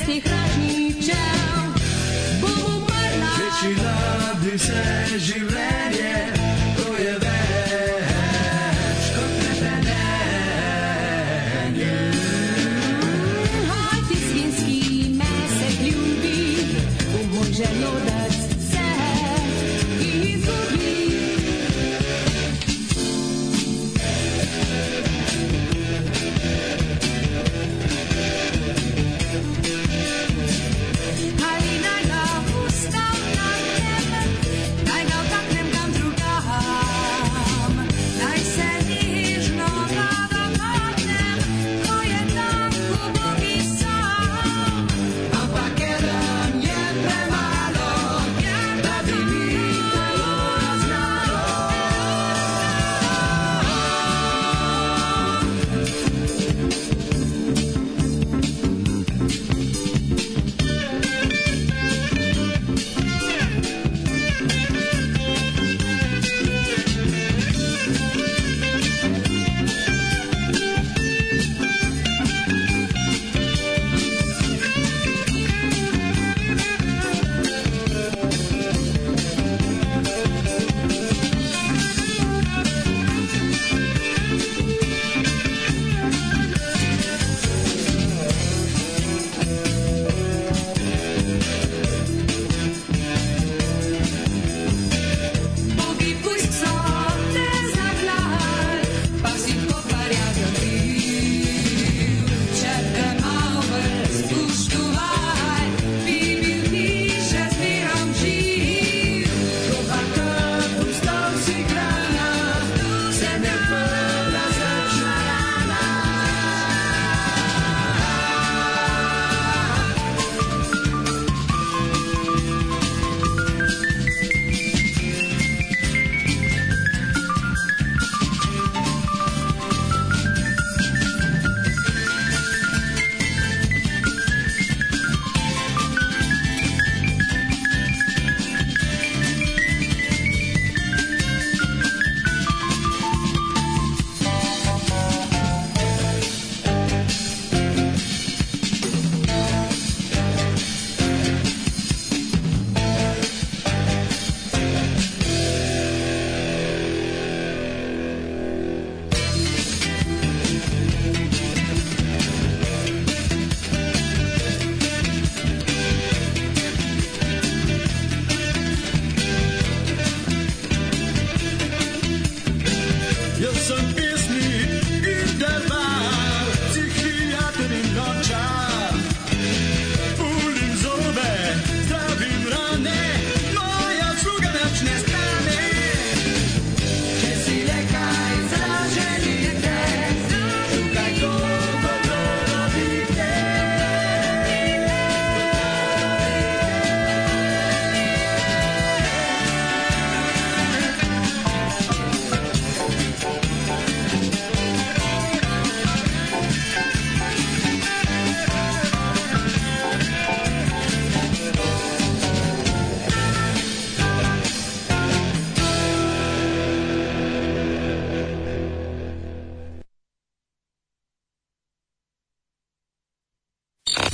těch radničel. Budu marná. Většina, kdy se živlenie, to je véčko trebenéně. Hajty svinský mések ľubí, pomôže lodec se i zubí.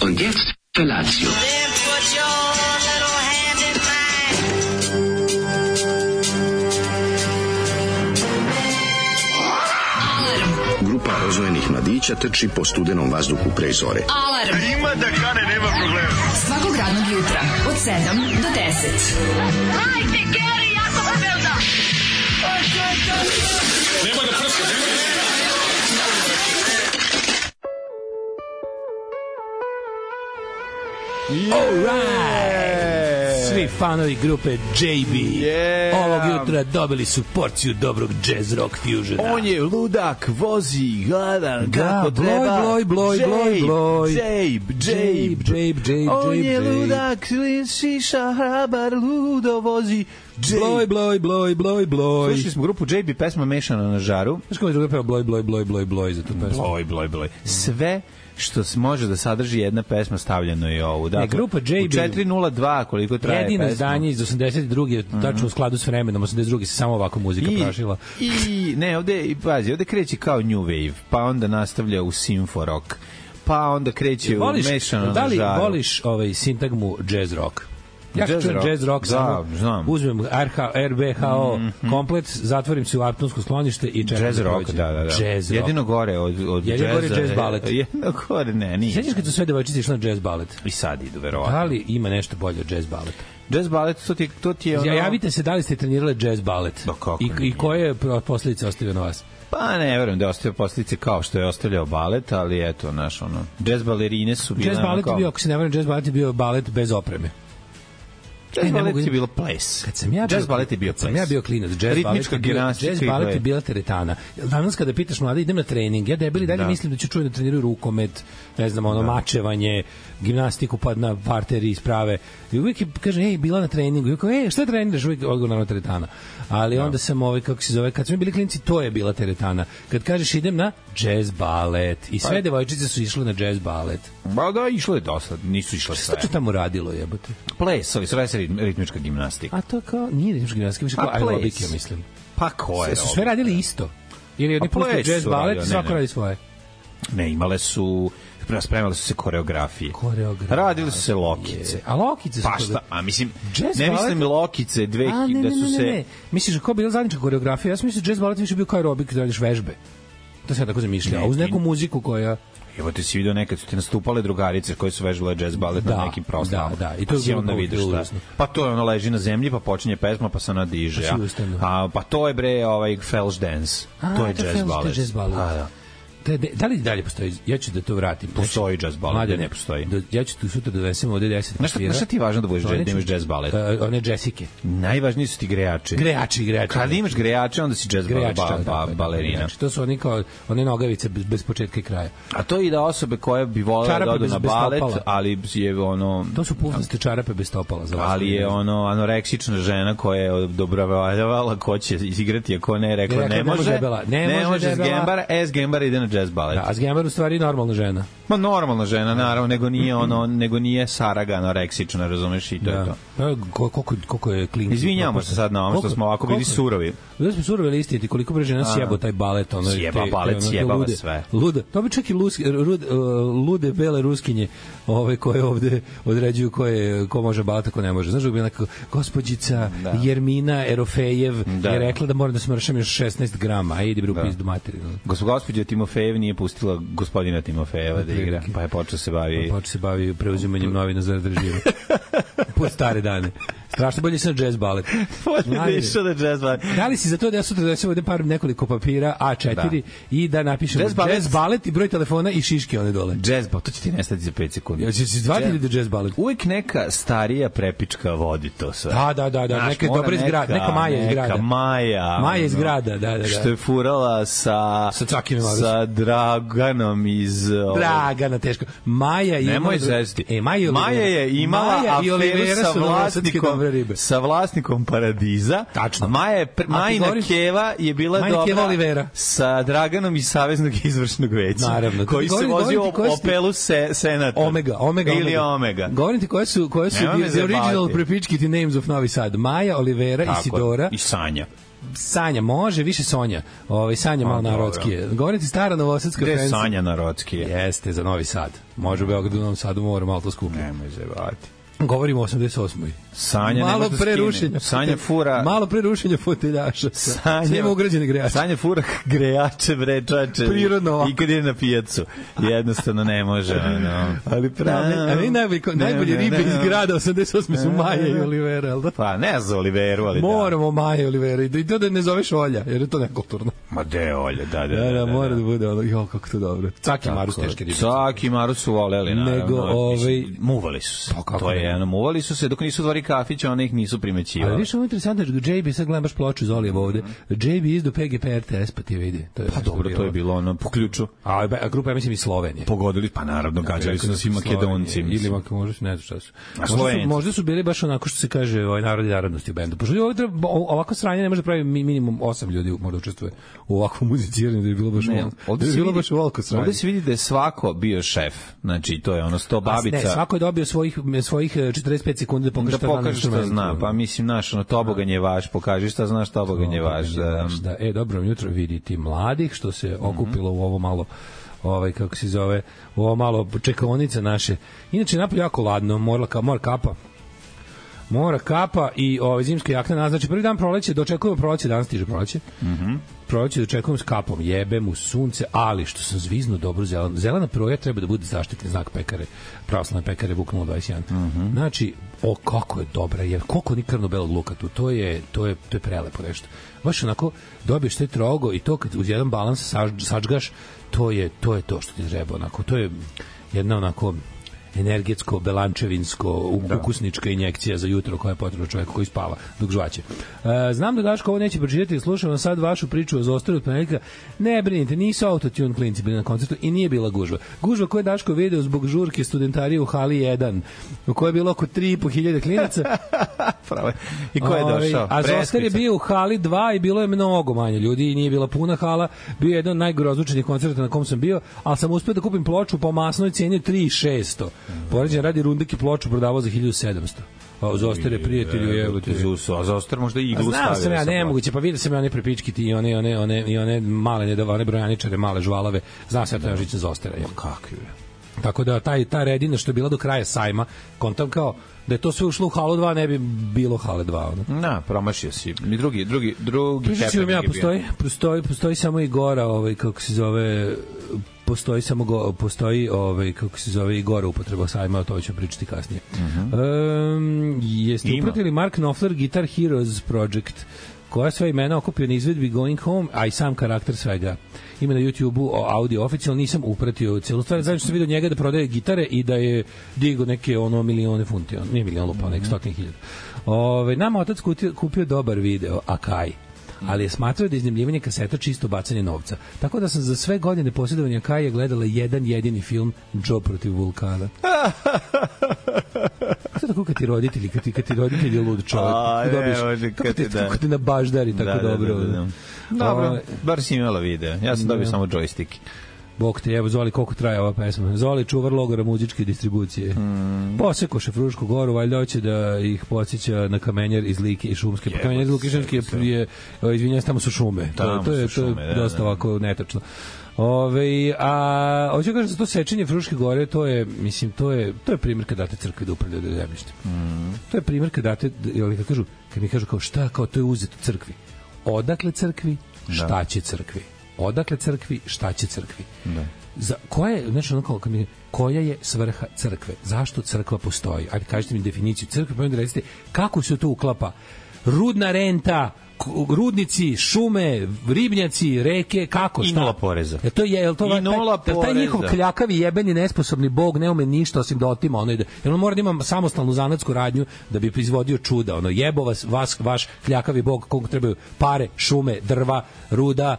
Und jetzt Felatio. Grupa oznojenih mladića trči po studenom vazduhu pre zore. Alarm! Ima da kane, nema problema. Svakog radnog jutra, od 7 do 10. Hajde, Geri, jako se velda! Nema da prska, nema da prska. Alright! Svi fanovi grupe JB ovog jutra dobili su porciju dobrog jazz rock fusiona. On je ludak, vozi, gladan, kako treba. Jabe. On je ludak, šiša, hrabar, ludo vozi. Bloj. Slušali smo grupu JB, pesma Mešana na žaru. Znaš kako je druga peva bloj za tu pesmu? Bloj. Sve što može da sadrži jedna pesma stavljeno je ovo. Dakle, grupa JB u 402 koliko traje pesma. Jedino izdanje iz 82. tačno u skladu s vremenom, 82. se samo ovako muzika prašila. I ne, ovde kreće kao new wave, pa onda nastavlja u symfo rock, pa onda kreće u mešano na da li žaru. voliš sintagmu jazz rock? Ja Jazz čujem rock. jazz rock, znam. uzmem RBHO komplet, zatvorim se u Arptonsko sklonište i čekam Jazz da rock, prođe. da. Jazz rock. Jedino gore od Jedino gore jazza. jazz balet. Jedino gore, ne, nije. Sjećaš kad su sve devojčice išle na jazz balet? I sad idu, verovatno. Da li ima nešto bolje od jazz baleta? Jazz balet, to ti je ono... Javite se da li ste trenirali jazz balet. Da, kako I koje je posljedice ostavio na vas? Pa ne, verujem da je ostavio posljedice kao što je ostavljao balet, ali eto, jazz balerine su bile... Jazz balet je bio, ako se ne varam, jazz balet je bio balet bez opreme. Jazz balet je bilo ples. Jazz balet je bio ples. Ja bio klinac, jazz balet je bila teretana. Danas kada pitaš mlade, idem na trening, ja debeli dalje mislim da ću čuti da treniraju rukomet, ne znam, mačevanje, gimnastiku, pa na parteri isprave. I uvijek kaže, ej, bila na treningu. I kao, šta treniraš? Uvijek odgovor na teretana. Ali onda sam kako se zove, kad smo bili klinci, to je bila teretana. Kad kažeš idem na jazz balet i sve devojčice su išle na jazz balet. Ba da, išlo je dosta, nisu išle sve. Šta to tamo radilo, jebote? Plesovi, sve se ritmička gimnastika. A to kao, nije ritmička gimnastika, više kao aerobik, ja mislim. Pa ko je? Su sve radili isto? Ili oni puštaju jazz balet i svako radi svoje? Ne, imale su... Spremale su se koreografije. Radili su se lokice. A lokice su... Pa šta? A mislim, ne mislim lokice da su se... Ne. Misliš, kao bila zajednička koreografija? Ja sam mislio jazz balet više bio kao aerobik, da radiš vežbe. To se ja tako zamišljao. A uz neku muziku koja... Evo ti si vidio nekad su ti nastupale drugarice koje su vežbale jazz balet na nekim proslavama. Da. I to je onda vidiš šta. Pa to je ono leži na zemlji, pa počinje pesma, pa se ona diže. Pa to je Felš dance. To je jazz balet. Da li dalje postoji? Ja ću da to vratim. Postoji jazz balet, ne postoji. Ja ću tu sutra da donesem ovde 10 papira. Znaš šta ti je važno da imaš jazz balet? One džesike. Najvažniji su ti grejači. Grejači. Kad imaš grejače, onda si jazz balerina. To su oni kao one nogavice bez početka i kraja. A to i da osobe koje bi volele da odu na balet, ali je ono... To su pufnaste čarape bez stopala. Ali je ono anoreksična žena koja je odobravala ko će izigrati, a ko ne, rekla ne može. Ne može s Gembara ide na jazz balet. Da, a Zgembar u stvari normalna žena. Ma normalna žena, naravno, nego nije Saraga anoreksična, razumeš, i to je to. Koliko je klinki. Izvinjamo se sad na ovom što smo ovako bili surovi. Da smo surovi listiti, koliko bre žena sjebo taj balet. Sjeba balet, sjebava sve. Luda. To bi čak i lude bele ruskinje koje ovde određuju ko može baleta, ko ne može. Znaš da bi neka gospođica Jermina Erofejev je rekla da mora da smršam još 16 grama, a idi bre u pizdu materinu. Gospođa Timofejev nije pustila gospodina Timofejeva da igra, pa je počeo se bavi preuzimanjem novina za državu. Pod stare dane. Strašno bolje se na jazz balet. Da li si za to da ja sutra donesem ovde nekoliko papira A4 i da napišem jazz balet i broj telefona i šiške one dole? Jazz balet, to će ti nestati za 5 sekundi. Jel će se zvati ili da jazz balet? Uvijek neka starija prepička vodi to sve. Da. Neka dobra izgrada. Neka Maja izgrada. Maja izgrada, da. Što je furala sa Draganom iz... Dragana, teško. Maja je... Nemoj zesti. Maja je imala aferu sa vlasnikom Paradiza. Tačno. Majina Keva je bila dobra sa Draganom iz Saveznog izvršnog veća. Naravno. Koji se vozio Opelu Senata. Omega. Ili Omega. Govorim ti koje su the original prepičkiti names of Novi Sad. Maja, Olivera, Isidora. I Sanja. Sanja, može, više Sonja. Sanja malo narodskije. Govorim ti stara novosadska fancy. Gde je Sanja narodskije? Jeste, za Novi Sad. Može u Beogradu, u Novom Sadu, mora malo to skuplje. Nemoj zevati. Govorimo o 88. Sanja malo pre rušenja. Sanja fura. Malo pre rušenja foteljaša. Sanja ugrađene grejače. Sanja fura grejače, brečače. Prirodno. I kad je na pijacu. Jednostavno ne može. Ali pravi. A vi najbolje ribe iz grada 88 su Maja i Olivera, al da? Pa ne za Oliveru, ali moramo Maja i Olivera. I to da ne zoveš Olja, jer je to nekulturno. Ma de Olja, da. Mora da bude ono, kako to dobro. Caki Marus teške ribe. Caki Marus su voleli, naravno. Muvali su se. To je muvali su se dok nisu otvorili kafić, oni ih nisu primećivali. Ali viš ovo je interesantno, JB, sad gledam baš ploču Zolijev ovde, JB izdo PGP RTS, pa ti vidi. Pa dobro, to je bilo ono po ključu. A grupa, ja mislim, i Slovenije. Pogodili, pa naravno, gađali su nas i Makedonci. Ili možda su, ne znam šta su. Možda su bili baš onako što se kaže narod i narodnosti u bendu. Pošto ovako sranje ne može da pravi minimum 8 ljudi možda učestvuje u ovakvom muziciranju, da je bilo baš ovako sranje. Ovde se vidi da je svako bio šef. Znači, to je ono 100 babica. Ne, svako je dobio svojih 45 sekundi da pokaže šta zna. Pa mislim, tobogan je vaš, pokaži šta znaš, tobogan je vaš. Dobro jutro, vidi ti mladih što se okupilo u ovo malo kako se zove, ovo malo čekaonica naše. Inače, napolje jako ladno, mora kapa i zimska jakna. Znači, prvi dan proleće, dočekujemo proleće, danas stiže proleće. Proleće dočekujemo s kapom, jebem u sunce, ali što sam zviznuo dobro zeleno. Zelena proja treba da bude zaštitni znak pekare, pravoslavne pekare Vuk 021. Znači, kako je dobra, jer koliko ni krvno-belog luka tu, to je prelepo nešto. Baš onako, dobiješ taj trogo i to kad uz jedan balans sačgaš, to je to što ti treba, onako, to je jedna onako energetsko, belančevinsko, ukusnička injekcija za jutro koja je potrebna čoveku koji spava dok žvaće. Znam da Daško ovo neće pročitati, slušam sad vašu priču o Zostaru od ponedjeljka. Ne brinite, nisu autotune klinci bili na koncertu i nije bila gužva. Gužva koju je Daško video zbog žurke studentarije u hali 1, u kojoj je bilo oko 3.500 klinaca. I ko je došao? A Zostar je bio u hali 2 i bilo je mnogo manje ljudi i nije bila puna hala. Bio je jedan od najgrozvučnijih koncerta na kom sam bio, ali sam uspeo da kupim ploču po masnoj cijeni 3.600. Poređen radi Rundeki ploču prodavao za 1.700. A Zostar je prijatelju a Zostar možda i iglu stavio. Znao sam ja, nemoguće, pa vidio sam ja one prepičkiti i one male one brojaničare, male žvalave. Znao sam ja to je žičan Zostara. Kakvi je. Tako da ta redina što je bila do kraja sajma, kontam kao da je to sve ušlo u halu 2, ne bi bilo hale 2. Na, promašio si. Mi drugi stepen ja, postoji samo i gora, kako se zove, postoji kako se zove i gore upotreba sajma, o to ću pričati kasnije. Jeste upratili Mark Knopfler Guitar Heroes Project, koja sve imena okupio na izvedbi Going Home, a i sam karakter svega. Ima na YouTube-u audio oficijalno, nisam upratio celu stvar, znači što sam vidio njega da prodaje gitare i da je digo neke milione funti, nije milion lupa, nek 100.000. Nama otac kupio dobar video, a kaj? Ali je smatrao da je iznajmljivanje kaseta čisto bacanje novca. Tako da sam za sve godine posjedovanja Kaja gledala jedan jedini film, Joe protiv vulkana. Sada tako kad ti roditelji je lud čovjek. Kako ti na baždari tako dobro. Dobro, bar si imala video. Ja sam dobio samo joystick. Bog te, evo, Zoli, koliko traje ova pesma. Zoli, čuvar logora muzičke distribucije. Posekoše Frušku goru, valjda hoće da ih podsjeća na Kamenjar iz Like i Šumske. Pa Kamenjar iz Like i Šumske je izvinjam, tamo su šume. To je dosta ovako netačno. A hoću kažem za to sečenje Fruške gore, to je primjer kad date crkvi da upravljaju zemljište. To je primjer kad date, kad mi kažu kao šta, kao to je uzeto crkvi. Odakle crkvi, šta će crkvi? Odakle crkvi, šta će crkvi? Koja je svrha crkve? Zašto crkva postoji? Ajde, kažite mi definiciju crkve, pa onda recite kako se to uklapa. Rudna renta, rudnici, šume, ribnjaci, reke, kako, šta? I nula poreza. Taj njihov kljakavi, jebeni, nesposobni bog ne ume ništa osim da otima. Jer on mora da ima samostalnu zanatsku radnju da bi proizvodio čuda. Jebo vas, vaš kljakavi bog, koliko trebaju pare, šume, drva, ruda,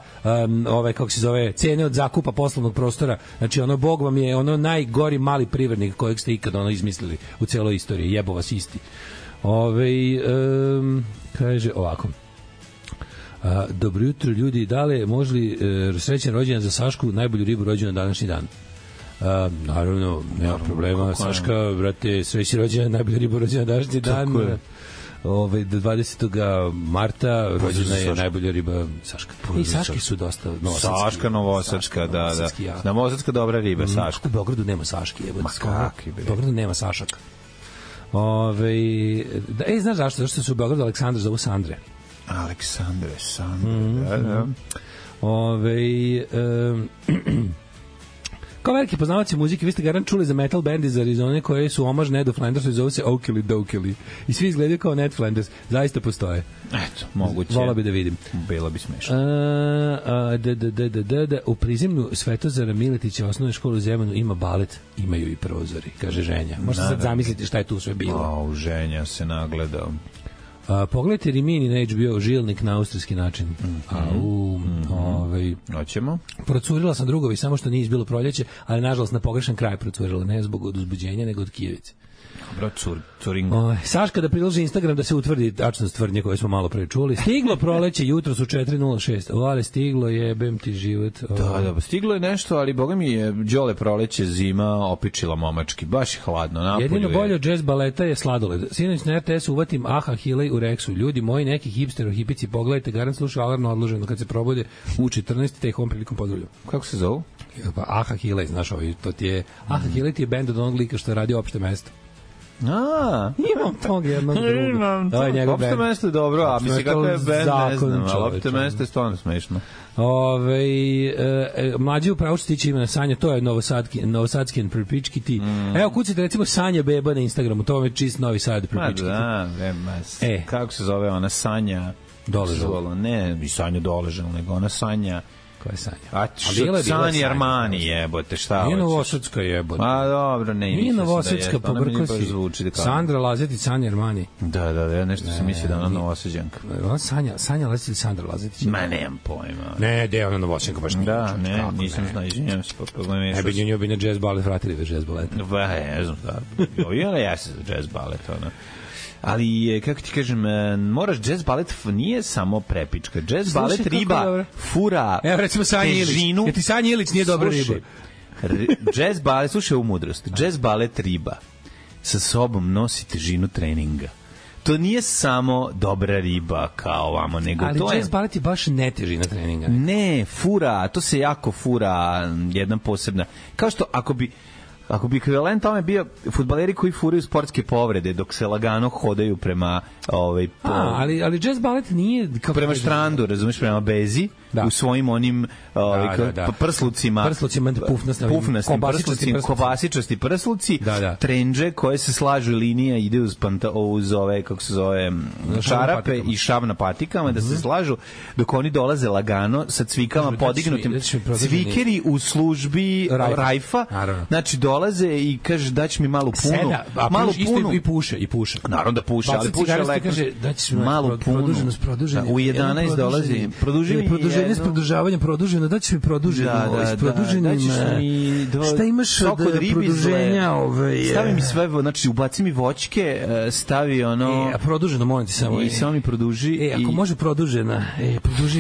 kako se zove, cene od zakupa poslovnog prostora. Znači, bog vam je najgori mali privrednik kojeg ste ikada izmislili u celoj istoriji. Jebo vas isti. Kaže ovako. Dobro jutro ljudi, dale možli srećan rođendan za Sašku, najbolju ribu rođenu na današnji dan? Naravno, nema problema. Saška, brate, srećan rođendan, najbolju ribu rođenu na današnji dan. Do 20. marta rođena je najbolja riba Saška. I Saške su dosta novosadski. Saška novosadska, da. Novosadska dobra riba, Saška. U Beogradu nema Saške. U Beogradu nema Sašaka. Znaš zašto? Zašto se u Beogradu Aleksandar zovu Sandre? Aleksandre, da. Kao veliki poznavaci muzike, vi ste garant čuli za metal band iz Arizone koje su omaž Nedu Flandersu i zove se Oakley Doakley. I svi izgledaju kao Ned Flanders. Zaista postoje. Eto, moguće. Vola bi da vidim. Bilo bi smešno. U prizemlju Svetozara Miletića osnovne škole u Zemanu ima balet, imaju i prozori, kaže Ženja. Možete sad zamisliti šta je tu sve bilo. Ženja se nagledao. Pogledajte Rimini na HBO, Žilnik na austrijski način. Hoćemo. Procurila sam drugovi, samo što nije izbilo proljeće, ali nažalost na pogrešan kraj procurila, ne zbog od uzbuđenja, nego od Kijevice. Dobro, curingo. Saška da priloži Instagram da se utvrdi tačnost tvrdnje koje smo malo pre čuli. Stiglo proleće, jutro su 4:06. Ali stiglo, jebem ti život. Da, stiglo je nešto, ali boga mi je đole proleće, zima opičila momački. Baš je hladno. Napolju jedino bolje od jazz baleta je sladoled. Sinoć na RTS uvatim Aha Hilej u Rexu. Ljudi moji, neki hipstero, hipici, pogledajte, garant slušaju Alarm odloženo kad se probode u 14. te ih ovom prilikom pozdravljaju. Kako se zovu? Pa Aha Hile, znaš ovaj, to ti je... Aha Hile ti je bend od onog lika što je radio Opšte mesto. Imam tog jednog druga. To je njegov bend. Opšte mesto je dobro, a misli kako je bend, ne znam, ali Opšte mesto je stvarno smešno. Mlađi upravo što tiče imena Sanja, to je Novosadski prepički ti. Evo, kucite recimo Sanja Beba na Instagramu, to vam je čist Novi Sad prepički ti. Kako se zove ona Sanja? Doležala. Ne, i Sanja Doležala, nego ona Sanja... Koja je Sanja? Sanja Armani jebote, šta hoćeš? Nije Novosadska jebote. A dobro, nije Novosadska, pobrko si. Sandra Lazetić, Sanja Armani. Da, nešto sam mislio da ona Novosađanka. Ona Sanja Lazetić ili Sandra Lazetić? Ma nemam pojma. Ne, da je ona Novosadjanka, baš nije. Da, ne, nisam znao, izvinjam se. Ne bi nju bi na jazz balet vratili ve jazz baleta. Ne znam, da. Ona jeste za jazz balet, ona. Ali, kako ti kažem, moraš, jazz balet nije samo prepička. Jazz balet riba fura evo recimo Sanja Ilić. Jer ti Sanja Ilić nije dobra riba. Jazz balet, slušaj ovu mudrost. Jazz balet riba sa sobom nosi težinu treninga. To nije samo dobra riba kao ovamo, nego ali to je... Ali jazz balet je baš netežina treninga. Ne, fura, to se jako fura, jedna posebna. Kao što ako bi ekvivalent tome bio fudbaleri koji furaju sportske povrede dok se lagano hodaju prema ali jazz balet nije prema štrandu, razumeš, prema bezi u svojim onim prslucima pufnastim prslucima, kobasičasti prsluci, trendže koje se slažu i linija ide uz ove, kako se zove, čarape i šav na patikama, da se slažu dok oni dolaze lagano sa cvikama podignutim, cvikeri u službi rajfa, znači dolaze i kaže daći mi malu punu, malu punu i puše. Naravno da puše, ali puše leko. Malu punu. U 11 dolazi. Produženje s produžavanjem produženo, daći mi produženo. Šta imaš od produženja? Stavi mi sve, znači ubaci mi voćke, stavi ono... Produženo, molim ti samo. I samo mi produži. Ako može produžena,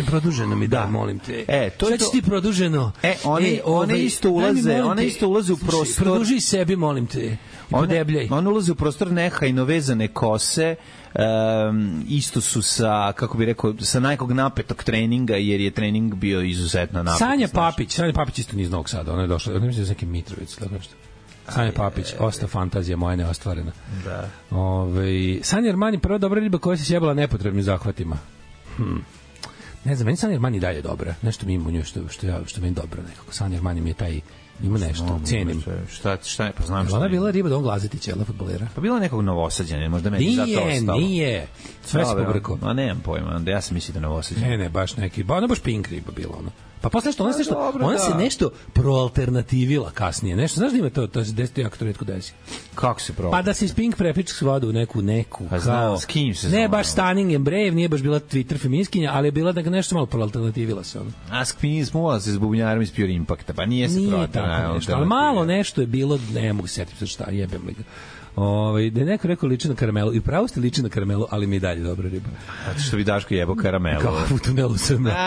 produženo mi da, molim te. Šta će ti produženo? One isto ulaze u prostor. Produži sebi, molim te. One ulaze u prostor nehajno vezane kose, isto su sa, kako bih rekao, sa nekog napetog treninga, jer je trening bio izuzetno napet. Sanja Papić isto niz Novog Sada, ona je došla, ona je iz neke Mitrovice, tako nešto. Sanja Papić, osta fantazija moja neostvarena. Da. Sanja Armani, prva dobra riba koja se sjebala nepotrebnim zahvatima. Ne znam, meni Sanja Armani dalje dobra. Nešto mi ima u njoj što meni dobro nekako. Sanja Armani mi je taj... Ima nešto, cenim. Šta je, pa znam šta. Ona je bila riba da on Glazetić, jel, fudbalera? Pa bila nekog Novosađana, možda meni zato ostalo. Nije. Sve se pobrko. Ma nemam pojma, ja sam mislio da Novosađana. Ne, baš neki. Ona baš pink riba bila, ono. Pa posle što ona se nešto proalternativila kasnije. Nešto, znaš da ima to se desi jako to retko desi. Kako se Pa da se iz Pink prepičak svodu u neku pa znao, s kim se ne baš Stunning and Brave, nije baš bila Twitter feminiskinja, ali je bila da nešto malo proalternativila se ono. A s kim smo se s bubnjarom iz Pure Impacta, pa nije se proalternativila. Ali malo nešto je bilo, ne mogu se setiti šta, jebem li ga. Da je neko rekao liči na karamelu, i pravo ste liči na karamelu, ali mi je dalje dobra riba. Zato što bi Daško jebo karamelu. Kao u tunelu sred mraka.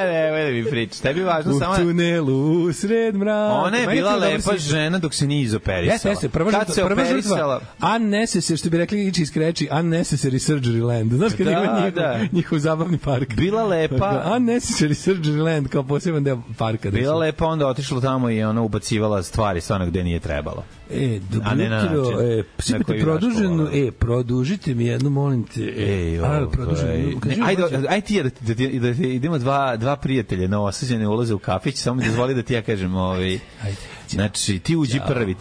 Ne mi pričaš, tebi važno samo... U tunelu sred mraka. Ona je bila lepa žena dok se nije izoperisala. Jeste, prva žrtva. Unnecessary, što bi rekli ići iz kreći, unnecessary surgery land. Znaš kad ima njihov zabavni park. Bila lepa. Unnecessary surgery land, kao poseban deo parka. Bila lepa, onda otišla tamo i ona ubacivala stvari stvarno gde nije trebalo. Dobro jutro, produžite mi jednu, molim te. Ajde ti da idemo dva prijatelja Novosađane ulaze u kafić, samo dozvoli da ti ja kažem, znači ti uđi prvi,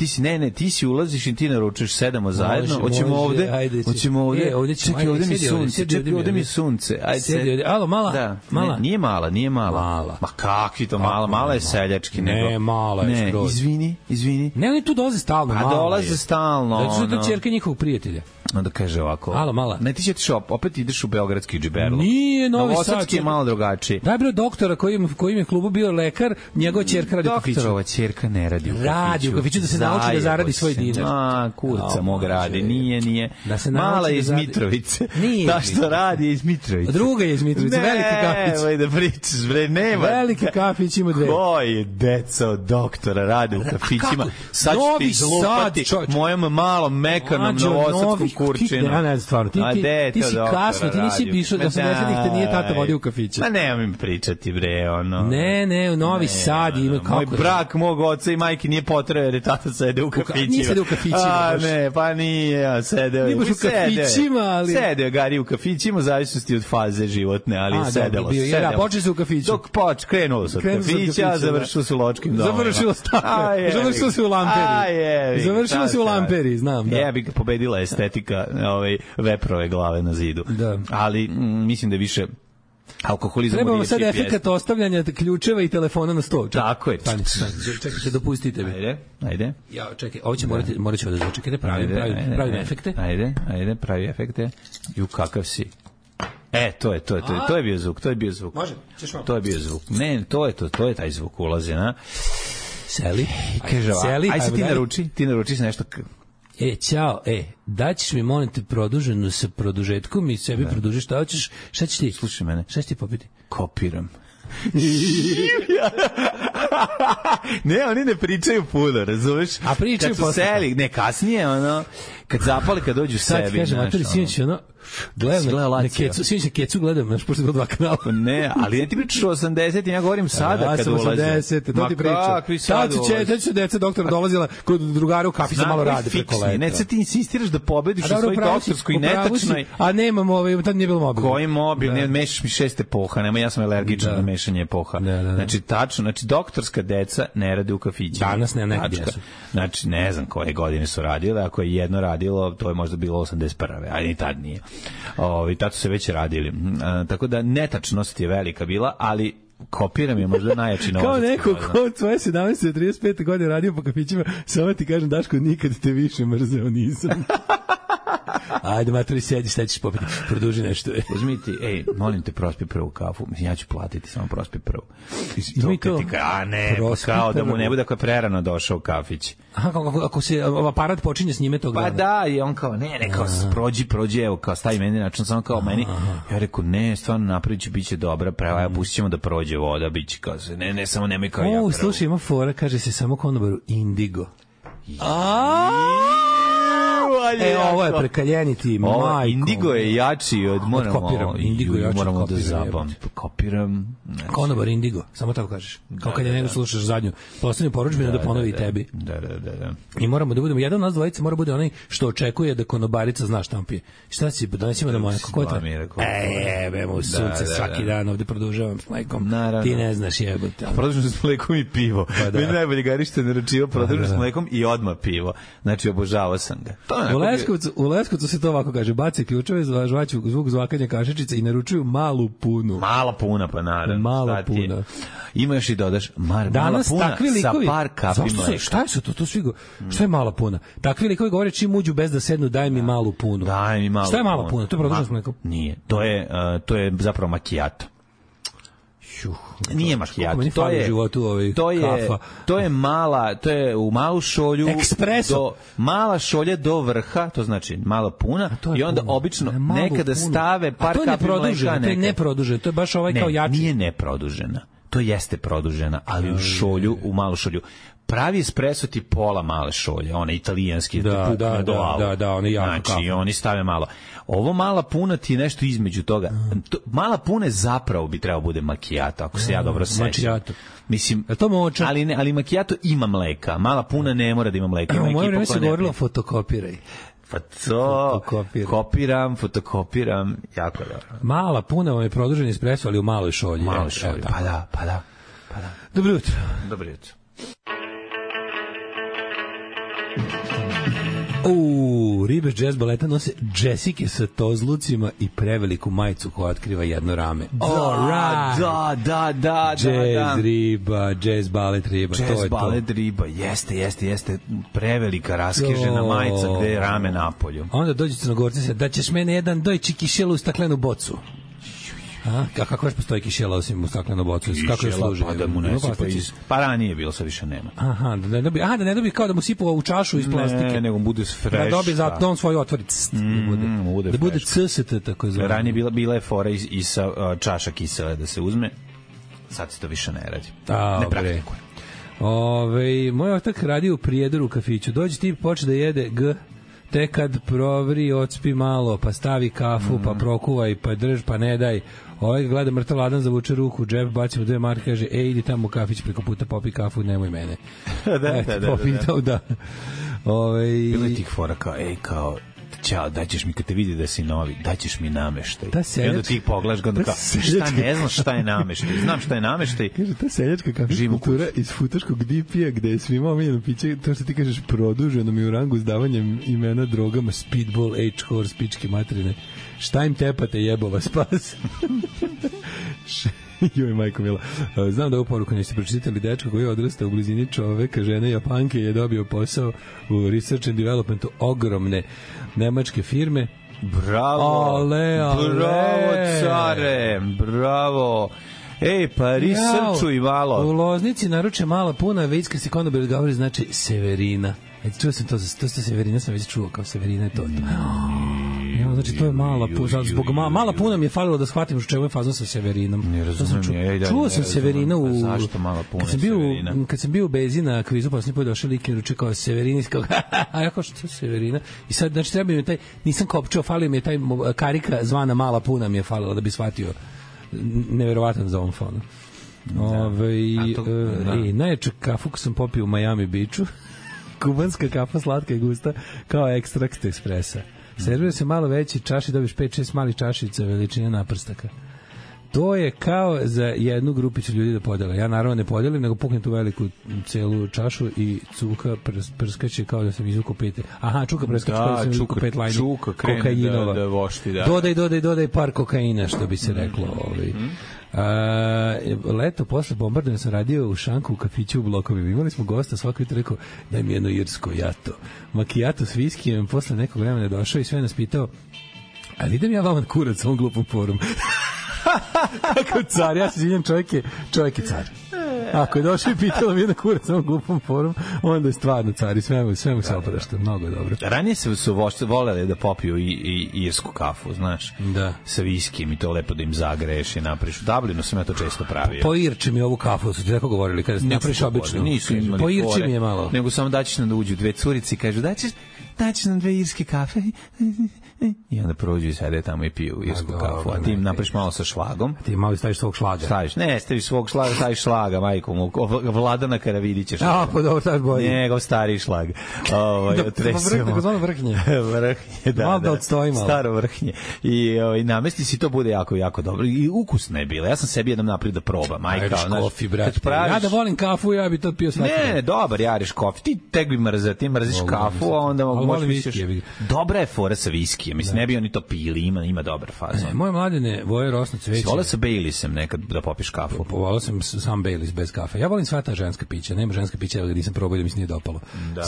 ti si ulaziš i ti naručuješ, sedamo zajedno, hoćemo ovde, čekaj, ovde mi sunce, ajde. Alo, mala? Nije mala. Ma kakvi to mala je seljački. Ne, mala je skroz. Izvini. Ne, oni tu dolaze stalno, mala je. A dolaze stalno. Znači to ćerka njihovog prijatelja. Onda kaže ovako. Alo, mala. Ne, ti ćeš opet ideš u beogradski džiberlo. Nije, Novi Sad. Novosadski je malo drugačiji. Daj bre doktora koji je klubu bio lekar, njegova ćerka radi u kafiću. Doktorova ćerka ne radi u kafiću. Radi u kafiću da se nauči da zaradi svoj dinar. Kurca mog radi, nije. Mala je iz Mitrovice. Ta što radi je iz Mitrovice. Druga je iz Mitrovice, veliki kafić. Ne, da pričaš, bre, nema. Veliki kafić ima dve. Koji deca od doktora rade u kafićima? Sad ću ti izlupati mojom malom mekanom novosadskom kurčinu. Ja ne znam stvarno, ti si kasno, ti nisi išao da 80-ih te nije tata vodio u kafiće. Ma nemoj mi pričati bre, ono. Ne, u Novi Sad ima kako. Moj brak mog oca i majke nije potreo jer je tata sede u kafićima. Nije sede u kafićima. Ne, pa nije, sedeo. Nije baš u kafićima, ali... Sedeo Gari u kafićima, zavisnosti od faze životne, ali sedelo. Da, počeli se u kafiću. Dok krenulo se od kafića, završilo se u ločkim domima. Završilo se u Lamperi. Završilo se u Lamperi, znam. Jebi ga, pobedila estetika veprove glave na zidu. Ali mislim da više alkoholizam. Trebamo sad efekat ostavljanja ključeva i telefona na sto. Tako je. Čekajte, dopustite mi. Ajde. Ja, čekaj, ovo će morat ću da začekajte, pravim efekte. Ajde, pravi efekte. Ju, kakav si. To je bio zvuk. Može, ćeš vam. To je bio zvuk. Ne, to je taj zvuk ulaze, na. Seli. Aj se ti naruči se nešto. Ćao, daćeš mi, molim te, produženu sa produžetkom i sebi produžiš, šta hoćeš, šta ćeš ti? Slušaj mene. Šta ćeš ti popiti? Kopiram. Ne, oni ne pričaju puno, razumeš? A pričaju posle. Kad su seli, ne, kasnije, ono, kad zapali, kad dođu sebi. Sad ti kažem, Matori, sinoć, ono, gledam na Kecu, sinoć na Kecu gledam, znaš, pošto je bilo 2 kanala. Ne, ali ne ti pričaš o 80, ja govorim sada kad ulaze. Ja sam 80, to ti pričam. Sad su deca doktora dolazila kod drugara u kafi, za malo rade preko leta. Ne, sad ti insistiraš da pobediš u svoj doktorskoj netačnoj. A nemam, tad nije bilo mobil. Koji mobil, ne, mešaš mi 6 epoha, nema, ja sam alergičan na mešanje epoha. Znači, tačno, znači, doktorska deca ne rade u kafićima. Danas ne, nekad jesu. Znači, ne znam koje godine su radile, ako je jedno radilo, to je možda bilo 81. A ni tad nije. Tad su se već radili. Tako da netačnost je velika bila, ali kopiram je možda najjači novac. Kao neko ko tvoje 17-35 godine radio po kafićima, samo ti kažem, Daško, nikad te više mrzeo nisam. Ajde, Matori, sedi, šta ćeš popiti? Produži nešto. Uzmi ti, molim te, prospi prvu kafu. Ja ću platiti, samo prospi prvu. Ima i to. A ne, kao da mu ne bude ako je prerano došao u kafić. Aha, ako se aparat počinje s njime tog dana. Pa da, i on kao, ne, kao prođi, evo, kao stavi meni način, samo kao meni. Ja rekao, ne, stvarno napravit ću, bit će dobra, prava, pustit ćemo da prođe voda, bit će kao se, ne, samo nemoj kao ja pravo. Slušaj, ima fora, kaže se samo konobaru Indigo. Ovo je prekaljeniti, majko. Indigo je jači od moramo da zabam. Kopiram. Konobar Indigo, samo tako kažeš. Kao kad je nego slušaš zadnju poslednju porudžbinu da ponovi i tebi. Da. I moramo da budemo, jedan od nas dvojice mora bude onaj što očekuje da konobarica zna šta pije. Šta si, donesimo da moja, kako je to? Jebemo sunce svaki dan, ovde produžavam s mlekom. Ti ne znaš, jebote. Produžavam s mlekom i pivo. Meni najbolje Gari što je naručio produžavam s mlekom i odmah pivo. Znači, obožavao sam ga. U Leskovcu se to ovako kaže, baci ključeve, žvaću zvuk zvakanja kašičice i naručuju malu punu. Mala puna, pa naravno. Mala puna. Ima još i dodaš, mala puna sa par kapi mleka. Šta je to svigo? Šta je mala puna? Takvi likovi govore čim uđu bez da sednu, daj mi malu punu. Daj mi malu punu. Šta je mala puna? To je produženo s mlekom? Nije. To je zapravo macchiato. Nije macchiato, to je mala, to je u malu šolju, mala šolja do vrha, to znači mala puna i onda obično nekada stave par kapi mleka. To je neproduženo, to je baš ovaj kao jači. Nije neprodužena, to jeste produžena, ali u šolju, u malu šolju. Pravi espresso ti pola male šolje, one italijanski, da, oni jako znači, kafu. Oni stave malo. Ovo mala puna ti je nešto između toga. Mala puna zapravo bi trebao bude macchiato, ako se ja dobro sećam. Mislim, to moča. Ali macchiato ima mleka, mala puna ne mora da ima mleka. U moje vreme se govorilo fotokopiraj. Pa to, fotokopiram, jako dobro. Mala puna vam je produženi espresso, ali u maloj šolji. Pa da. Dobro jutro. Ribe jazz baleta nose džesike sa tozlucima i preveliku majicu koja otkriva jedno rame. Da. Jazz riba, jazz balet riba, to je to. Jazz balet riba, jeste. Prevelika raskežena majica gde je rame napolju. Onda dođe Crnogorci se, da ćeš mene jedan dojči kišelu u staklenu bocu. A kako još postoji kišela osim u staklenu bocu? Kako je služi? Pa da mu ne sipa iz... Pa ranije bilo, sad više nema. Aha, da ne dobi kao da mu sipa u čašu iz plastike. Ne, nego bude fresh. Da dobi za on svoj otvoric. Da bude CST, tako zove. Ranije bila je fora i sa čaša kisele da se uzme. Sad se to više ne radi. Ne praktikuje. Moj otak radi u Prijedoru u kafiću. Dođe ti počne da jede te kad provri, odspi malo, pa stavi kafu, pa prokuvaj, pa drž, pa ne daj. Ovaj gleda mrtav ladan, zavuče ruku, džep, bacimo 2 marke, kaže, idi tamo u kafić preko puta, popi kafu, nemoj mene. da. Bilo je tih fora kao, kao, ćao, daćeš mi kad te vidi da si novi, daćeš mi nameštaj. I onda ti pogledaš ga, kao, šta, ne znaš šta je nameštaj, znam šta je nameštaj. Kaže, ta seljačka kafe kultura iz futaškog DP-a, gde je svima omiljeno piće, to što ti kažeš, produženo mi u rangu s davanjem imena drogama, speedball, H-horse, pičke materine. Šta im tepate, jebova spas? Joj, majko mila. Znam da ovu poruku niste pročitali. Dečko koji je odrastao u blizini čoveka, žene Japanke, je dobio posao u research and developmentu ogromne nemačke firme. Bravo! Bravo, care! Bravo! Pa researchuj malo. U Loznici naruče mala puna, vejska se konobar govori, znači Severina. Čuo sam to Severina, sam već čuo kao Severina je to. Znači to je mala puna, zbog mala puna mi je falilo da shvatim u čemu je fazon sa Severinom. Ne razumijem. Čuo sam Severina u... Zašto mala puna Severina? Kad sam bio u Bezi na kvizu, posljednji put došao lik i ruče kao Severina, a ja kao što je Severina? I sad, znači, treba mi taj, nisam kopčao, falio mi je taj karika zvana mala puna mi je falilo da bi shvatio neverovatan za ovom fonu. Najjaču kafu sam popio u Miami Beachu. Kubanska kafa, slatka i gusta, kao ekstrakt ekspresa. Servira se malo veći čaši, dobiš 5-6 malih čašica veličine naprstaka. To je kao za jednu grupicu ljudi da podele. Ja naravno ne podelim, nego puknem tu veliku celu čašu i cuka prskaće kao da sam izvukao 5. Aha, čuka prskaće kao da sam izvukao 5 lajni kokainova. Da vošti, da. Dodaj par kokaina, što bi se reklo. Leto posle bombardovanja sam radio u šanku u kafiću u blokovima. Imali smo gosta, svako jutro rekao, daj mi jedno irsko jato. Makijato s viskijem, posle nekog vremena je došao i sve nas pitao, ali idem ja vama kurac ovom glupom forum. Kako car, ja se izvinjam, čovjek je car. Ako je došao i pitalo mi jedna kurac na ovom glupom forum, onda je stvarno car i sve mu se oprašta, mnogo dobro. Ranije su voleli da popiju i irsku kafu, znaš, sa viskijem i to lepo da im zagreješ i napriš. U Dublinu sam ja to često pravio. Poirči mi ovu kafu, su ti tako govorili, kada napriš obično. Nisu imali poirči mi je malo. Nego samo daćeš nam da uđu 2 curice i kažu, daćeš nam 2 irske kafe i onda prođu i sede tamo i piju irsku kafu, a ti im napriš malo sa šlagom. Ti malo staviš svog šlaga. Staviš svog šlaga, staviš šlaga, majko, Vladana Karavidića. Pa dobro, staviš bolje. Njegov stari šlag. Vrhnje, da. Malo da odstoji malo. Staro vrhnje. I namesti si to bude jako, jako dobro. I ukusno je bilo. Ja sam sebi jednom napravio da probam. Kofi, brate. Ja da volim kafu, ja bi to pio svaki. Ne, dobar, jariš kofi. Ti tek bi mrzeo, ti mrziš kafu, a onda možeš... Dobra je fora sa viskijem. Mislim, ne bi oni to pili, ima dobar fazon. Moje mladene voje rosno cveće. Volao sa Baileysem nekad da popiš kafu. Volao sam sam Baileys bez kafe. Ja volim sva ta ženska pića. Nema ženska pića, ali nisam probao da mi se nije dopalo.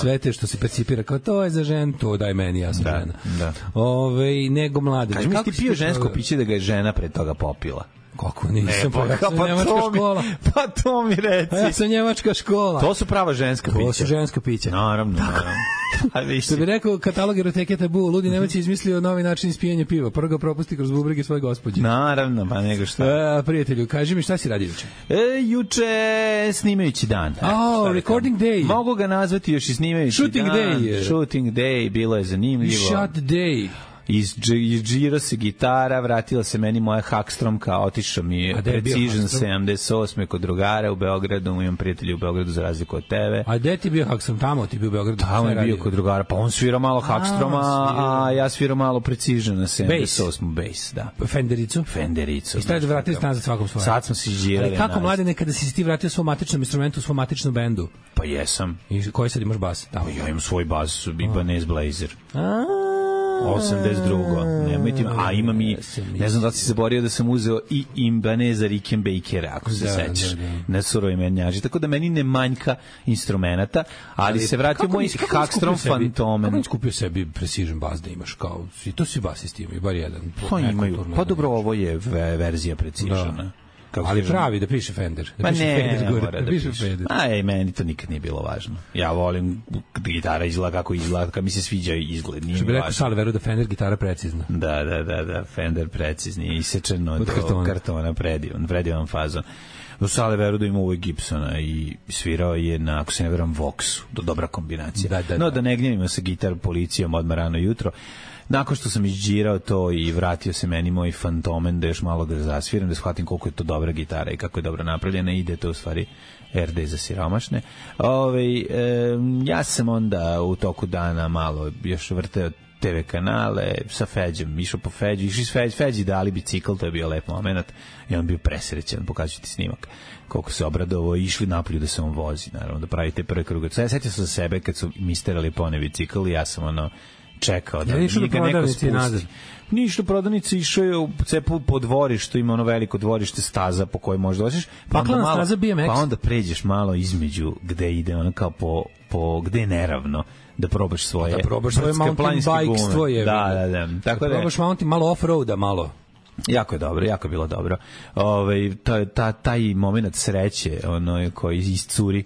Sve te što se percipira kao to je za ženu, to daj meni, ja sam žena. Nego mladene. Kaži mi, ti pio žensko piće da ga je žena pred toga popila? Kako nisam, njemačka škola. Pa to mi reci. Ja sam njemačka škola. To su prava ženska pića. To su ženska pića. Naravno. Što bi rekao katalog eroteke tabu, ludi Nemac je izmislio novi način ispijanja piva. Prvo ga propusti kroz bubrege svoje gospođe. Naravno, pa nego šta. Prijatelju, kaži mi šta si radio juče? Juče snimajući dan. Recording day. Mogu ga nazvati još i snimajući Shooting dan. Day. Shooting day, bilo je zanimljivo. Shot day. Izđira se gitara, vratila se meni moja Hakstromka, otišao mi je Precision 78 kod drugara u Beogradu, imam prijatelji u Beogradu za razliku od tebe. A gde ti bio Hakstrom? Tamo ti bio u Beogradu? Tamo je bio kod drugara, pa on svira malo Hakstroma, a ja sviram malo Precision na 78 bass, da. Fendericu. I stavite vratili ste nazad svakom svojem. Sad smo se izđirali. Ali kako mlade nekada si ti vratio svom matičnom instrumentu, svom matičnom bendu? Pa jesam. I koji sad imaš bas? Ja imam svoj bas, Ibanez Blazer. 82. Nemojte, a imam i, ne znam da si se borio da sam uzeo i Ibaneza Rickenbackera, ako se sećaš, na surovi menjaži, tako da meni ne manjka instrumenta, ali se vratio moj Hakstrom Fantomen. Kako nisi kupio sebi Precision bas da imaš, kao, i to si basist imaju, bar jedan. Pa imaju, pa dobro, ovo je verzija Precisiona. Ali pravi da piše Fender. Da piše Fender gore. Da piše Fender. Meni to nikad nije bilo važno. Ja volim gitara izgleda kako izgleda, kad mi se sviđa izgled. Što bi rekao Salveru da Fender gitara precizna. Da, Fender precizni, isečeno od kartona, predivan fazon. Do Sale Veruda ima uvek Gibsona i svirao je na, ako se ne veram, Voxu. Dobra kombinacija. Da ne gnjavimo sa gitar policijom odmah rano jutro. Nakon što sam izđirao to i vratio se meni moj Fantomen da još malo ga zasviram, da shvatim koliko je to dobra gitara i kako je dobro napravljena, ide to u stvari RD za siromašne. Ja sam onda u toku dana malo još vrteo TV kanale sa Feđom, išao po Feđu, išli s Feđi dali bicikl, to je bio lep moment i on bio presrećan, pokazati snimak koliko se obradovo, išli napolju da se on vozi, naravno, da pravite prvi krug. Setio sam za sebe kad su mi sterali pone bicikl i ja sam čekao da njega neko spusti. Ništa prodavnice, išao je u cepu po dvorištu, ima ono veliko dvorište, staza po kojoj možeš dođeš, pa onda pređeš malo između gde ide, ono kao po gde je neravno, da probaš svoje mountain bike tvoje. Da. Tako da probaš mountain, malo off-roada, malo. Jako je dobro, jako je bilo dobro. Taj moment sreće, koji iscuri,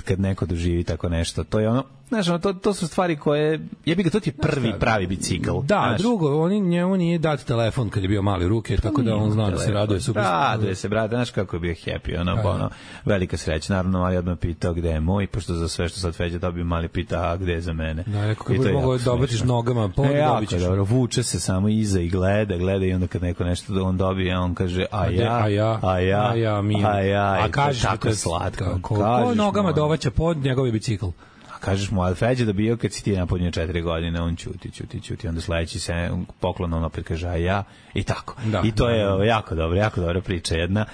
kad neko doživi tako nešto, to je ono. Znaš, to su stvari koje... to ti je prvi pravi bicikl. Da, drugo, njemu nije dati telefon kad je bio mali u ruke, tako da on zna da se raduje super. Raduje se, brate, znaš kako je bio happy, velika sreća. Naravno, mali odmah pitao gde je moj, pošto za sve što sad Feđa dobio, mali pita, a gde je za mene. Da, rekao, kako bi mogo da obratiš nogama, dobit ćeš. Dobro, vuče se samo iza i gleda i onda kad neko nešto on dobije, on kaže, a ja, kažeš tako slatko. Ko nogama dovaća pod njegovi bicikl? Kažeš mu, ali Feđa da bio kad si ti napodnio 4 godine, on ćuti, onda sledeći se poklon, on opet kaže, a ja, i tako. I to je jako dobra priča, jedna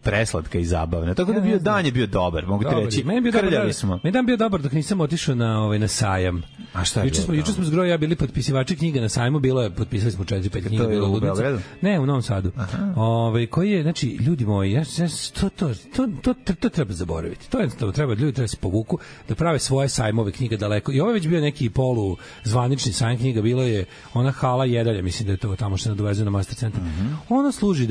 preslatka i zabavna. Tako da dan je bio dobar, mogu ti reći, krljali smo. Meni dan bio dobar dok nisam otišao na sajam. A šta je bilo? Juče smo s Groja bili potpisivači knjiga na sajmu, potpisali smo 4-5 knjiga. To je u Beogradu? Ne, u Novom Sadu. Koji je, znači, ljudi moji, to treba zaboraviti. To jednostavno treba, ljudi treba se povuku, da prave svoje sajmove knjiga daleko. I ovo je već bio neki polu zvanični sajam knjiga, bilo je ona hala Jedalja, mislim da je to tamo što se nadovezuje na Master Centar. Ona služi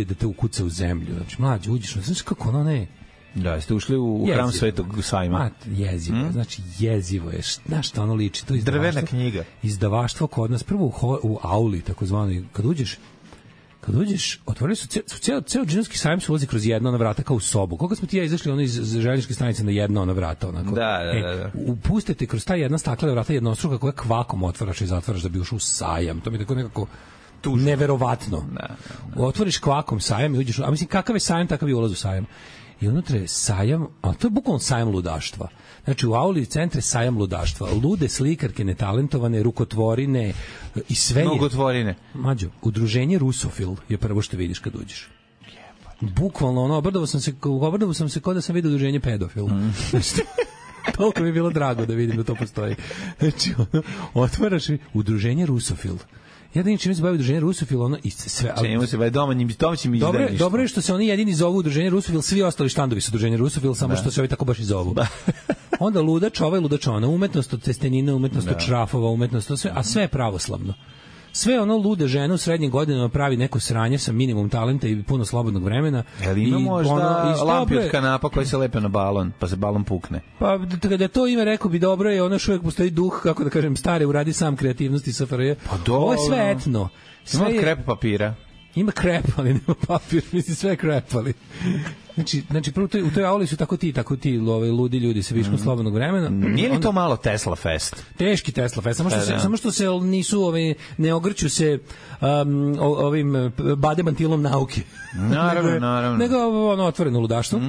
da te ukuca u zemlju. Znači, mlađe, uđeš, znaš kako ono ne... Da, ste ušli u hram Svetog Sajma. Jezivo, znači jezivo je. Znaš šta ono liči? To je drvena knjiga. Izdavaštvo kod nas, prvo u auli, takozvani, kad uđeš, otvorili su ceo džinovski sajam se ulazi kroz jedno ona vrata kao u sobu. Koliko smo ti ja izašli iz željezničke stanice na jedno ona vrata onako. Da. Upustite kroz ta jedna staklena vrata jednostruka koja kvakom otvaraš i zatvaraš da bi ušao u sajam. To mi je tako nekako neverovatno. Otvoriš kvakom sajam i uđeš, a mislim kakav je sajam, takav je ulaz u sajam. I unutra je sajam, a to je bukvalno sajam ludaštva. Znači, u auli centre sajam ludaštva. Lude slikarke, netalentovane, rukotvorine i sve je... Mnogotvorine. Mađo, udruženje Rusofil je prvo što vidiš kad uđeš. Bukvalno, obradovao sam se kao da sam vidio udruženje pedofil. Toliko mi je bilo drago da vidim da to postoji. Znači, otvaraš udruženje Rusofil. Ja da ničim se bavi udruženje Rusofil, i sve... Čemu se bavi domaćim izdajništvom. Dobro je što se oni jedini zovu udruženje Rusofil, svi ostali štandovi su udruženje Rusofil, samo što se ovi tako baš i zovu. Onda ludač, ludačona, umetnost od testenina, umetnost od šrafova, umetnost od sve, a sve je pravoslavno. Sve ono lude žene u srednjim godinama pravi neko sranje sa minimum talenta i puno slobodnog vremena. Ima možda lampi od kanapa koji se lepe na balon, pa se balon pukne. Pa kada to ime rekao bi dobro je, ono što uvijek postoji duh, kako da kažem, stare uradi sam kreativnosti SFRJ. Pa dobro. Ovo je sve etno. Ima krep papira. Ima krep, ali nema papir, mislim sve krepali. Znači prvo u toj auli su tako ti ludi ljudi sa viškom slobodnog vremena. Nije li to malo Tesla Fest? Teški Tesla Fest, samo što se nisu ne ogrću se ovim bademantilom nauke. Naravno. Nego otvoreno ludaštvo.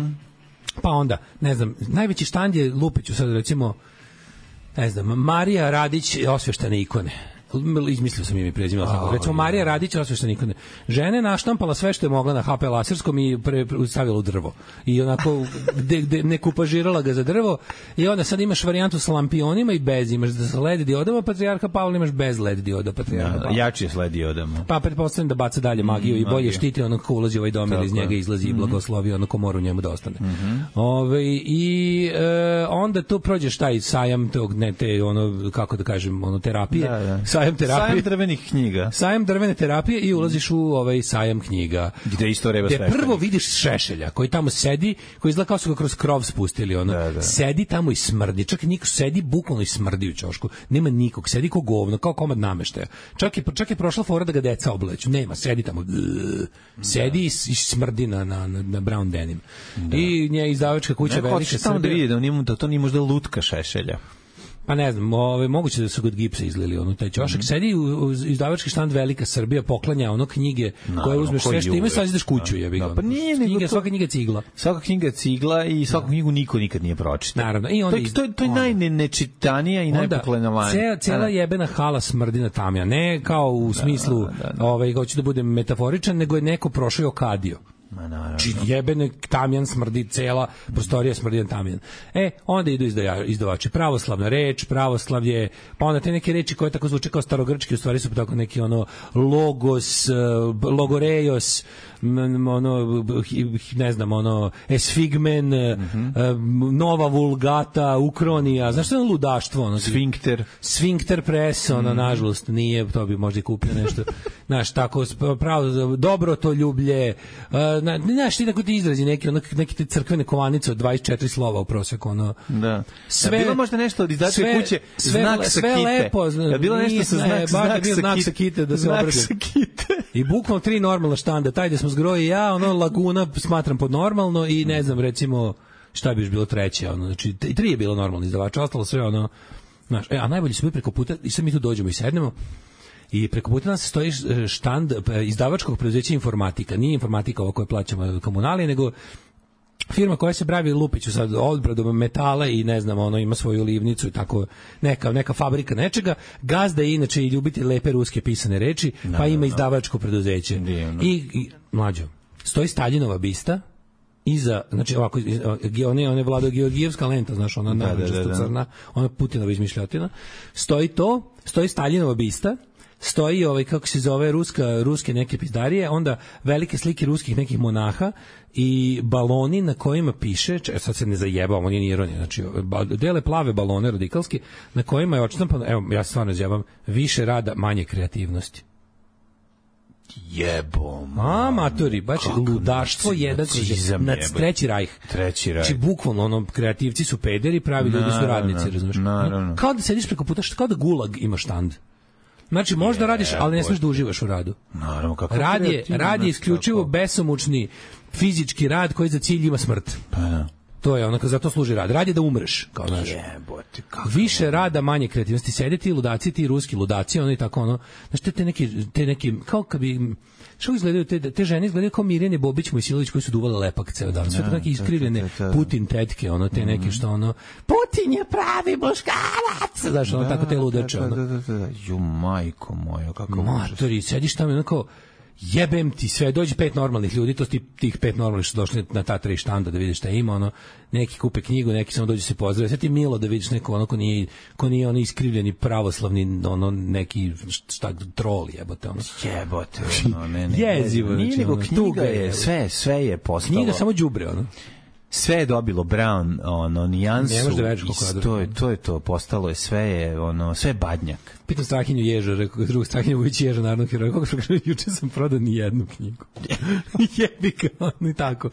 Pa onda, ne znam, najveći štand je Lupiću sad recimo, ne znam, Marija Radić osveštane ikone. Izmislio sam im i prezimila tako. Recimo Marija Radić osveštena ikone. Žena je naštampala sve što je mogla na HP laserskom i stavila u drvo. I onako ne kupažirala ga za drvo i onda sad imaš varijantu sa lampionima i bez, imaš sa LED diodama Patrijarha Pavla, imaš bez LED dioda Patrijarha Pavla. Jači je s LED diodama. Pa pretpostavljam da baca dalje magiju i bolje štiti ono ko ulazi u ovaj dom ili iz njega izlazi i blagoslovi ono ko mora u njemu da ostane. Onda tu prođeš taj sajam tog, ne te ono, kako da kažem, ono terapije. sajam terapije. Sajam drvenih knjiga. Sajam drvene terapije i ulaziš u ovaj sajam knjiga. Gde isto reba sve. Prvo vidiš Šešelja koji tamo sedi, koji izgleda kao su ga kroz krov spustili, ono. Da. Sedi tamo i smrdi. Čak i niko sedi bukvalno i smrdi u ćošku. Nema nikog, sedi kao govno, kao komad nameštaja. Čak je prošla fora da ga deca obleću. Nema, sedi tamo. Sedi i smrdi na brown denim. Da. I nje izdavačka kuća velika Srbija. Da to nije možda lutka Šešelja. Pa ne znam, moguće da su kod gipsa izlili onu taj ćošak. Sedi u izdavački štand Velika Srbija, poklanja ono knjige koje uzmeš sve što ima i sad ideš kuću, jebi ga. Pa nije, svaka knjiga je cigla. Svaka knjiga je cigla i svaku knjigu niko nikad nije pročitao. Naravno. I onda to je najnečitanija i najpoklenovanija. Cela jebena hala smrdi na tamja. Ne kao u smislu, hoću da budem metaforičan, nego je neko prošao i okadio. Jebene tamjan smrdi, cela prostorija smrdi na tamjan. Onda idu izdavači. Pravoslavna reč, pravoslavlje, pa onda te neke reči koje tako zvuče kao starogrčki, u stvari su tako neki ono logos, logoreios, ono, ne znam, ono, esfigmen, nova vulgata, ukronija, znaš što je ono ludaštvo? Ono, Sfinkter press, ono, nažalost, nije, to bi možda i kupio nešto, znaš, tako, pravo, dobro to ljublje, znaš, ti tako ti izrazi neki te crkvene kovanice od 24 slova u proseku, ono. Da. Sve, bilo možda nešto od izdačke kuće, znak sa sve kite. Lepo, bilo nešto sa znak sa kite, da se obradim. I bukvalno 3 normalna štanda, taj da smo zgroji ja, ono, Laguna smatram pod normalno i ne znam, recimo, šta bi još bilo treće, ono, znači, 3 je bilo normalno izdavača, ostalo sve, ono, znaš, a najbolji su mi preko puta, i sad mi tu dođemo i sednemo, i preko puta nas stoji štand izdavačkog preduzeća Informatika. Nije Informatika ovo koje plaćamo komunalije, nego firma koja se bavi lupiću sad odbradom metala i ne znam, ono ima svoju livnicu i tako neka fabrika nečega. Gazda je inače i ljubitelj lepe ruske pisane reči, pa ima izdavačko preduzeće. I mlađo, stoji Staljinova bista iza, znači ovako, one Vlado Georgijevska lenta, znaš, ona narančasto crna, ona Putinova izmišljotina. Stoji Staljinova bista, stoji kako se zove ruske neke pizdarije, onda velike slike ruskih nekih monaha i baloni na kojima piše, sad se ne zajebam, on je ironija, znači dele plave balone radikalski na kojima je odštampano, evo ja stvarno zjebam, više rada, manje kreativnosti. Jebom. Maturi, baš ludaštvo jedan nad treći rajh. Znači, bukvalno, ono, kreativci su pederi, pravi ljudi su radnici, razumiješ? Kao da sediš preko puta, kao da Gulag ima štand. Znači, možda radiš, ali ne smiješ da uživaš u radu. Naravno, kako rad je isključivo besomučni fizički rad koji za cilj ima smrt. Pa da. To je ono, zato služi rad. Rad je da umreš, kao znaš. Više rada, manje kreativnosti. Sede ti ludaci, ti ruski ludaci, ono i tako, ono. Znaš, te neki, kao kad bi... Što izgledaju, te žene izgledaju kao Mirjane Bobić, Mojsilović, koji su duvale lepak ceo dan. Sve to neke iskrivljene Putin tetke, ono, te neke što, ono, Putin je pravi muškarac! Znaš, ono, tako te ludače, ono. Ju, majko moja, kako Matori, sediš tamo, ono, kao, jebem ti sve, dođe 5 normalnih ljudi, to tih 5 normalnih što došli na ta 3 štanda da vidiš šta ima, ono, neki kupe knjigu, neki samo dođe se pozdrave, sve ti milo da vidiš neko, ono, ko nije ono iskrivljeni pravoslavni, ono, neki, šta, trol, jebote, ono. Jebote, ono, ne. Jezivo, nije nego knjiga je, sve je postalo. Knjiga samo đubre, ono. Sve je dobilo brown, ono, nijansu. Ne može da veriš koliko to je to, postalo je, sve je, ono, sve je badnjak. Pitam Strahinju Ježa, rekao, drugu Strahinju Vujić Ježa, narodnog heroja, kako što kaže, juče sam prodao ni jednu knjigu. Jebi ga, ono i tako.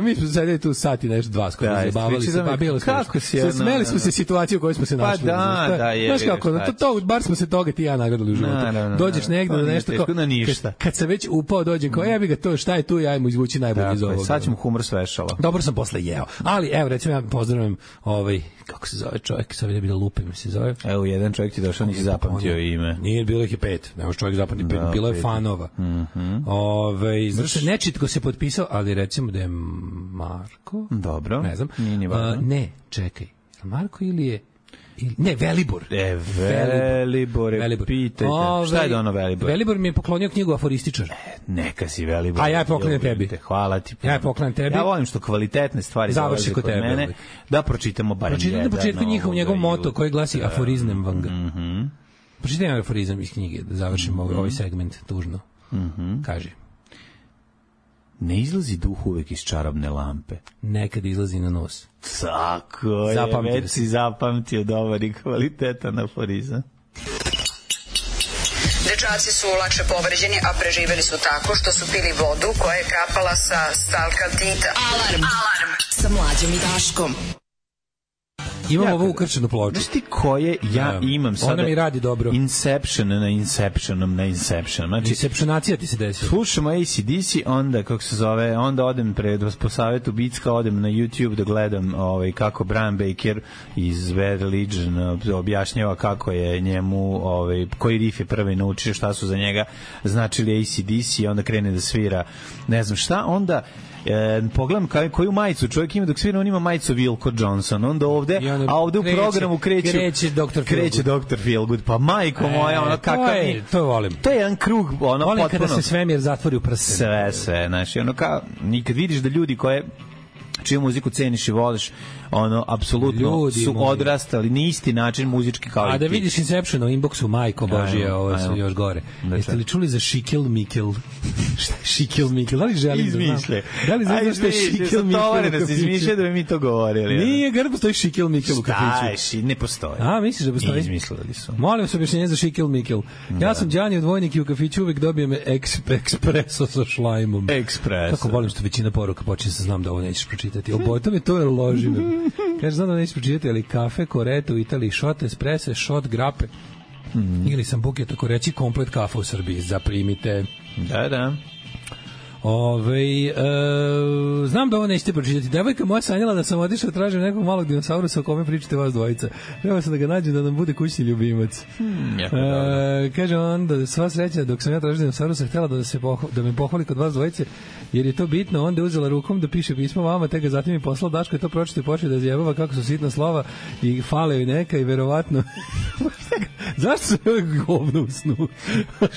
Mi smo sedeli tu sati nešto 2 skoro, zabavali se, pa bilo kako si, smeli smo se situaciju u kojoj smo se našli. Pa da, je. Znaš kako, bar smo se toga ti ja nagradili u životu. Dođeš negde da nešto kao, kad se već upao dođem, kao jebi ga to, šta je tu, ja mu izvući najbolje iz ovoga. Sad ćemo humor svešala. Dobro sam posle jeo. Ali, evo, recimo, ja pozdravim kako se zove čovjek, sad vidim da lupim se zove. Evo, jedan čovjek ti došao, nisi zapamtio ime. Nije, bilo ih je 5. Ne može čovjek zapamtiti 5. Bilo je fanova. Znači, nečitko se potpisao, ali recimo da je Marko. Dobro. Ne znam. Ne, čekaj. Marko ili je... Ne, Velibor. Velibor, pitajte. Šta je da ono Velibor? Velibor mi je poklonio knjigu Aforističar. Neka si Velibor. A ja je poklanjam tebi. Hvala ti. Ja je poklanjam tebi. Ja volim što kvalitetne stvari završi kod tebe. Mene, da pročitamo bar jedan. Pročitaj na početku njegov moto koji glasi aforiznem vanga. Pročitaj nam aforizam iz knjige da završimo ovaj segment tužno. Kaži. Ne izlazi duh uvek iz čarobne lampe. Nekad izlazi na nos. Tako je, već si zapamtio dobar i kvalitetan aforizam. Dečaci su lakše povređeni, a preživeli su tako što su pili vodu koja je kapala sa stalkaltita. Alarm sa Mlađom i Daškom. Imam ovu ukrčenu ploču. Znaš ti koje ja imam sada? Ona mi radi dobro. Inception na Inception. Znači, Inceptionacija ti se desila. Slušamo AC/DC, onda, kako se zove, onda odem po savetu Bicka, odem na YouTube da gledam kako Brian Baker iz Bad Religion objašnjava kako je njemu, koji riff je prvi naučio, šta su za njega značili AC/DC, onda krene da svira ne znam šta, onda pogledam koju majicu čovjek ima dok svira, on ima majicu Wilco Johnson, onda ovde, a ovde u programu kreće Dr. Feelgood, pa majko moja, ono kakav je, to volim. To je jedan krug, ono volim potpuno. Kada se svemir zatvori u prsten. Sve, znači, ono kao, nikad vidiš da ljudi čiju muziku ceniš i voliš, ono, apsolutno su odrastali na isti način muzički kao i ti. A da vidiš Inception u inboxu, majko Božije, ovo su još gore. Jeste li čuli za Šikel Mikel? Šta je Šikel Mikel? Da li želim da znam? Da li znaš šta je Šikel Mikel? Tovare da se izmišlja da bi mi to govorili. Nije, gar postoji Šikel Mikel u kafiću. Šta je, ne postoji. A, misliš da postoji? Izmislili su. Molim se objašnjenje za Šikel Mikel. Ja sam Đani odvojnik i u kafiću uvek dobijem ekspreso sa šlajmom. Ekspreso. Kako volim što većina poruka počinje sa znam da ovo nećeš pročitati. Oboto me to loži. Kaže, znam da nećeš pročitati, ali kafe, korete u Italiji, šot esprese, šot grape. Ili sam buket, tako reći, komplet kafa u Srbiji. Zaprimite. Da. Znam da ovo nećete pročitati. Devojka moja sanjala da sam otišao tražim nekog malog dinosaurusa o kome pričate vas dvojica. Treba sam da ga nađem da nam bude kućni ljubimac. Kaže onda, sva sreća dok sam ja tražio dinosaurusa, htjela da me pohvali kod vas dvojice, jer je to bitno. Onda je uzela rukom da piše pismo vama, te ga zatim je poslao. Daško je to pročito i počeo da zjebava kako su sitna slova i fale joj neka i verovatno zašto se ovo govno u snu?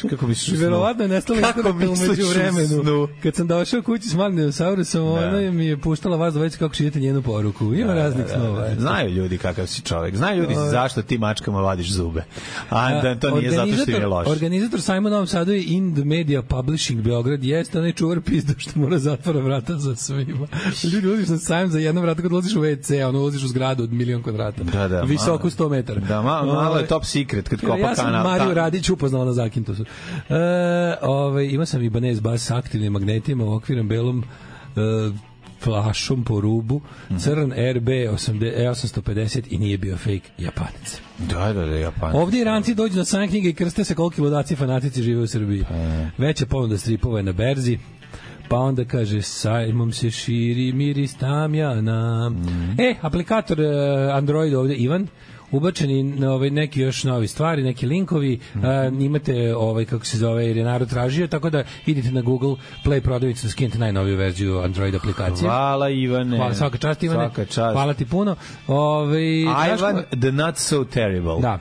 Kako misliš u snu? Verovatno je nestalo umeđu vremenu. Kad sam došao kući s malim dinosaurusom, ona mi je puštala vas dvojica kako šijete njenu poruku. Ima raznih snova. Znaju ljudi kakav si čovjek. Znaju ljudi zašto ti mačkama vadiš zube. A da to nije zato što je loše. Organizator sajma u Novom Sadu je Ind Media Publishing Beograd. Jeste onaj čuvar pizda što mora zatvora vrata za svima. Ljudi ulaziš na sajam za jedno vrata kad ulaziš u WC, ono ulaziš u zgradu od 1.000.000 kvadrata. Visoku 100 metara. Da, malo je top secret kad kopa kanal. Ja sam Mariju Radić upoznala na Zakintosu. Ima sam Ibanez bas s aktivnim magnetima u okvirom belom flašom po rubu, crn RB 850 i nije bio fake Japanac. Da, Japanac. Ovdje Iranci dođu na sajam knjige i krste se koliki ludaci fanatici žive u Srbiji. Veća ponuda stripova je na berzi. Pa onda kaže, sajmom se širi miris tamjana. Aplikator Android ovdje, Ivan, ubačeni neki još novi stvari, neki linkovi, imate kako se zove, jer je narod tražio, tako da idite na Google Play prodavnicu da skinete najnoviju verziju Android aplikacije. Hvala Ivane. Hvala, svaka čast Ivane. Svaka čast. Hvala ti puno. Ivan the not so terrible. Da.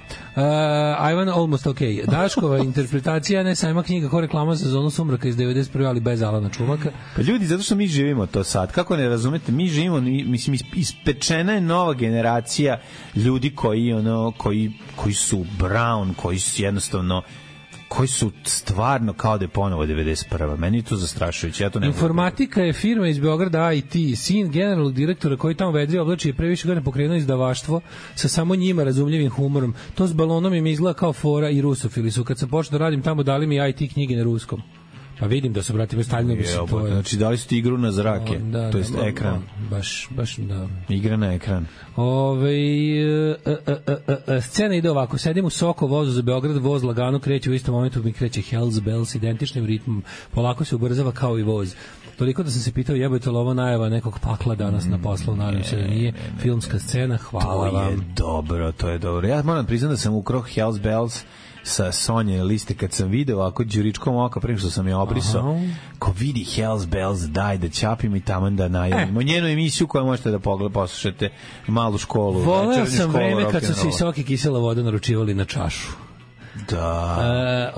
Ivan almost okay. Daškova interpretacija ne sajma knjiga ko reklama za Zonu sumraka iz 91. ali bez Alana Čumaka. Pa ljudi, zato što mi živimo to sad. Kako ne razumete? Mi živimo, mislim, ispečena je nova generacija ljudi koji su brown, koji su jednostavno koji su stvarno kao da je ponovo 91. Meni je to zastrašujuće. Ja to ne Informatika je firma iz Beograda IT. Sin generalnog direktora koji tamo vedri oblači je previše godina pokrenuo izdavaštvo sa samo njima razumljivim humorom. To s balonom im izgleda kao fora i rusofili su. Kad sam počeo da radim tamo, dali mi IT knjige na ruskom. Pa vidim da su, brati, stavljeno bi se to. Znači, dali su ti igru na zrake, to jest ekran. Baš, da. Igra na ekran. Scena ide ovako, sedim u Soko vozu za Beograd, voz lagano kreće, u istom momentu mi kreće Hells Bells, identičnim ritmom, polako se ubrzava kao i voz. Toliko da sam se pitao, jebojte li ovo najava nekog pakla danas na poslu, nadam se da nije. Filmska scena, hvala vam. To je dobro. Ja moram priznati da sam ukrao Hells Bells sa Sonje liste kad sam video ako đuričkom oka prema što sam je obrisao. Ko vidi Hells Bells, daj da ćapimo i tamo da najavimo njenu emisiju koju možete da poslušate, malu školu. Voleo sam vreme kad su se sok i kisela voda naručivali na čašu. Da.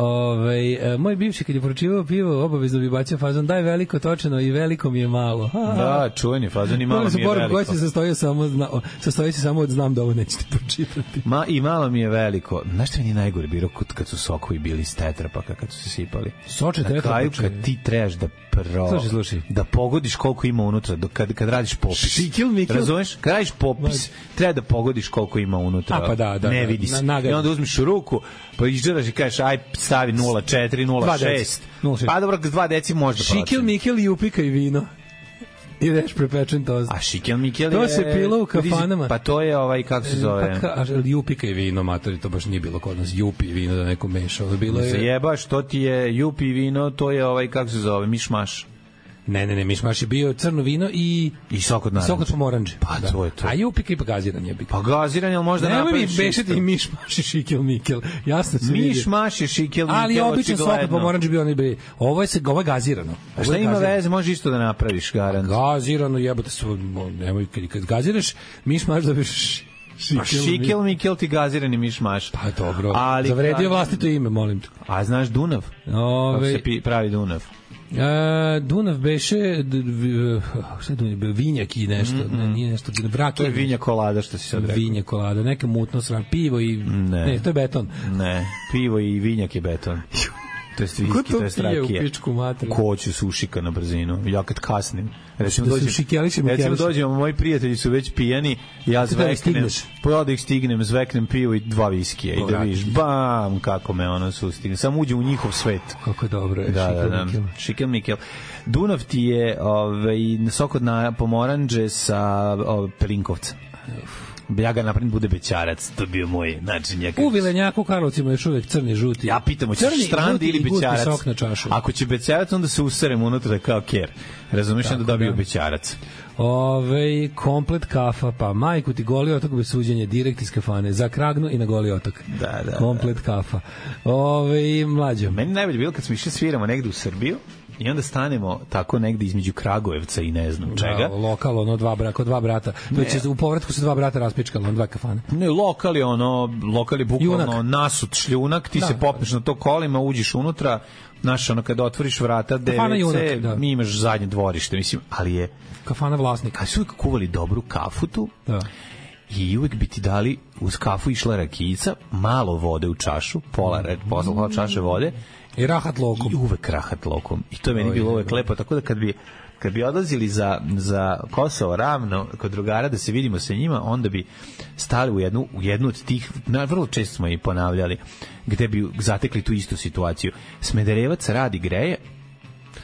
Moj bivši kad je poručivao pivo obavezno bi bacio fazon daj veliko točeno i veliko mi je malo. Da, čuveni fazon i malo mi je veliko. Koji se sastoji se samo od znam da ovo nećete pročitati. I malo mi je veliko. Znaš što mi je najgore bilo kad su sokovi bili iz tetrapaka kad su se sipali? Soče tetrapaka. Na kraju kad ti trebaš da slušaj. Da pogodiš koliko ima unutra kad radiš popis. Razumeš? Kad radiš popis treba da pogodiš koliko ima unutra. Pa da. Ne vidi se. I onda uzmiš u ruku Pa izđeraš i kažeš, aj stavi 0,4, 0,6. Pa dobro, 2 deci možda procenti. Šikel, Mikel i upika i vino. I reš prepečen tost. A Šikel Mikel to se pilo u kafanama. Pa to je kako se zove? Jupika i vino, matori, to baš nije bilo kod nas. Jupi i vino da neko mešao. Bilo je... Zajebaš, to ti je Jupi i vino, to je kako se zove, mišmaš. Ne, mišmaš je bio crno vino i sok od naranđe. Sok od pomoranđe. Pa da. To je to. A Jupika i pa gaziran je. Pa gaziran je možda napraviš. Nemoj mi bešati i mišmaš i Šikel Mikel. Jasno se vidi. Mišmaš i Šikel Mikel. Ali običan sok od pomoranđe bio onaj bi. Ovo je gazirano. A šta ima veze, može isto da napraviš, garant. Gazirano jebote su, nemoj kad gaziraš, mišmaš da biš Šikel Mikel ti gazirani mišmaš. Pa dobro. Zavredio vlastito ime, molim te. A znaš Dunav? Kako se pravi Dunav? Dunav beše šta je Dunav? Vinjak i nešto, nije nešto, to je vinja kolada što si sad rekao. Vinja kolada, neka mutno sram, pivo i ne, to je beton. Ne, pivo i vinjak je beton. To je viski, to je strakija. Ko će sušika na brzinu? Ja kad kasnim. Recimo dođemo, moji prijatelji su već pijani, ja zveknem, da ih stignem, zveknem pivo i 2 viskija i da vidiš, bam, kako me ono sustigne. Samo uđem u njihov svet. Kako dobro je, Šikel Mikel. Dunav ti je sok od pomoranđe sa Pelinkovca. Ja ga napravim bude bećarac, to bio moj način. U Vilenjaku, Karlovcima još uvek crni, žuti. Ja pitam, hoćeš štrandi ili bećarac? Ako će bećarac, onda se userem unutra kao ker. Razumiješ, onda dobio bećarac. Komplet kafa, pa majku ti Goli otok bez suđenja, direkt iz kafane, za Kragnu i na Goli otok. Da. Komplet kafa. Mlađo. Meni najbolje bilo kad smo išli sviramo negde u Srbiju, i onda stanemo tako negde između Kragujevca i ne znam čega. Lokal, kod 2 brata. To će u povratku se 2 brata raspičkalo, 2 kafane. Ne, lokal je bukvalno nasut šljunak, ti se popneš na to kolima, uđeš unutra, znaš, kada otvoriš vrata, DVC, mi imaš zadnje dvorište, mislim, ali je... Kafana vlasnika. Ali su uvijek kuvali dobru kafu tu, i uvijek bi ti dali, uz kafu išla rakijica, malo vode u čašu, pola čaše vode, i rahat lokom. I uvek rahat lokom. I to je meni bilo uvek lepo. Tako da kad bi odlazili za Kosovo ravno kod drugara da se vidimo sa njima, onda bi stali u jednu od tih, vrlo često smo i ponavljali, gde bi zatekli tu istu situaciju. Smederevac radi greje,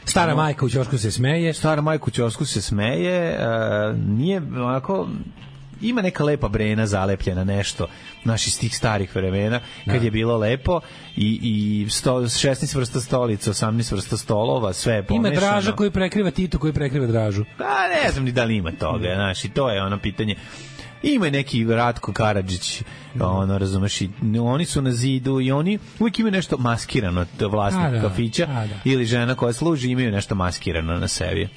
Stara majka u ćošku se smeje. Nije onako... Ima neka lepa brena zalepljena nešto naš iz tih starih vremena kad je bilo lepo i 16 vrsta stolica, 18 vrsta stolova, sve je pomešano. Ima Draža koji prekriva Tito koji prekriva Dražu. Ne znam ni da li ima toga, znaš, i to je ono pitanje. Ima neki Ratko Karadžić, razumeš, oni su na zidu i oni uvijek imaju nešto maskirano od vlasnika kafića ili žena koja služi imaju nešto maskirano na sebi.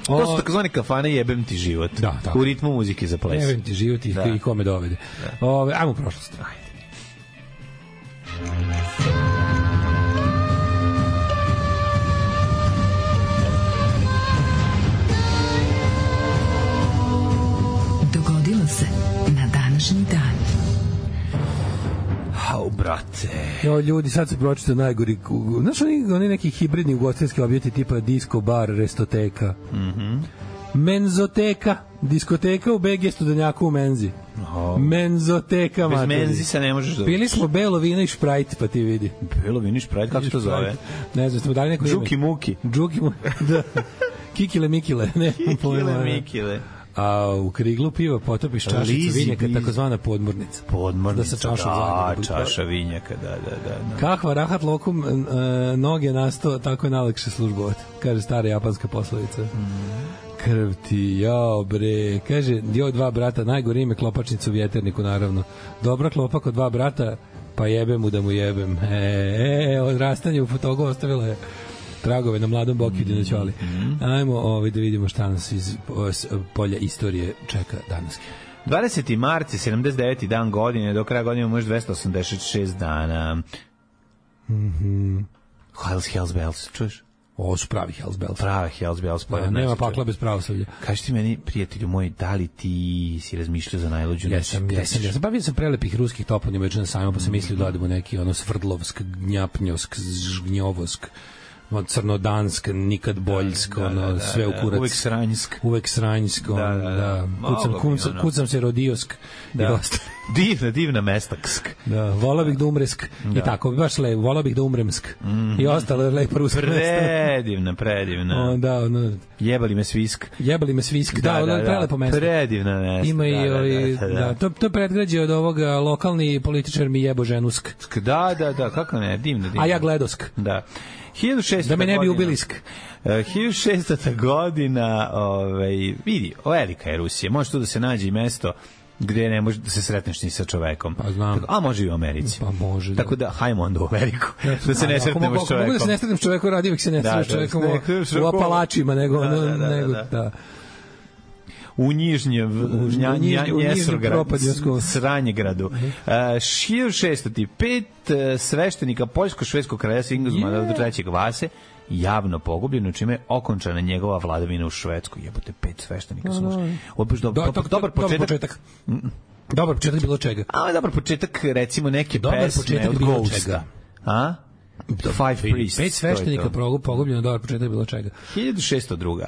To su takozvani kafane jebem ti život. U ritmu muzike za ples. Jebem ti život i kome dovede. Ajmo u prošlost. Dogodilo se na današnji dan. Brate. Ljudi, sad se pročita najgori. Znaš, oni neki hibridni ugostiteljski objekti tipa disco, bar, restoteka. Menzoteka, diskoteka u BG Studenjaku u Menzi. Menzoteka, bez Menzi se ne možeš dobiti. Pili smo belo vino i šprajt, pa ti vidi. Belo vino i šprajt, kako se to zove? Ne znam, smo dali neko ime. Džuki Muki. Da. Kikile Mikile. Kikile Mikile. A u kriglu piva potopiš čašicu vinjaka, takozvana podmornica. Podmornica, čaša vinjaka, da. Kakva rahat lokum noge nasto, tako je najlakše službovati, kaže stara japanska poslovica. Krv ti, jao bre, kaže, 2 brata, najgore ime klopačnica u vjeterniku, naravno. Dobra klopa kod 2 brata, pa jebem mu da mu jebem. Odrastanje u fotogu ostavilo je tragove na mladom Boki Dinoćoli. Ajmo da vidimo šta nas iz polja istorije čeka danas. 20. mart, 79. dan godine, do kraja godine imamo još 286 dana. Hells Bells, čuješ? Ovo su pravi Hells Bells. Pravi Hells Bells. Nema pakla bez pravoslavlja. Kaži ti meni, prijatelju moj, da li ti si razmišljao za najluđu noć? Jesam. Bavio sam prelepih ruskih toponima već na sajmu, pa sam mislio da odemo neki svrdlovsk, gnjapnjovsk, žgnjovosk, crnodansk, nikad boljsk, sve u kurac. Uvek sranjsk. Kucam se rodiosk. Divna mesta. Da, volao bih da umresk. I tako, baš lepo, volao bih da umremsk. I ostalo lepo ruska mesta. Predivna. Da, Jebali me svisk. Da, prelepo mesto. Predivna mesta. Ima i to je predgrađe od ovoga lokalni političar mi jebo ženusk. Da, kako ne, divno. A ja gledosk. Da. 1600 da me ne bi ubilisk. 1600. godina, vidi, velika je Rusija. Može tu da se nađe i mesto gde ne može da se sretneš ni sa čovekom. Pa znam. A može i u Americi. Pa može. Da. Tako da, hajmo onda u Ameriku. Da se ne sretnemo s čovekom. Mogu da se ne sretnem s čovekom, radi uvijek se ne sretnem s čovekom u Apalačima, nego da. U Nižnjem Sranjegradu. 1605 sveštenika poljsko-švedskog kralja Sigismunda do trećeg Vase javno pogubljeno, čime je okončana njegova vladavina u Švedskoj. Jebote, 5 sveštenika su dobar početak. Dobar početak bilo čega. A dobar početak, recimo, neke pesme od Ghosta. A? 5 sveštenika pogubljeno, dobar početak bilo čega. 1602.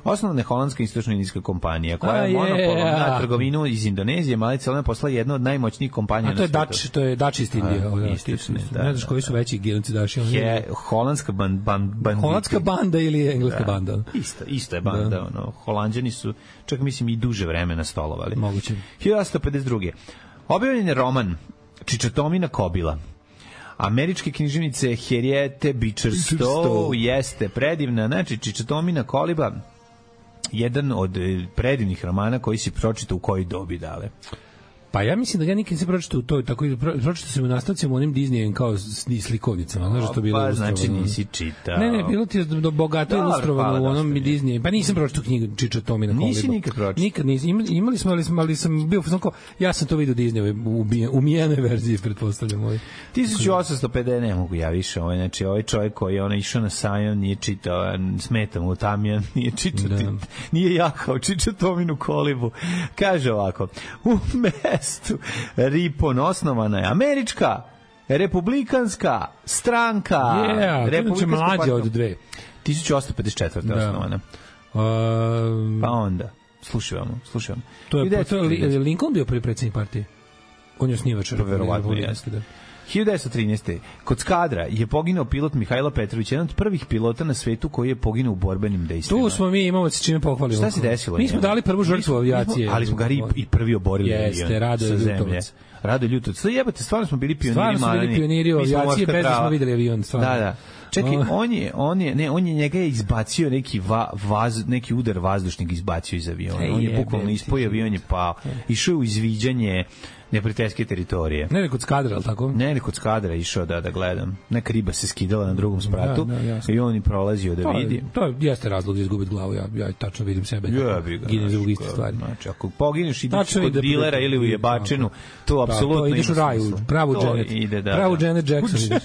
Osnovna je holandska istočno-indijska kompanija koja je monopolom na trgovinu iz Indonezije, Malice, ona je postala jedna od najmoćnijih kompanija na svijetu. To je Dutch East India. Ne znaš koji su veći giganci Daši? Holandska banda. Holandska banda ili engleska banda? Isto je banda. Holanđani su, čak mislim, i duže vremena stolovali. Moguće. 1852. Objavljen je roman Čičatomina kobila. Američke književnice Henriette Beecher Stowe jeste predivna, znači Čičatomina koliba, jedan od predivnih romana koji si pročitao u kojoj dobi, Dale? Pa ja mislim da ga nikad se pročitao u toj, tako i pročitao sam u nastavcima onim Disneyem kao slikovnicama, znaš da to bilo ilustrovano. Pa znači nisi čitao. Ne, bilo ti je bogato ilustrovano u onom Disneyu. Pa nisam pročitao knjigu Čičatomina koliba. Nisi nikad pročitao? Nikad nisam. Imali smo, ali sam bio kao, ja sam to vidio u Disneyu, u mijenoj verziji, pretpostavljam. 1850, ne mogu ja više, znači ovaj čovjek koji je išao na sajam, nije čitao, smeta mu Tamjan, nije čitao, nije jahao Čičatominu kolibu. Kaže ovako, mestu Ripon osnovana je američka republikanska stranka. Republikanska mlađa od dve. 1854. osnovana. Pa onda, slušajmo. To je Lincoln bio prvi predsjednik partije? On je osnivač. Verovatno jeste. 1913. Kod Skadra je poginuo pilot Mihajlo Petrović, jedan od prvih pilota na svetu koji je poginuo u borbenim dejstvima. Tu smo mi, imamo se čime pohvalimo. Šta se desilo? Mi smo dali prvu žrtvu avijacije. Ali smo ga i prvi oborili. Jeste, Radoje Ljutovac. Jebate, stvarno smo bili pioniri. Stvarno smo bili pioniri u avijaciji, bez da smo videli avion. Da. Čekaj, on je njega je izbacio neki udar vazdušnog izbacio iz aviona. On je bukvalno ispoj avion je pao. Išao je u izviđanje neprijateljske teritorije. Ne kod Skadra, ali tako? Ne kod Skadra išao da gledam. Neka riba se skidala na drugom spratu i on je prolazio da vidi. To jeste razlog za izgubiti glavu. Ja tačno vidim sebe. Gine za iste stvari. Znači, ako poginuš ideš kod dilera ili u jebačinu, to apsolutno ideš u raju, pravu Janet Jackson ideš.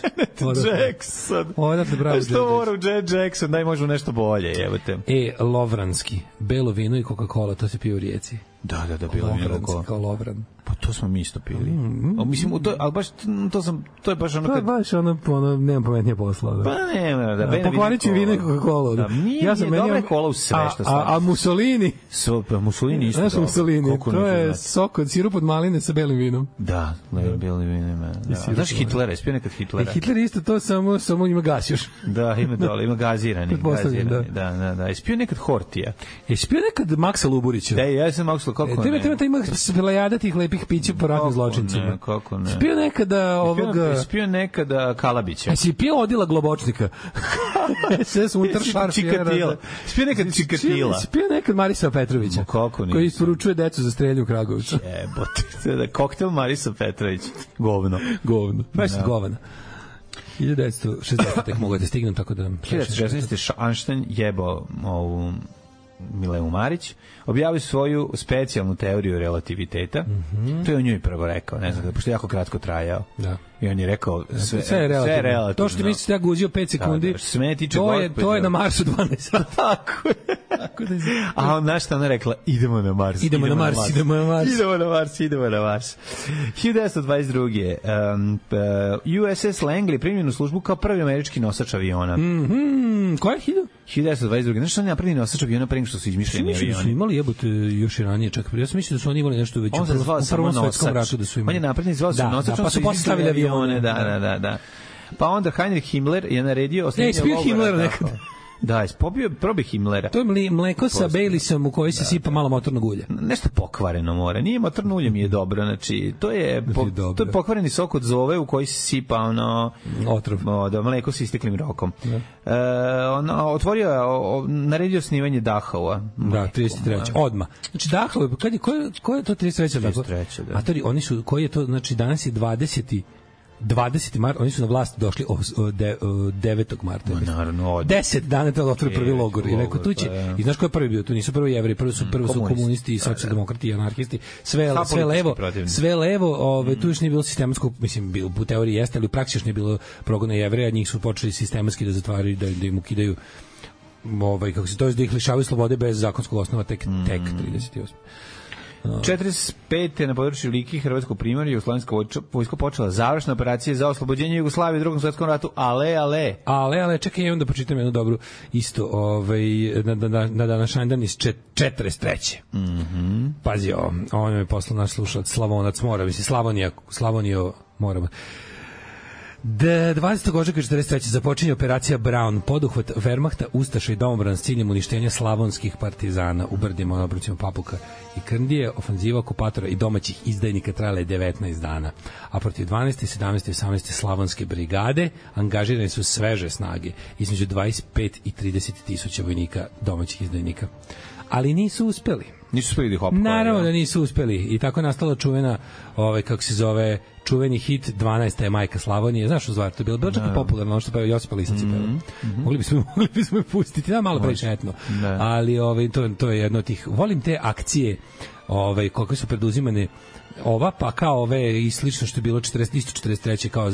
Jackson. Odatle pravu Janet Jackson. Što mora u Janet Jackson, daj možda nešto bolje, jebate. Lovranski, belo vino i Coca-Cola, to se pije u Rijeci. Da, bilo mi Lovranski kao Lovran. Pa to smo mi isto pili. Mislim, ali baš to je baš ono kad... To je baš ono nemam pametnije posla. Pa nema, da. Pokvarit ću vino i Coca-Cola. Da, nije dobra kola u sve što staviš. A Mussolini? Mussolini isto. Znaš Mussolini, to je sok od sirup od maline sa belim vinom. Da, belim vinom. Znaš Hitlera, je spio nekad Hitlera? Hitler isto to samo ima gas još. Da, ima dole, ima gazirani. Da. Je spio nekad Hortija. Je spio nekad Maksa Luburića. Da, ja sam Maksa, kako ne? Ima plejada tih lepih pića po ratnim zločincima. Kako ne? Spio nekada ovoga... Spio nekada Kalabića. A si pio Odila Globočnika? SS unutar Čikatila. Spio nekad Čikatila. Spio nekad Marisa Petrovića. Kako ne? Koji isporučuje decu za strelju u Kragovicu. Jebote. Koktel Marisa Petrović. Govno. Baš govana. 1960. mogu da stignem, tako da... 1916. Einstein jebao ovu Mileu Marić, objavio svoju specijalnu teoriju relativiteta. To je o njoj prvo rekao, ne znam, pošto je jako kratko trajao. Da. I on je rekao, sve je relativno. To što ti mislite ja guzio 5 sekundi, to je na Marsu 12 sati. Tako je. A on našta ona rekla, idemo na Mars. 1922. USS Langley primljen u službu kao prvi američki nosač aviona. Koja je 1922. Znaš što je napravljeni nosač aviona pre nego što su izmišljeni avioni? Mislim da su imali jebote još i ranije čak. Ja sam mislio da su oni imali nešto već u prvom svetskom ratu da su imali. On je napravljen zvao se nosač, pa su postavili avione. Da. Pa onda Heinrich Himmler je naredio osnivanje logora. Himmler nekada. Da, probaj Himmlera. To je mleko sa Baileysom u koji se sipa malo motornog ulja. Nešto pokvareno mora. Nije motorno ulje mi je dobro, znači to je pokvareni sok od zove u koji se sipa otrov. Mleko sa isteklim rokom. Naredio snimanje Dachaua. Da, 33. Odma. Znači Dachau, ko je to 33. 33. Da. A oni su, koji je to, znači danas je 20. marta, oni su na vlast došli 9. marta. Naravno, 10 dana to otvori prvi logor. I rekao, tu će, i znaš ko je prvi bio? Tu nisu prvo Jevreji, prvo su komunisti i socijaldemokrati i anarhisti. Sve levo, tu još nije bilo sistematsko, mislim, u teoriji jeste, ali u praksi još nije bilo progona Jevreja, njih su počeli sistematski da zatvaraju, da im ukidaju, kako se to je, da ih lišavaju slobode bez zakonskog osnova tek 38. 45. na području Like Hrvatskog primorja Jugoslovenska vojska počela završna operacija za oslobođenje Jugoslavije u Drugom svetskom ratu. Ale, čekaj, imam da pročitam jednu dobru isto, na današnji dan iz 43. Pazi ovo, on je poslao naš slušalac Slavonac Mora, mislim Slavonio Morava. 20. ožujka 43. započinje operacija Brown, poduhvat Wehrmachta, Ustaša i domobran s ciljem uništenja slavonskih partizana u brdima na obrucima Papuka i Krndije. Ofanziva okupatora i domaćih izdajnika trajala je 19 dana, a protiv 12. 17. i 18. slavonske brigade angažirane su sveže snage, između 25 i 30 tisuća vojnika domaćih izdajnika. Ali nisu uspeli. Da ih opkore. Naravno da nisu uspeli i tako je nastala čuvena, čuveni hit 12. je majka Slavonije. Znaš što zvar, to je bilo čak i popularno, ono što pa Josipa Lisac je pevao. Mogli bismo je pustiti, malo previše etno. Ali to je jedno od tih, volim te akcije koliko su preduzimane pa kao ove i slično što je bilo 43. kao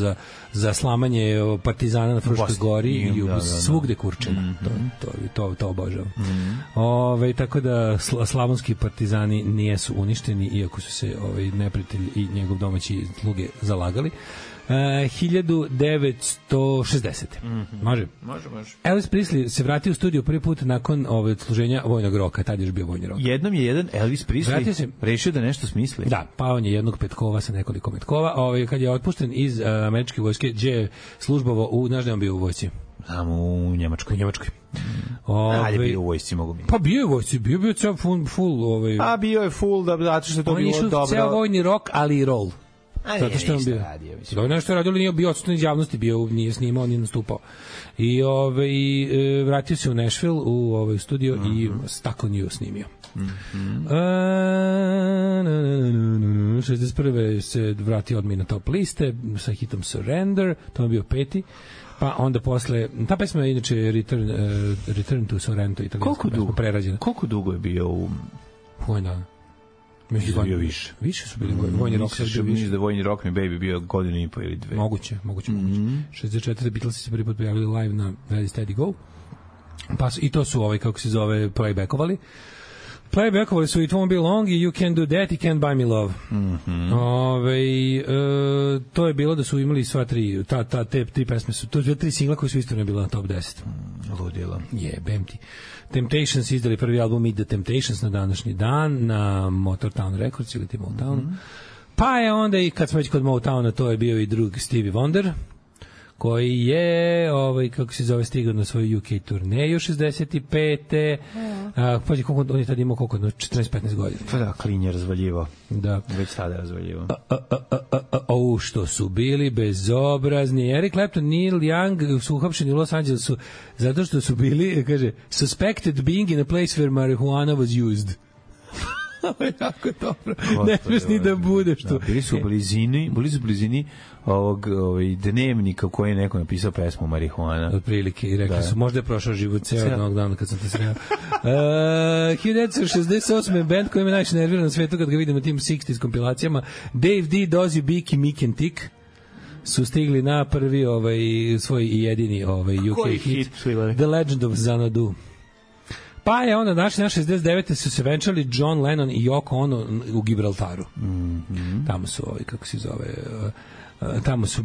za slamanje partizana na Fruškoj gori i svugde kurčena. To obožavam. Tako da slavonski partizani nijesu uništeni, iako su se neprijatelj i njegov domaći sluge zalagali. 1960. Može? Može. Elvis Presley se vratio u studiju prvi put nakon odsluženja vojnog roka. Tad je još bio vojni rok. Jednom je jedan Elvis Presley rešio da nešto smisli. Da, pa on je jednog petkova sa nekoliko metkova. Kad je otpušten iz američke vojske, gdje je službovao znaš da je on bio u vojsci? Znam, u Njemačkoj. Ali je bio u vojsci, mogu mi. Pa bio je u vojsci, bio je ceo full. A bio je full, zato što je to bilo dobro. On je ceo vojni rok, ali i roll. Zato što on bio. Da on nešto radio, nije bio odsutan iz javnosti, nije snimao, nije nastupao. I vratio se u Nashville u studio i Stuck on You snimio. 61. se vratio odmah na top liste sa hitom Surrender, to je bio 5. Pa onda posle, ta pesma je inače Return to Sorrento, italijanska pesma prerađena. Koliko dugo je bio u Vojna? Mislim da je bio više. Više su bili vojni rock. Mislim da je vojni rock mi baby bio godinu i po ili dve. Moguće. 64. Beatlesi se prvi put pojavili live na Ready Steady Go. Pa i to su kako se zove, playbackovali. Playbackovali su It Won't Be Long i You Can Do That i Can't Buy Me Love. To je bilo da su imali sva tri, te tri pesme su, to je tri singla koji su istorno bila na top 10. Ludilo. Jebem ti. Temptations izdali prvi album Meet the Temptations na današnji dan na Motown Records ili ti Motown. Pa je onda i kad smo već kod Motowna, to je bio i drug Stevie Wonder, koji je, kako se zove, stigao na svoju UK turneju 65. Pađi, koliko on je tada imao, 14-15 godina. Pa da, klin je razvaljivo. Da. Već sada je razvaljivo. Što su bili bezobrazni. Eric Clapton, Neil Young su uhapšeni u Los Angelesu zato što su bili, kaže, suspected being in a place where marijuana was used. Ovo je jako dobro. Ne smiješ ni da budeš tu. Bili su u blizini ovog dnevnika u koji je neko napisao pesmu Marihuana. Otprilike, i rekli su, možda je prošao život ceo jednog dana kad sam te sreo. 1968. band koji me najviše nervira na svetu kad ga vidim na tim 60s kompilacijama, Dave D, Dozy, Beak i Mick and Tick su stigli na prvi svoj i jedini UK hit The Legend of Xanadu. Pa je onda naši 69. su se venčali John Lennon i Yoko Ono u Gibraltaru. Tamo su kako se zove, tamo su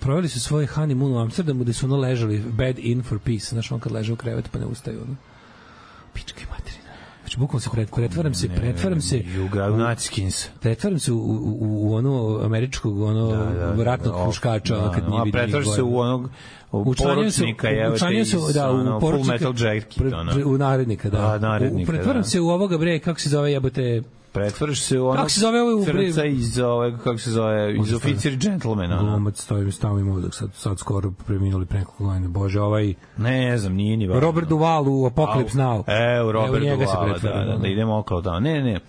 proveli su svoj honeymoon u Amsterdamu, gde su ono ležali bed in for peace, znaš, on kad leže u krevetu pa ne ustaju, ono. Pička i materina. Znači, bukvalno se pretvaram se pretvaram se u onu američkog ratnog huškača, kad nije vidio. Pretvaraš se u onog poručnika, u Full Metal Jacket, u narednika, da. Pretvaram se u ovoga bre, kako se zove, jebote, pretvoriš se u onog crnca iz Oficir Gentlemana. Glumac, stavim ovdje, sad skoro preminuli pre nekoliko godina. Bože, ne znam, nije ni važno. Robert Duvall u Apocalypse Now. Robert Duvall, da idemo okolo tamo. Ne.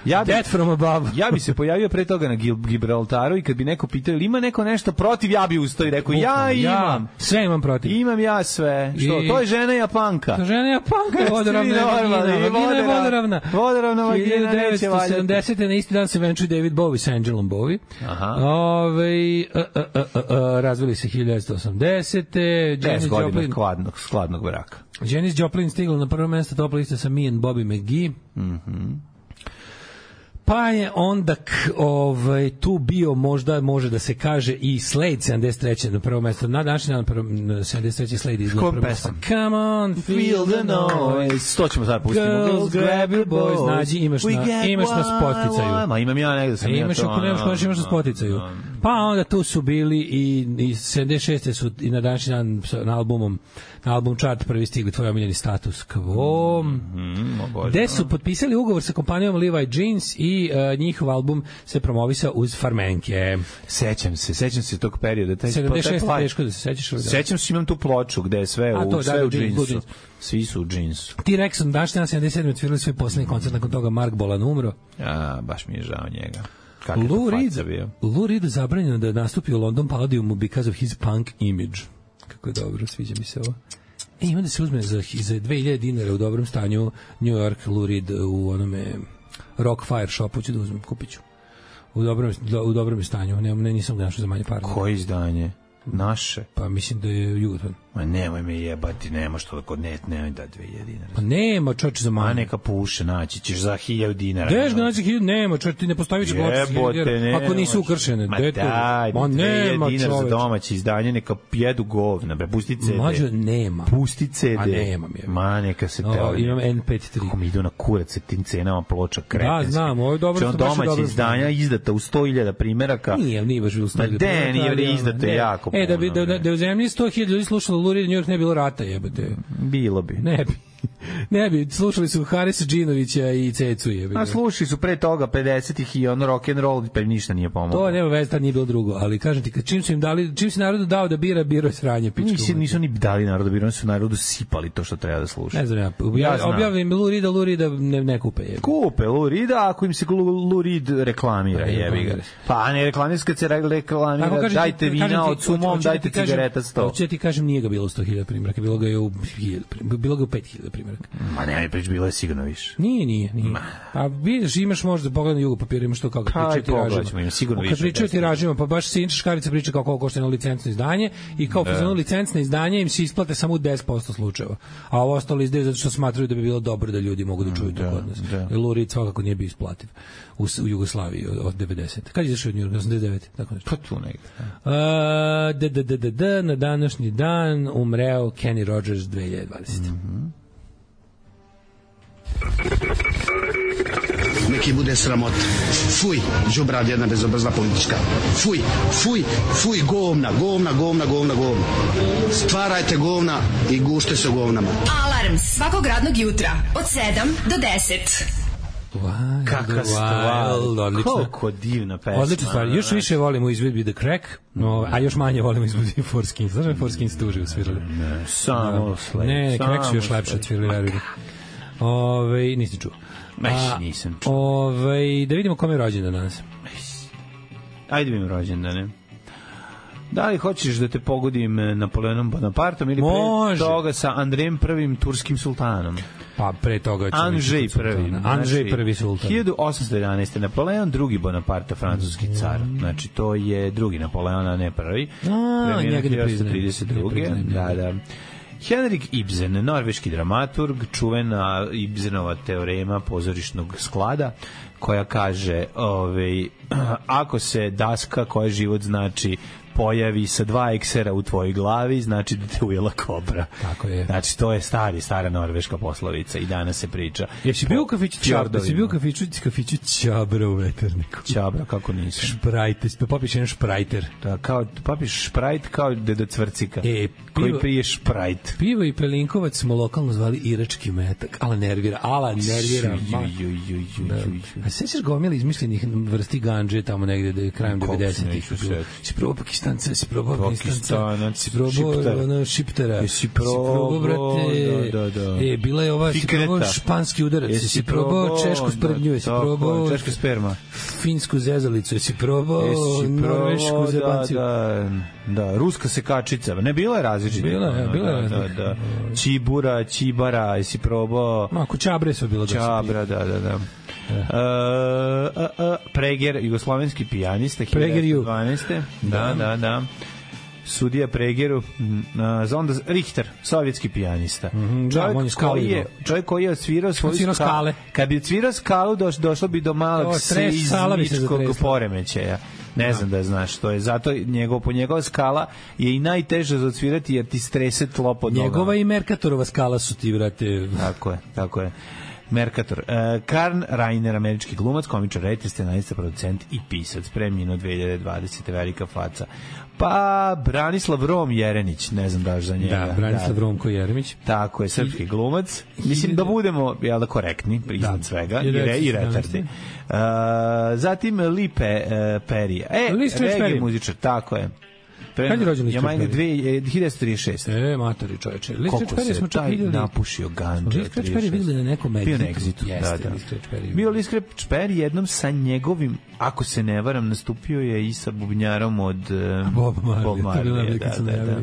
Death from above. Ja bi se pojavio pre toga na Gibraltaru i kad bi neko pitao ili ima neko nešto protiv, ja bi ustao i rekao ja imam. Sve imam protiv. Imam ja sve. Što? To je žena Japanka. Žena Japanka je vodoravna. Vodoravna. Vodoravna vagina neće valjati. 1970. na isti dan se venčuje David Bowie s Angelom Bowie. Razvili se 1980. Janis Joplin. Skladnog braka. Janis Joplin stigla na prvo mesto top liste sa Me and Bobby McGee. Pa je onda tu bio, možda može da se kaže, i Slade 73. na prvo mesto. Na današnji dan 73. Slade izgleda prvo mesto. Come on, feel the noise. To ćemo sad pustiti. Girls, grab your boys. Nađi, imaš na Spotify-u. Ma imam ja negde sam imaš ako nemaš, konačno imaš na Spotify-u. Pa onda tu su bili i 76. su i na današnji dan na album chart prvi stigli tvoj omiljeni Status Quo. Gde su potpisali ugovor sa kompanijom Levi Jeans i njihov album se promovisao uz farmenke. Sećam se tog perioda. 76. teško da se sećaš. Sećam se, imam tu ploču gde je sve u džinsu. Svi su u džinsu. T-Rex on dašnja na 77. otvirali svoj poslednji koncert, nakon toga Mark Bolan umro. Baš mi je žao njega. Lou Reed zabranjeno da nastupi u London Palladiumu because of his punk image. Kako je dobro, sviđa mi se ovo. Ima da se uzme za 2000 dinara u dobrom stanju New York Lou Reed u onome Rock Fire shopu, ću da uzmem, kupit ću. U dobrom stanju, nisam ga našao za manje para. Koje izdanje? Naše? Pa mislim da je Jugoton. Ma nemoj me jebati, nema što da kod nemoj da 2000 dinara. Pa nema, čoče, za manje. A neka puše, naći ćeš za 1000 dinara. Deš ga naći 1000, nema, čoče, ti ne postaviš ako nisu ukršene. Ma daj, 2000 dinara za domaće izdanje, neka jedu govna, bre, pusti CD. Mađo, nema. Pusti CD. A nemam je. Ma neka se teo. Imam MP3. Kako mi idu na kurac sa tim cenama ploča kretenski. Da, znam, ovo je dobro. Domaće izdanja izdata u 100.000 primeraka. Nije baš bilo 100.000. Nije izdata jako puno. Da u zemlji 100.000 ljudi slušalo Lou Reed, New York ne bilo rata, jebate. Bilo bi. Ne bi, slušali su Harisa Džinovića i Cecu, jebate. A slušali su pre toga 50-ih i ono rock and roll, pa ništa nije pomoglo. To nema veze, tad nije bilo drugo, ali kažem ti, čim su im dali, čim se narodu dao da biro je sranje, pička. Nisu ni dali narodu da bira, oni su narodu sipali to što treba da sluša. Ne znam ja, objavim Lou Reeda ne kupe, jebate. Kupe Lou Reeda, ako im se Lou Reed reklamira, jebi ga. Pa ne reklamiraju kad se reklamira, dajte vina od sumom, dajte cigareta 100. Hoće ti kažem, nije ga bilo 100.000 primjeraka, bilo ga je u 5.000 primjeraka. Ma ne, bilo je sigurno više. Nije. A vidiš, imaš možda pogled na jugo papira, imaš to kako pričaju tiražima. Kad pričaju tiražima, pa baš Sinča Škarica priča kako košta jedno licencno izdanje i kao jedno licencno izdanje im se isplate samo u 10% slučajeva. A ovo ostalo izdaju zato što smatraju da bi bilo dobro da ljudi mogu da čuju to kod nas. Lou Reed svakako nije bio isplativ u Jugoslaviji od 90. Kad je izašao od New York? 89. Tako nešto. Pa tu negde. Na današnji dan umreo Kenny Rogers 2020. Neki bude sramota. Fuj, đubrad jedna bezobrazna politička. Fuj, govna. Stvarajte govna i gušte se govnama. Alarm svakog radnog jutra od 7 do 10. Kakva stvar, koliko divna pesma. Odlična stvar, još više volimo izvedbi The Crack, a još manje volimo izvedbi Forskins. Znaš da Forskins tuži usvirali? Ne, samo Slade. Ne, Crack su još lepše odsvirali, verujem. Nisi čuo. Nisam čuo. Da vidimo kome je rođendan danas. Ajde vidimo rođendane. Da li hoćeš da te pogodim Napoleonom Bonapartom ili pre toga sa Andrejem I turskim sultanom? Pa pre toga Andrzej prvi. Andrzej prvi sultan. 1811. Napoleon drugi Bonaparte, francuski car. Znači, to je drugi Napoleon, a ne prvi. Njega ne priznaje. 1832. Da. Henrik Ibsen, norveški dramaturg, čuvena Ibsenova teorema pozorišnog sklada, koja kaže, ako se daska koja život znači pojavi sa 2 eksera u tvojoj glavi, znači da te ujela kobra. Tako je. Znači, to je stara norveška poslovica i danas se priča. Jesi bio u kafiću Čabra u Veterniku? Čabra, kako nisam? Šprajte, popiš jedan šprajter. Da, kao, popiš šprajt kao Deda Cvrcika, koji pije šprajt. Pivo i Pelinkovac smo lokalno zvali irački metak. Ala nervira. A sećaš gomila izmišljenih vrsti ganđe tamo negde krajem 90-ih? Si probao Pakistanca, si probao Afganistanca, si probao Šiptera, si probao, brate, bila je ova, si probao španski udarac, si probao češku sprdnju, si probao češka sperma, finsku zezalicu, si probao norvešku zebanciju. Da, ruska sekačica, ne, bila je različita. Bila je. Čibura, čibara, jesi probao... Ako čabre su bilo. Čabra, da. Preger, jugoslovenski pijanista, 1912. Da. Sudija Pregeru, onda Richter, sovjetski pijanista. Čovjek koji je odsvirao svoju skalu. Kad bi odsvirao skalu, došlo bi do malog seizmičkog poremećaja. Ne znam da znaš što je. Zato njegova skala je i najteža za odsvirati jer ti strese tlo pod nogama. Njegova i Mercatorova skala su ti, vrate. Tako je. Mercator. Karl Reiner, američki glumac, komičar, reditelj, scenarista, producent i pisac. Preminuo 2020. Velika faca. Pa Branislav Rom Jeremić, ne znam daš za njega. Da, Branislav Romko Jeremić. Tako je, srpski glumac. Mislim da budemo korektni, iznad svega, i retardi. Zatim Lipe Perija. Reggae muzičar, tako je. Kad je rođen Lister Perry? 1936. Matori čoveče. Koliko se taj napušio ganđa. Lister Perry videli na nekom Bio na Exitu. Bio Lister Perry jednom sa njegovim, ako se ne varam, nastupio je i sa bubnjarom od Bob Marley. Da.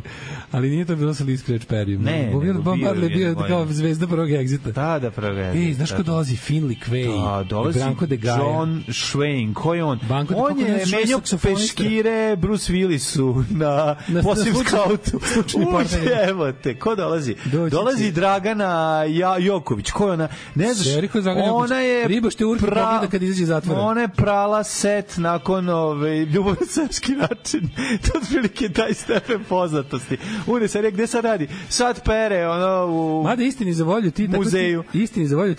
Ali nije to bilo sa Lister Perryjem. Ne, Bob Marley bio kao zvezda prvog Exita. Da, prvog Exita. Znaš ko dolazi? Finley Quay. Branko de Gaia. John Schwein. Ko je on? On je menjao peškire Bruce Willisu na posljednom skautu. Evo te, ko dolazi? Dolazi Dragana Joković. Ko je ona? Ne znaš, ona je ona je prala set nakon Ljubav na srpski način. To je otprilike taj stepen poznatosti. Une serija, gde sad radi? Sad pere, u mada istini za volju ti muzeju. Istini za volju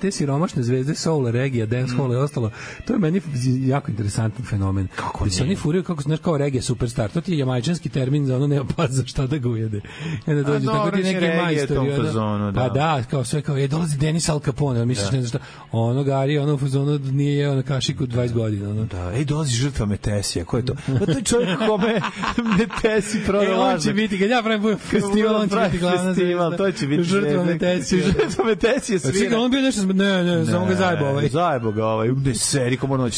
te siromašne zvezde soul, reggae, dance hall i ostalo. To je meni jako interesantan fenomen. Kako se oni furaju kako znaš kao reggae superstar. To ti je jamajčanski termin za ono nema pas za šta da ga ujede. Onda dođe tako ti neki majstori. Pa da, kao sve kao dolazi Denis Al Capone, misliš ne znaš šta. Ono gari, ono u fazonu nije jeo na kašiku 20 godina. Da, dolazi žrtva Metesija, ko je to? Pa to je čovjek kome Metesi prodao lažno. On će biti, kad ja pravim festival, on će biti glavna zvezda. To će biti žrtva Metesija. Žrtva Metesija svira. On bio nešto, ne, samo ga zajebo ovaj. Zajebo ga ovaj, u seri, ko moramo da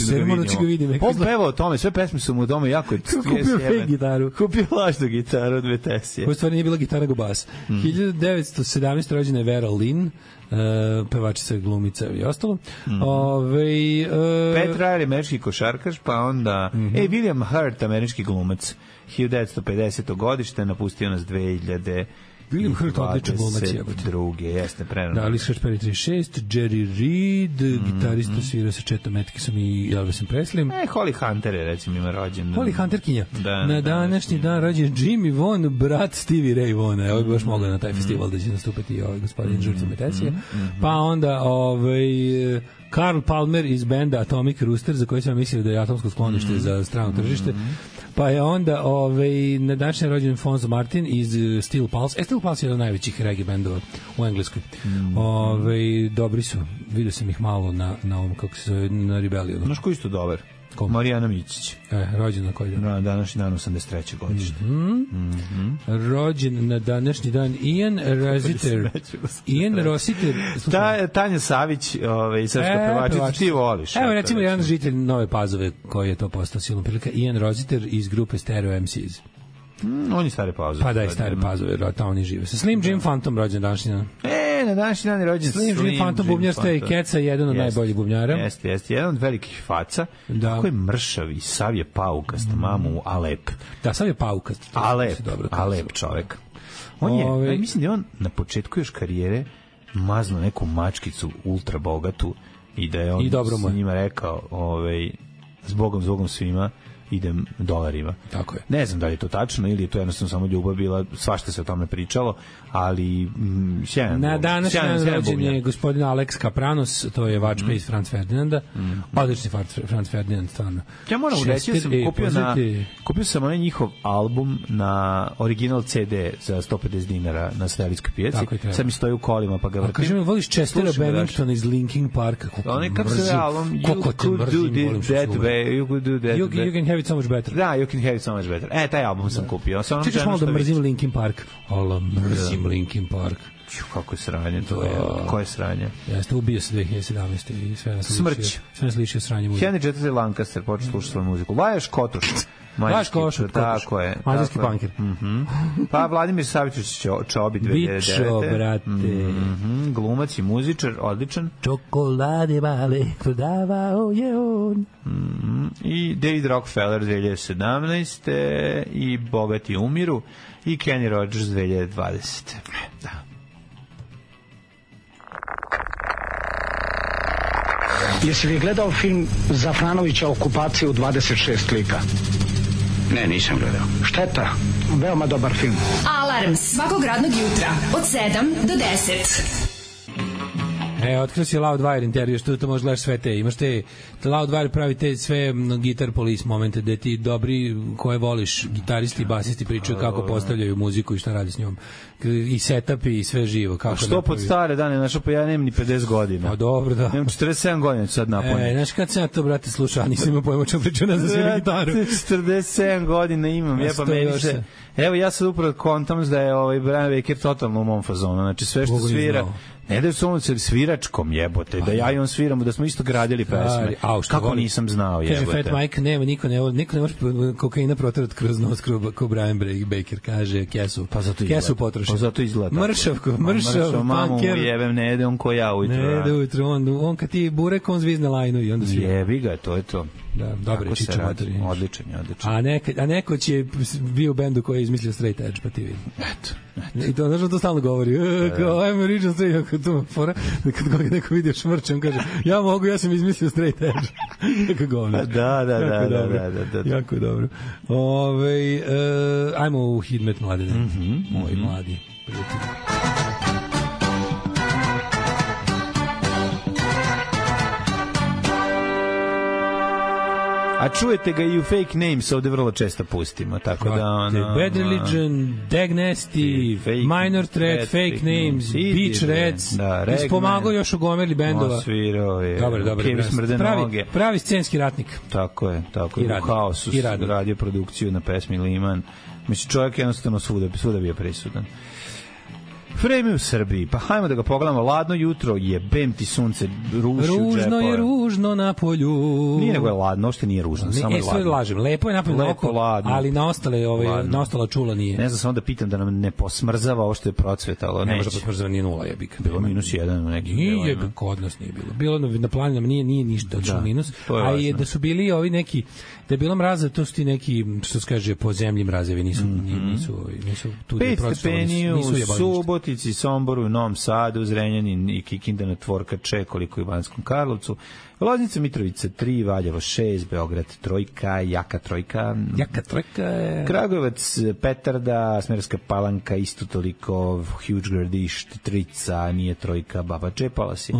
ga vidimo. On pevao o tome, sve pesme su mu u tome jako kupio fake gitaru. Kupio lažnu gitaru od Metesije. Koja stvari nije bila gitara go bas. 1917. rođena je Vera Lynn, pevačica, glumica i ostalo. Pat Riley, američki košarkaš, pa onda William Hurt, američki glumac, 1950. godište, napustio nas 2000. William Hurt, odličan glumac. Jeste, prerano. Da, Lister Perry 36, Jerry Reed, gitarista svirao sa Chetom Atkinsom i Elvisom Presleym. Holly Hunter je, recimo, ima rođen. Holly Hunterkinja. Na današnji dan rođen Jimmy Vaughan, brat Stevie Ray Vaughana. Evo bi baš mogla na taj festival da će nastupati gospodin žrtva Metesije. Pa onda Karl Palmer iz benda Atomic Rooster, za koje sam mislio da je atomsko sklonište za strano tržište. Pa je onda na današnji rođen Fonzo Martin iz Steel Pulse. Steel Pulse je jedan od najvećih reggae bendova u Engleskoj. Dobri su. Vidio sam ih malo na ovom, kako se zove, na Rebellionu. Znaš ko isto dobar? Marijana Mićić. Rođen na koji dan? Na današnji dan 83. godište. Rođen na današnji dan Ian Rossiter. Tanja Savić, srpska pevačica, ti voliš. Evo recimo jedan žitelj Nove Pazove koji je to postao silom prilika, Ian Rossiter iz grupe Stereo MCs. On je Stare Pazove. Pa da, i Stare Pazove, tamo oni žive. Sa Slim Jim Phantom rođen današnji dan. na današnji dan je rođen Slim Phantom bubnjar Stray Catsa, jedan od najboljih bubnjara. Jeste, jedan od velikih faca. Kako je mršav i sav je paukast, mamu Alep. Da, sav je paukast. Alep čovek. On je, mislim da je on na početku još karijere mazno neku mačkicu ultra bogatu i da je on sa njima rekao zbogom svima idem dolarima. Tako je. Ne znam da li je to tačno ili je to jednostavno samo ljubav bila, svašta se o tome pričalo, ali sjajan. Na današnji rođen je gospodin Alex Kapranos, to je vačpe iz Franz Ferdinanda. Odlični Franz Ferdinand, stvarno. Ja moram reći da sam kupio sam onaj njihov album na original CD za 150 dinara na Sveličkoj pijaci. Sad mi stoji u kolima pa ga vrtim. Kaže mi, voliš Chestera Benningtona iz Linkin Parka? Kako se album You Could Do That Way, You Could Do That Way. You Can Have It So Much Better. Da, You Can Have It So Much Better. Taj album sam kupio. Čekaš malo da mrzim Linkin Park. Mrzim Linkin Park. Kako je sranje to je. Koje sranje? Jeste, ubio se 2017. i sve nas lišio sranje muzike. Henry IV. Lancaster počeo slušati svoju muziku. Laješ Kotuš. Laješ Kotuš. Tako je. Mađarski punker. Pa Vladimir Savičić Čobi 2009. Bičo, brate. Glumac i muzičar, odličan. Čokolade male, prodavao je on. I David Rockefeller 2017. I Bogati umiru. I Kenny Rogers 2020. Da. Jesi li gledao film Zafranovića Okupacija u 26 lika? Ne, nisam gledao. Šteta, veoma dobar film. Alarm svakog radnog jutra od 7 do 10. Otkrio si Loudwire intervju, što to možeš gledaš sve te. Imaš te Loudwire pravi te sve Guitar Police momente gde ti dobri koje voliš, gitaristi i basisti pričaju kako postavljaju muziku i šta radi s njom. I setup i sve živo. Kako što pod stare dane, znaš, pa ja nemam ni 50 godina. Pa dobro, da. Nemam 47 godina sad napuniti. Znaš kad sam ja to, brate, slušao, nisam imao pojma čemu pričao na zasvijem gitaru. 47 godina imam, pa meni se... Evo, ja sad upravo kontam da je Brian Baker totalno u mom fazonu. Znači, sve što svira... Ne da je su sviračkom jebote, da ja i on sviramo, da smo isto gradili pesme. Kako nisam znao jebote. Kaže Fat Mike, niko ne može kokaina protrati kroz nos ko Brian Baker, kaže kesu. Pa zato kesu potroši. Pa zato izgleda. Mršav, mamu jebem, ne ide on ko ja ujutro. Ne ide ujutro, on kad ti burek, on zvizne lajnu i onda svira. Jebi ga, to je to. Da, dobro je čiču mater. Odličan. A nekoć je bio u bendu koji je izmislio Straight Edge, pa ti vidi. Eto. I to, znaš, on to stalno govori. Kao, I'm original Straight Edge, tu fora. Kad ga neko vidio šmrče, on kaže, ja sam izmislio Straight Edge. Kako govori. Da. Jako je dobro. Ajmo u Hidmet mladine. Moji mladi prijatelji. A čujete ga i u Fake Names, ovde vrlo često pustimo, tako da... Bad Religion, Dag Nasty, Minor Threat, Fake Names, Beach Reds, ispomagao još u gomeli bendova. Osvirao je, Kevi smrde noge. Pravi scenski ratnik. Tako je, u Haosu radio produkciju na pesmi Liman. Mislim, čovjek jednostavno svuda bio prisudan. Vreme u Srbiji, pa hajmo da ga pogledamo. Ladno jutro, jebem ti sunce, ruši u džepove. Ružno je ružno na polju. Nije nego je ladno, ošte nije ružno, samo je ladno. Lažem, lepo je napolju na oko, ali na ostala čula nije. Ne znam, samo da pitam da nam ne posmrzava ovo što je procvetalo. Ne može posmrzava, nije nula jebika. Bilo -1 u nekim delovima. Nije, kod nas nije bilo. Bilo na planinama nije ništa točno minus, a je da su bili ovi neki, da je bilo mraza, to su ti neki, što se kaže, po zemlji mrazevi, nisu tu 5 stepeni u Subotici, Somboru, Novom Sadu, Zrenjanin i Kikinda na Tvorkače, koliko i u Banskom Karlovcu, Loznica, Mitrovica 3, Valjevo 6, Beograd 3, Jaka trojka, Kragujevac, Petarda, Smederska Palanka, isto toliko, Huge Gradišt 3, nije trojka, Baba Čepala si,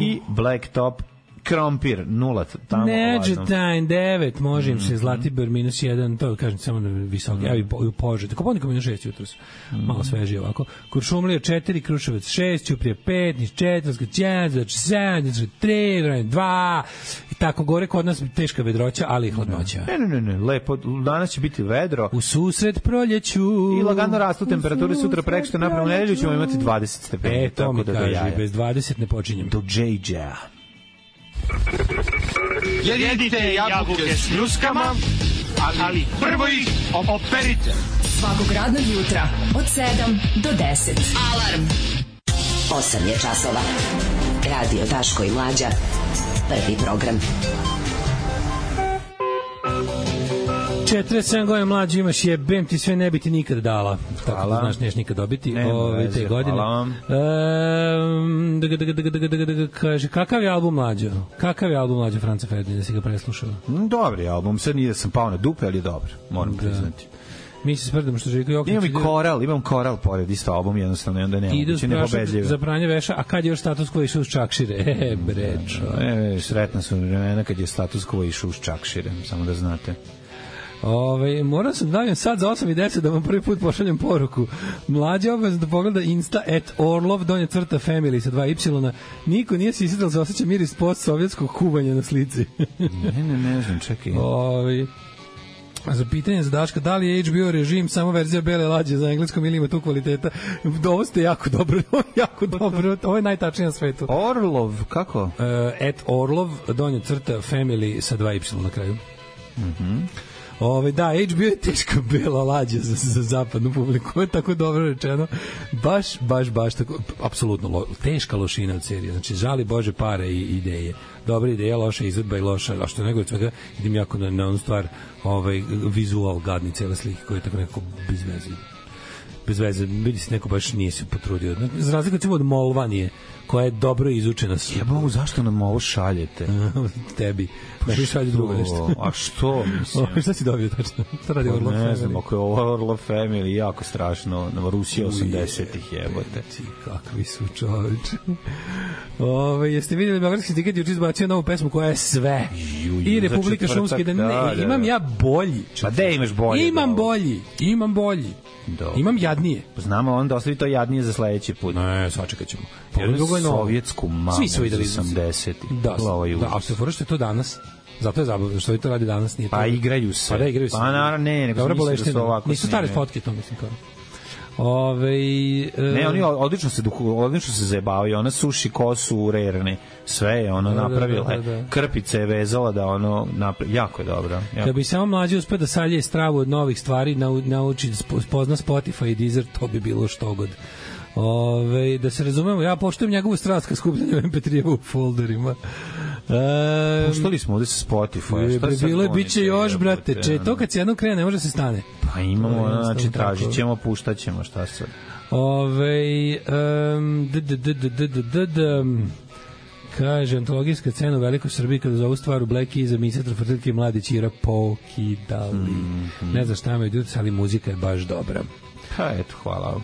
i Blacktop, Krompir 0 tamo. Neđetajn 9, može im se, Zlatibor -1, to kažem samo na visoke, evo i u Požegi. Koponika -6 jutros, malo svežije ovako. Kuršumlija 4, Kruševac 6, Ćuprije 5, Niš 4, Zgoćanac 7, 3, 2, i tako gore, kod nas teška vedroća, ali i hladnoća. Ne, lepo, danas će biti vedro. U susret proljeću. I lagano rastu temperature, sutra prekosutra napravno nedelju ćemo imati 20 stepeni. To mi kaže, bez 20 ne počinjem. Do Džejđa. Jedite jabuke s ljuskama, ali prvo ih operite. Svakog radnog jutra od 7 do 10. Alarm. 8 je časova. Radio Daško i Mlađa. Prvi program. 47 godina mlađi imaš, jebem ti sve, ne bi ti nikad dala. Tako da znaš, neš nikad dobiti te godine. Kaže, kakav je album Mlađo? Kakav je album Mlađo Franca Ferdinanda, da si ga preslušao? Dobri album, sad nije da sam pao na dupe, ali je dobar, moram priznati. Mi se sprdamo što Željko Jokić... Imam koral pored isto album, jednostavno, i onda nema. Idu za pranje veša, a kad je još Status Quo išao uz Čakšire? Brečo. Sretna su vremena kad je Status Quo išao uz Čakšire, samo da znate. Moram sam da dajem sad za 8 i 10 da vam prvi put pošaljem poruku. Mlađe obavezno da pogleda Insta @Orlov _family sa 2 y. Niko nije se isjedal, se osjeća miris post-sovjetskog kuvanja na slici. ne znam, čekaj. Za pitanje za Daška, da li je HBO režim samo verzija bele lađe za engleskom ili ima tu kvaliteta? Ovo ste jako dobro, ovo je najtačnije na svetu. Orlov, kako? @Orlov _family sa 2 y na kraju. Da, HBO je teška bela lađa za zapadnu publiku, ovo je tako dobro rečeno, baš tako, apsolutno teška lošina od serije, znači žali Bože pare i ideje, dobra ideja, loša izvedba i loša, a što nego od svega idem jako na onu stvar, vizual gadni cele slike koje je tako nekako bez veze, vidi se neko baš nije se potrudio, za razliku od Molvanije koja je dobro izučena. Jebao, zašto nam ovo šaljete? Tebi. Da šalje drugo nešto. A što, mislim? Šta si dobio tačno? Šta radi Orlov Family? Ne znam, ako je ovo Orlov Family, jako strašno. Na Rusiji 80-ih jebote. Kakvi su čoveče. Jeste vidjeli Beogradski sindikat juče izbacio novu pesmu koja je sve. I Republika Šumska. Imam ja bolji. Pa gde imaš bolji? Imam bolji. Imam jadnije. Znamo, onda ostavi to jadnije za sledeći put. Ne, svačekat ćemo. Sovjetsku mamu iz 80-ih. Da, a se fora što je to danas. Zato je zabavno što to radi danas. Nije pa igraju se. Pa da, igraju se. Pa naravno, nego mislim da su ovako. Nisu stare fotke, to mislim kao. Ne, oni odlično se zajebavaju, ona suši kosu u rerne, sve je ono napravila, krpice je vezala da ono jako je dobro. Kada bi samo mlađi uspio da salje stravu od novih stvari, nauči da spozna Spotify i Deezer, to bi bilo što god. Da se razumemo, ja poštujem njegovu strast kad skupljanje MP3 u folderima. Puštali smo ovde sa Spotify. Bilo je, bit će još, brate. To kad se jednom krene, ne može se stane. Pa imamo, znači tražit ćemo, puštat ćemo, šta sad. Kaže, antologijska scena u Velikoj Srbiji kada za ovu stvar u Black Keys emisija Trofrtilke mladi Ćira pokidali. Ne znam šta imaju djece, ali muzika je baš dobra. Pa eto, hvala.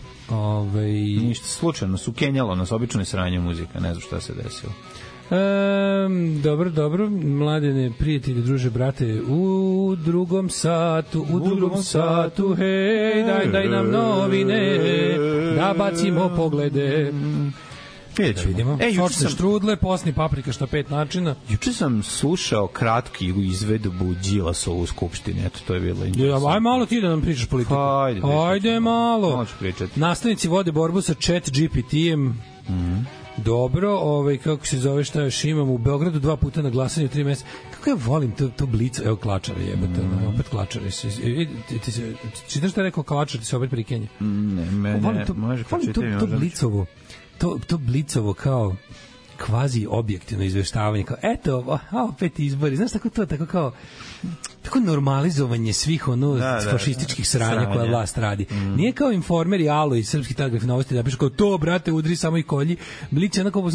Ništa slučajno, su kenjalo nas, obično je sranje muzika, ne znam šta se desilo. Dobro, mladene, prijatelji, druže, brate, u drugom satu, hej, daj nam novine, da bacimo poglede. Vidimo. Sočne štrudle, posni paprika, šta 5 načina. Juče sam slušao kratki izvedbu Đilasovu u Skupštini, eto, to je bilo interesantno. Aj malo ti da nam pričaš politiku. Ajde malo. Možeš pričati. Nastavnici vode borbu sa ChatGPT-em. Dobro, kako se zove, šta još imam u Beogradu 2 puta na glasanju 3 meseca. Kako ja volim to blico, evo Klačare jebate, opet Klačare. Čitaš šta je rekao Klačar, ti se opet prikenja? Ne, može pročitati. To blicovo, to blicovo kao kvazi objektivno izveštavanje, kao eto, opet izbori, znaš tako kao tako normalizovanje svih fašističkih sranja koja vlast radi. Nije kao Informer i Alo i Srpski telegraf novosti da pišu kao to, brate, udri samo i kolji. Blic je onako,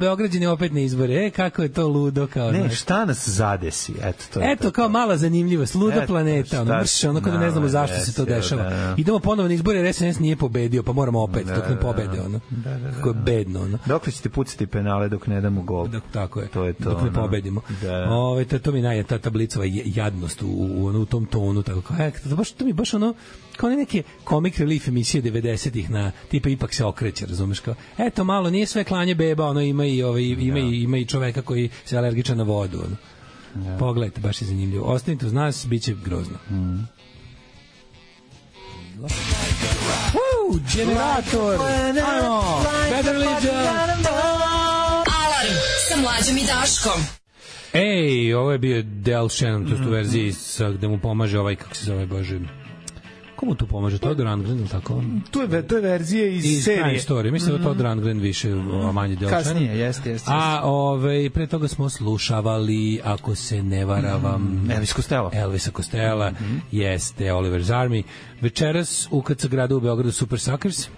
Beograđani opet ne izbore. Kako je to ludo. Kao, ne, šta nas zadesi? Eto, kao mala zanimljivost. Luda planeta. Onako da ne znamo zašto se to dešava. Idemo ponovo na izbore, jer SNS nije pobedio, pa moramo opet, dok ne pobede. Kako je bedno. Dokle ćete pucati penale dok ne damo gol? Tako je. Dok ne pobedimo. To mi najje, ta Blicova jadnost u tom tonu, tako kao, to mi baš ono, kao neke comic relief emisije 90-ih na tipa ipak se okreće, razumeš, kao, eto malo, nije sve klanje beba, ono, ima i čoveka koji se alergičan na vodu, ono. Pogledajte, baš je zanimljivo. Ostanite uz nas, bit će grozno. Generator! Ajmo! Better Legion! Alarm sa Mlađom i Daškom. Ej, ovo je bio Del Shannon, to je u verziji gde mu pomaže ovaj, kako se zove, Bože, Komu tu pomaže? Todor Rundgren, ili tako? To je verzije iz serije. Istorije. Mislim da Todor Rundgren više, a manje Delčan. Kasnije, jeste. A pre toga smo slušavali, ako se ne varavam, Elvisa Costello, jeste Oliver's Army. Večeras u KC gradu u Beogradu Super Suckers.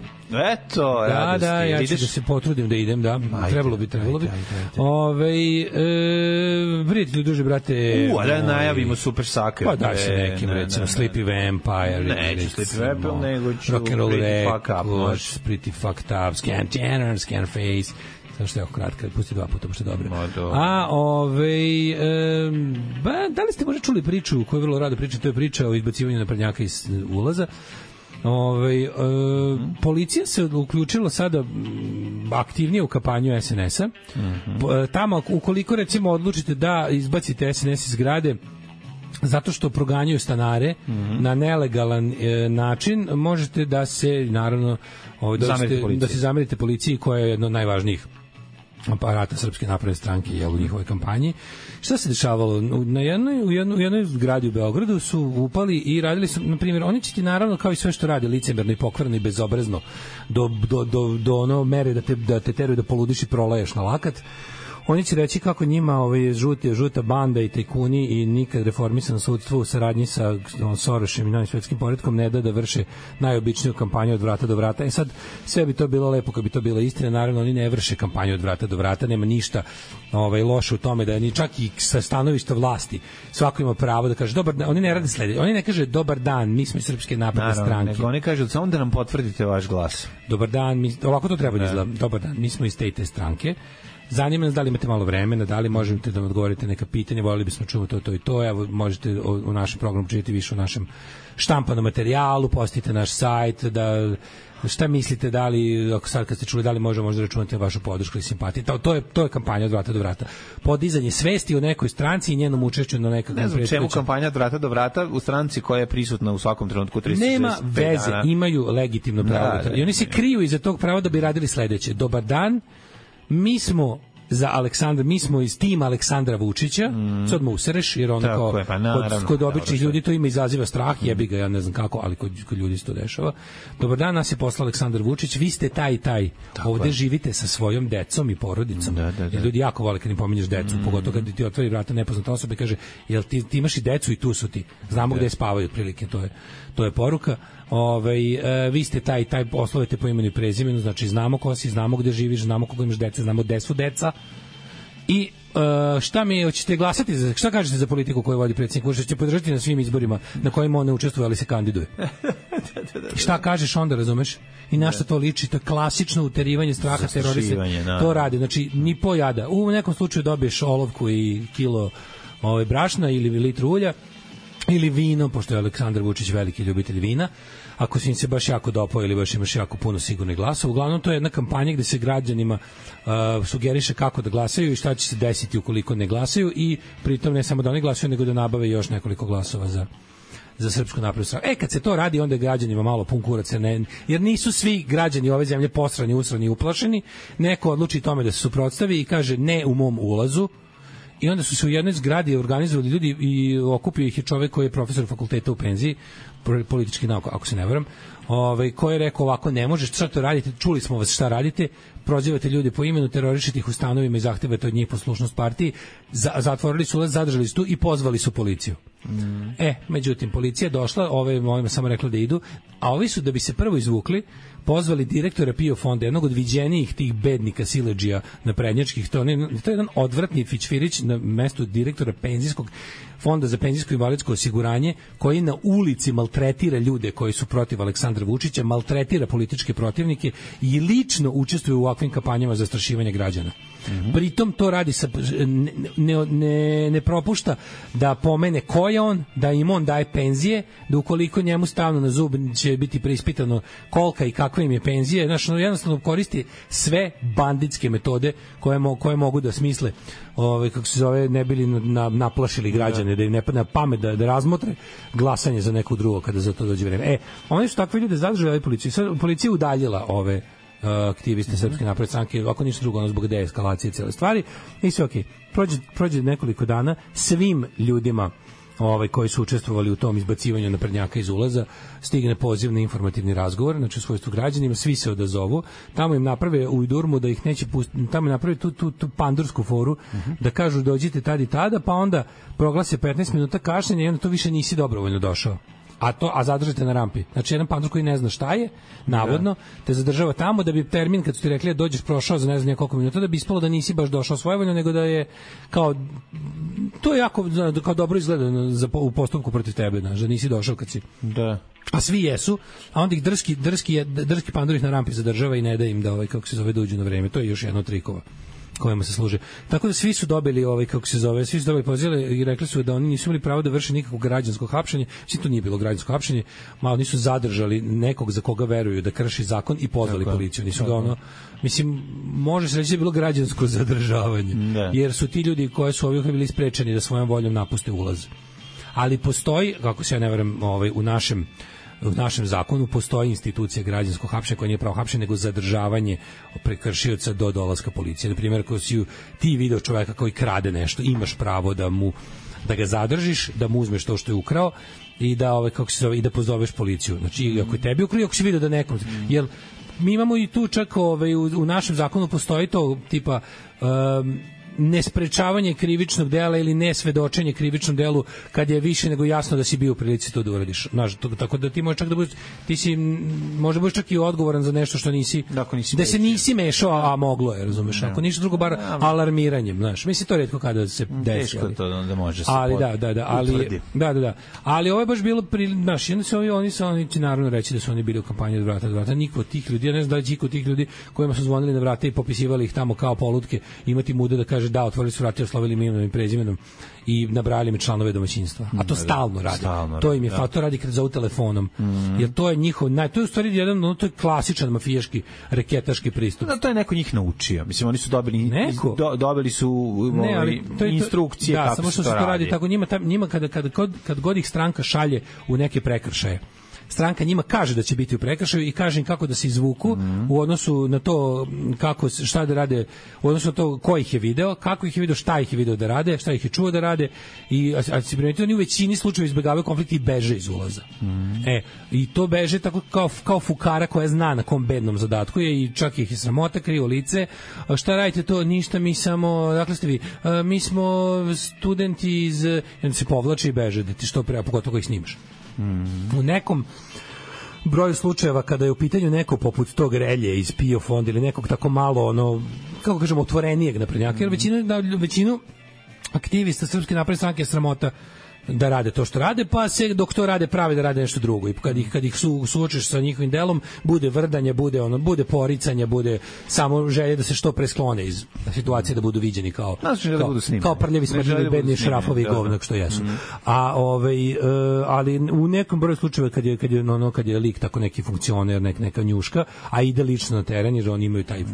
Eto, da, ja ću da se potrudim da idem, da. Trebalo bi. Prijatelji, duže, brate. Da najavimo Super Suckers. Pa da se nekim, recimo, Sleepy Vampire. Neću Sleepy Vampire, nego ću Pretty Fucked Up, Scanface. Samo što je oko kratka, pusti 2 puta, pošto je dobro. Da li ste možda čuli priču koju vrlo rado priča, to je priča o izbacivanju naprednjaka iz ulaza. Policija se uključila sada aktivnije u kampanju SNS-a. Tamo, ukoliko recimo odlučite da izbacite SNS iz zgrade zato što proganjaju stanare na nelegalan način, možete da se naravno da se zamerite policiji, koja je jedno od najvažnijih aparata Srpske napredne stranke u njihovoj kampanji. Šta se dešavalo? U jednoj zgradi u Beogradu su upali i radili su, na primjer, oni će ti naravno, kao i sve što rade, licemerno i pokvarno i bezobrazno, do ono mere da te teraju da poludiš i proleješ na lakat. Oni će reći kako njima žuta banda i tajkuni i nikad reformisano sudstvo u saradnji sa Sorošem i novim svetskim poretkom ne da vrše najobičniju kampanju od vrata do vrata. Sad, sve bi to bilo lepo kad bi to bila istina, naravno oni ne vrše kampanju od vrata do vrata, nema ništa loše u tome da ni čak i sa stanovišta vlasti svako ima pravo da kaže dobar dan, oni ne rade sledeće, oni ne kaže dobar dan, mi smo iz Srpske napredne stranke. Nego oni kažu samo da nam potvrdite vaš glas. Dobar dan, ovako to treba da izgleda. Dobar dan, mi smo iz te stranke. Zanima nas da li imate malo vremena, da li možete da nam odgovorite neka pitanja, voljeli bismo čuti to i to. Evo, možete u našem programu čitati više u našem štampanom materijalu, postite naš sajt, da šta mislite, da li, ako sad kad ste čuli, da li možda računate vašu podršku i simpatiju. To je kampanja od vrata do vrata. Podizanje svesti o nekoj stranci i njenom učešću na nekakvom predstavljanju. Ne znam čemu kampanja od vrata do vrata u stranci koja je prisutna u svakom trenutku 365 dana. Nema veze, imaju legitimno pravo. I oni se kriju iza tog prava da bi radili sledeće. Dobar dan, mi smo mi smo iz tima Aleksandra Vučića, sad mu usereš, jer ono kao, kod običnih ljudi to ima izaziva strah, jebi ga, ja ne znam kako, ali kod ljudi se to dešava. Dobar dan, nas je poslao Aleksandar Vučić, vi ste taj, ovde živite sa svojom decom i porodicom. Jer ljudi jako vole kad im pominješ decu, pogotovo kad ti otvori vrata nepoznata osoba i kaže, jel ti imaš i decu i tu su ti, znamo gde spavaju otprilike, to je poruka. Vi ste taj poslovete po imenu i prezimenu, znači znamo ko si, znamo gde živiš, znamo koliko imaš dece, znamo gde su deca. I hoćete glasati, šta kažete za politiku koju vodi predsjednik Vučić? Će podržati na svim izborima na kojima on ne učestvuje, ali se kandiduje. Šta kažeš onda, razumeš? I na šta to liči? To je klasično uterivanje straha, teroriste. To radi, znači ni po jada. U nekom slučaju dobiješ olovku i kilo brašna ili litru ulja, ili vino, pošto je Aleksandar Vučić veliki ljubitelj vina, ako si im se baš jako dopao ili baš imaš jako puno sigurnih glasova. Uglavnom, to je jedna kampanja gde se građanima sugeriše kako da glasaju i šta će se desiti ukoliko ne glasaju, i pritom ne samo da oni glasaju, nego da nabave još nekoliko glasova za Srpsku naprednu stranku. Kad se to radi, onda je građanima malo pun kurac, jer nisu svi građani ove zemlje posrani, usrani i uplašeni. Neko odluči tome da se suprotstavi i kaže ne u mom ulazu. I onda su se u jednoj zgradi organizovali ljudi i okupio ih je čovek koji je profesor fakulteta u penziji, politički nauka, ako se ne varam, koji je rekao ovako, ne možeš, šta to radite, čuli smo vas šta radite, prozivate ljudi po imenu, terorišete ih u stanovima i zahtevate od njih poslušnost partiji, zatvorili su ulaz, zadržali su tu i pozvali su policiju. Međutim, policija je došla, ovima samo rekla da idu, a ovi su, da bi se prvo izvukli, pozvali direktora PIO fonda, jednog od viđenijih tih bednika siledžija naprednjačkih, to je jedan odvratni fićfirić na mestu direktora penzijskog fonda za penzijsko i invalidsko osiguranje, koji na ulici maltretira ljude koji su protiv Aleksandra Vučića, maltretira političke protivnike i lično učestvuje u ovakvim kampanjama za zastrašivanje građana. Pritom to radi ne propušta da pomene ko je on, da im on daje penzije, da ukoliko njemu stavno na zub će biti preispitano kolika i kakva im je penzije. Znači, jednostavno koristi sve banditske metode koje mogu da smisle, kako se zove, ne bili naplašili građane, da im ne padne na pamet da razmotre glasanje za nekog drugog kada za to dođe vreme. Oni su takve ljude zadržali policiju. Sad policija udaljila ove aktiviste Srpske napredne stranke, ako ništa drugo, zbog deeskalacije cele stvari, i sve okej. Prođe nekoliko dana, svim ljudima koji su učestvovali u tom izbacivanju naprednjaka iz ulaza, stigne poziv na informativni razgovor, znači u svojstvu građanima, svi se odazovu, tamo im naprave u Durmu da ih neće pustiti, tamo im naprave tu pandursku foru, da kažu dođite tad i tada, pa onda proglase 15 minuta kašnjenja i onda to više nisi dobrovoljno došao. A zadržite na rampi. Znači, jedan pandur koji ne zna šta je, navodno, te zadržava tamo da bi termin, kad su ti rekli da dođeš prošao za ne znam koliko minuta, da bi ispalo da nisi baš došao svojevoljno, nego da je kao, to je jako kao dobro izgleda u postupku protiv tebe, znači, da nisi došao kad si... Da. A svi jesu, a onda ih drski pandur ih na rampi zadržava i ne da im da, kako se zove, da uđu na vreme. To je još jedna od trikova kojima se služe. Tako da svi su dobili svi su dobili pozive i rekli su da oni nisu imali pravo da vrše nikakvo građansko hapšenje. To nije bilo građansko hapšenje, malo nisu zadržali nekog za koga veruju da krši zakon i pozvali policiju. Nisu ga mislim, može se reći da je bilo građansko zadržavanje. Jer su ti ljudi koji su ovih bili sprečeni da svojom voljom napuste ulaz. Ali postoji, kako se ja ne verujem, u našem zakonu postoji institucija građanskog hapšenja koja nije pravo hapšenje, nego zadržavanje prekršioca do dolaska policije. Na primjer, ako si ti video čoveka koji krade nešto, imaš pravo da ga zadržiš, da mu uzmeš to što je ukrao i da i da pozoveš policiju. Znači, ako je tebi ukrao, ako si video da nekom, jer mi imamo i tu čak u našem zakonu postoji to tipa nesprečavanje krivičnog dela ili nesvedočenje krivičnom delu kad je više nego jasno da si bio u prilici to da uradiš. Tako da ti možeš čak da budeš, ti si možda budeš čak i odgovoran za nešto što nisi, da se nisi mešao, a moglo je, razumeš? Ako ništa drugo, bar alarmiranjem, znaš. Mislim, to retko kada se desi. Teško to onda može se ali ovo je baš bilo, znaš, oni će naravno reći da su oni bili u kampanji od vrata do vrata. Niko od tih ljudi, ja ne znam da je niko od tih ljudi kojima su zvonili na vrata i popisivali ih tamo kao polutke, imati mude da kaže da, otvorili su vrata, oslovili mi imenom i prezimenom i nabrajali mi članove domaćinstva. A to stalno radi. To im je to radi kad zovu telefonom. Jer to je njihov, to je u stvari to je klasičan mafijaški, reketaški pristup. To je neko njih naučio. Mislim, oni su dobili su instrukcije kako se to radi. Da, samo što se to radi tako. Njima kad god ih stranka šalje u neke prekršaje, stranka njima kaže da će biti u prekršaju i kaže im kako da se izvuku u odnosu na to šta da rade, u odnosu na to ko ih je video, kako ih je video, šta ih je video da rade, šta ih je čuo da rade a se primetio, oni u većini slučajeva izbegavaju konflikt i beže iz ulaza. I to beže tako kao fukara koja zna na kom bednom zadatku je i čak ih je sramota, krivo lice. Šta radite to? Ništa, mi samo, dakle ste vi, mi smo studenti iz, onda se povlači i beže da ti što pre, pogotovo ih snimaš. U nekom broju slučajeva kada je u pitanju neko poput tog Relje iz PIO fonda ili nekog tako malo kako kažemo otvorenijeg naprednjaka, jer većinu aktivista Srpske napredne stranke je sramota da rade to što rade, pa se dok to rade prave da rade nešto drugo i kad ih suočiš sa njihovim delom, bude vrdanje, bude poricanje, bude samo želje da se što pre sklone iz situacije, da budu viđeni kao prljavi smrdljivi bedni šrafovi i govnak što jesu. Ali u nekom broju slučajeva kad je lik tako neki funkcioner, neka njuška, a ide lično na teren, jer oni imaju taj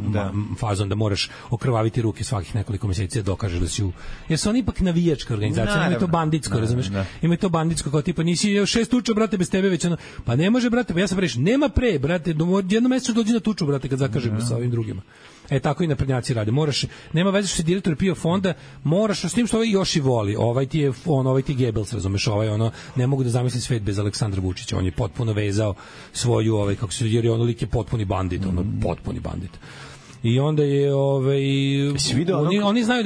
fazon da moraš okrvaviti ruke svakih nekoliko meseci da dokažeš da si jer su oni ipak navijačka organizacija, imaju to banditsko, ima to banditsko kao tipa nisi 6 tuča brate bez tebe već pa ne može brate, pa ja sam rešio nema pre brate, jedno mesečno dođi na tuču brate kad zakažemo sa ovim drugima. Tako i naprednjaci rade. Nema veze što si direktor PIO fonda, moraš s tim što ovaj još i voli. Ovaj ti je Goebbels, razumeš, ne mogu da zamislim svet bez Aleksandra Vučića. On je potpuno vezao svoju jer je lik je potpuni bandit, potpuni bandit. I onda je oni znaju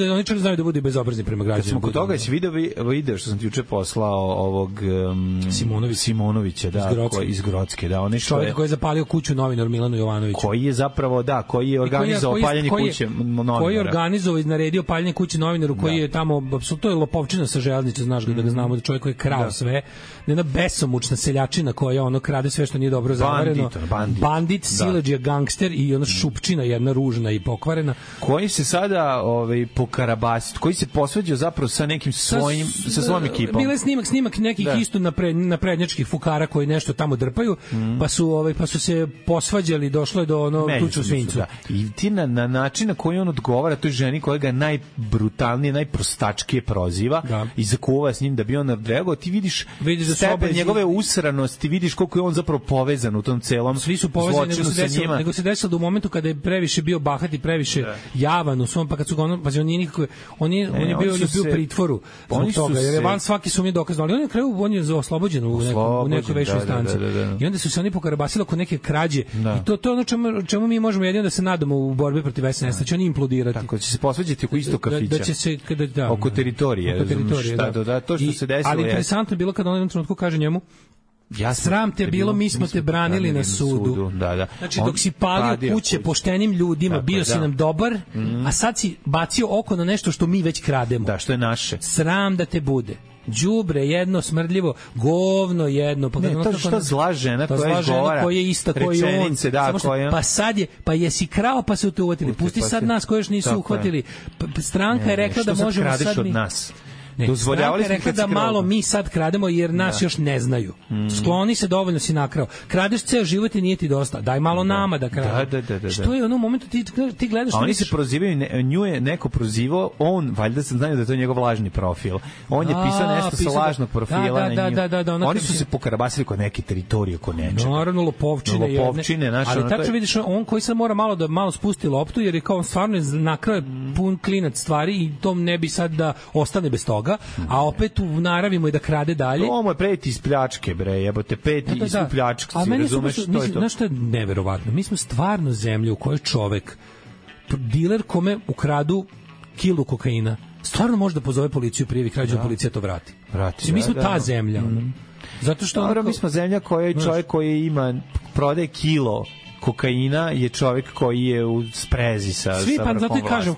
da budu bezobrazni prema građanima. Kad smo kod toga si video što sam ti juče poslao ovog Simonovića, iz Grocke, čovjek koji je zapalio kuću novinaru Milanu Jovanoviću. Koji je zapravo organizovao paljenje kuće novinara. Koji je organizovao i naredio paljenje kuće novinaru, koji je tamo apsolutno je lopovčina sa železnice, znaš da ga znamo, da čovjek koji je krao sve, jedna besomučna seljačina koja krade sve što nije dobro zavareno. Bandit, siledžija, gangster i ona šupčina jedna ružna i pokvarena. Koji se sada pokarabasi, koji se posvađao zapravo sa nekim sa svojom ekipom. Bile snimak nekih isto naprednjačkih fukara koji nešto tamo drpaju, pa su se posvađali, došlo je do tuču svinjcu. I ti na način na koji on odgovara toj ženi koja ga najbrutalnije, najprostačkije proziva i zakuva s njim da bi on odreagovao, ti vidiš stepen njegove usranosti, vidiš koliko je on zapravo povezan u tom celom. Svi su povezani, nego se desilo da u momentu kada je previše bio bahat i previše javan u svom, pa kad su ga on je bio u pritvoru zbog toga, jer je van svaki sumnje dokazano, ali on je kraju, on je oslobođen u nekoj većoj instanci. I onda su se oni pokarabasili oko neke krađe i to je ono čemu mi možemo jedino da se nadamo u borbi protiv SNS, da će oni implodirati. Tako će se posvađati oko istog kafića. Da će se oko teritorije, to što se desilo. Ali interesantno je bilo kada on u jednom trenutku kaže njemu, sram te bilo, mi smo te branili na sudu. Znači, dok si palio kuće poštenim ljudima, bio si nam dobar, a sad si bacio oko na nešto što mi već krademo. Da, što je naše. Sram da te bude. Đubre jedno, smrdljivo, govno jedno. Pa ne, to što zla žena koja izgovara koja je ista, koja je on. Pa sad je, pa jesi krao pa su te uhvatili. Pusti sad nas koji još nisu uhvatili. Stranka je rekla da možemo sad od nas. Dozvoljavali smo rekla da malo mi sad krademo jer nas još ne znaju. Skloni se, dovoljno si nakrao. Kradeš ceo život i nije ti dosta. Daj malo nama da krademo. Što je u onom momentu ti gledaš... A oni se prozivaju, nju je neko prozivao, on, valjda se znaju da to je njegov lažni profil. On je pisao nešto sa lažnog profila na nju. Oni su se pokarabasili kod neke teritorije, kod nečega. Naravno, lopovčine. Ali tačno vidiš, on koji sad mora malo spusti loptu, jer je kao stvarno nakrao pun klinac stvari i to ne bi sad da ostane bez toga, a opet u naravi mu je da krade dalje. Ovo je preti iz pljačke, bre, jebote, peti iz pljačke, si razumeš što je to? Znaš što je neverovatno? Mi smo stvarno zemlja u kojoj čovek, diler kome ukradu kilu kokaina, stvarno može da pozove policiju, prijavi krađu, a policija to vrati. Mi smo ta zemlja. Zato što... Mi smo zemlja koja čovjek koji prodaje kilo kokaina je čovjek koji je u sprezi sa svi, pa zato i kažem,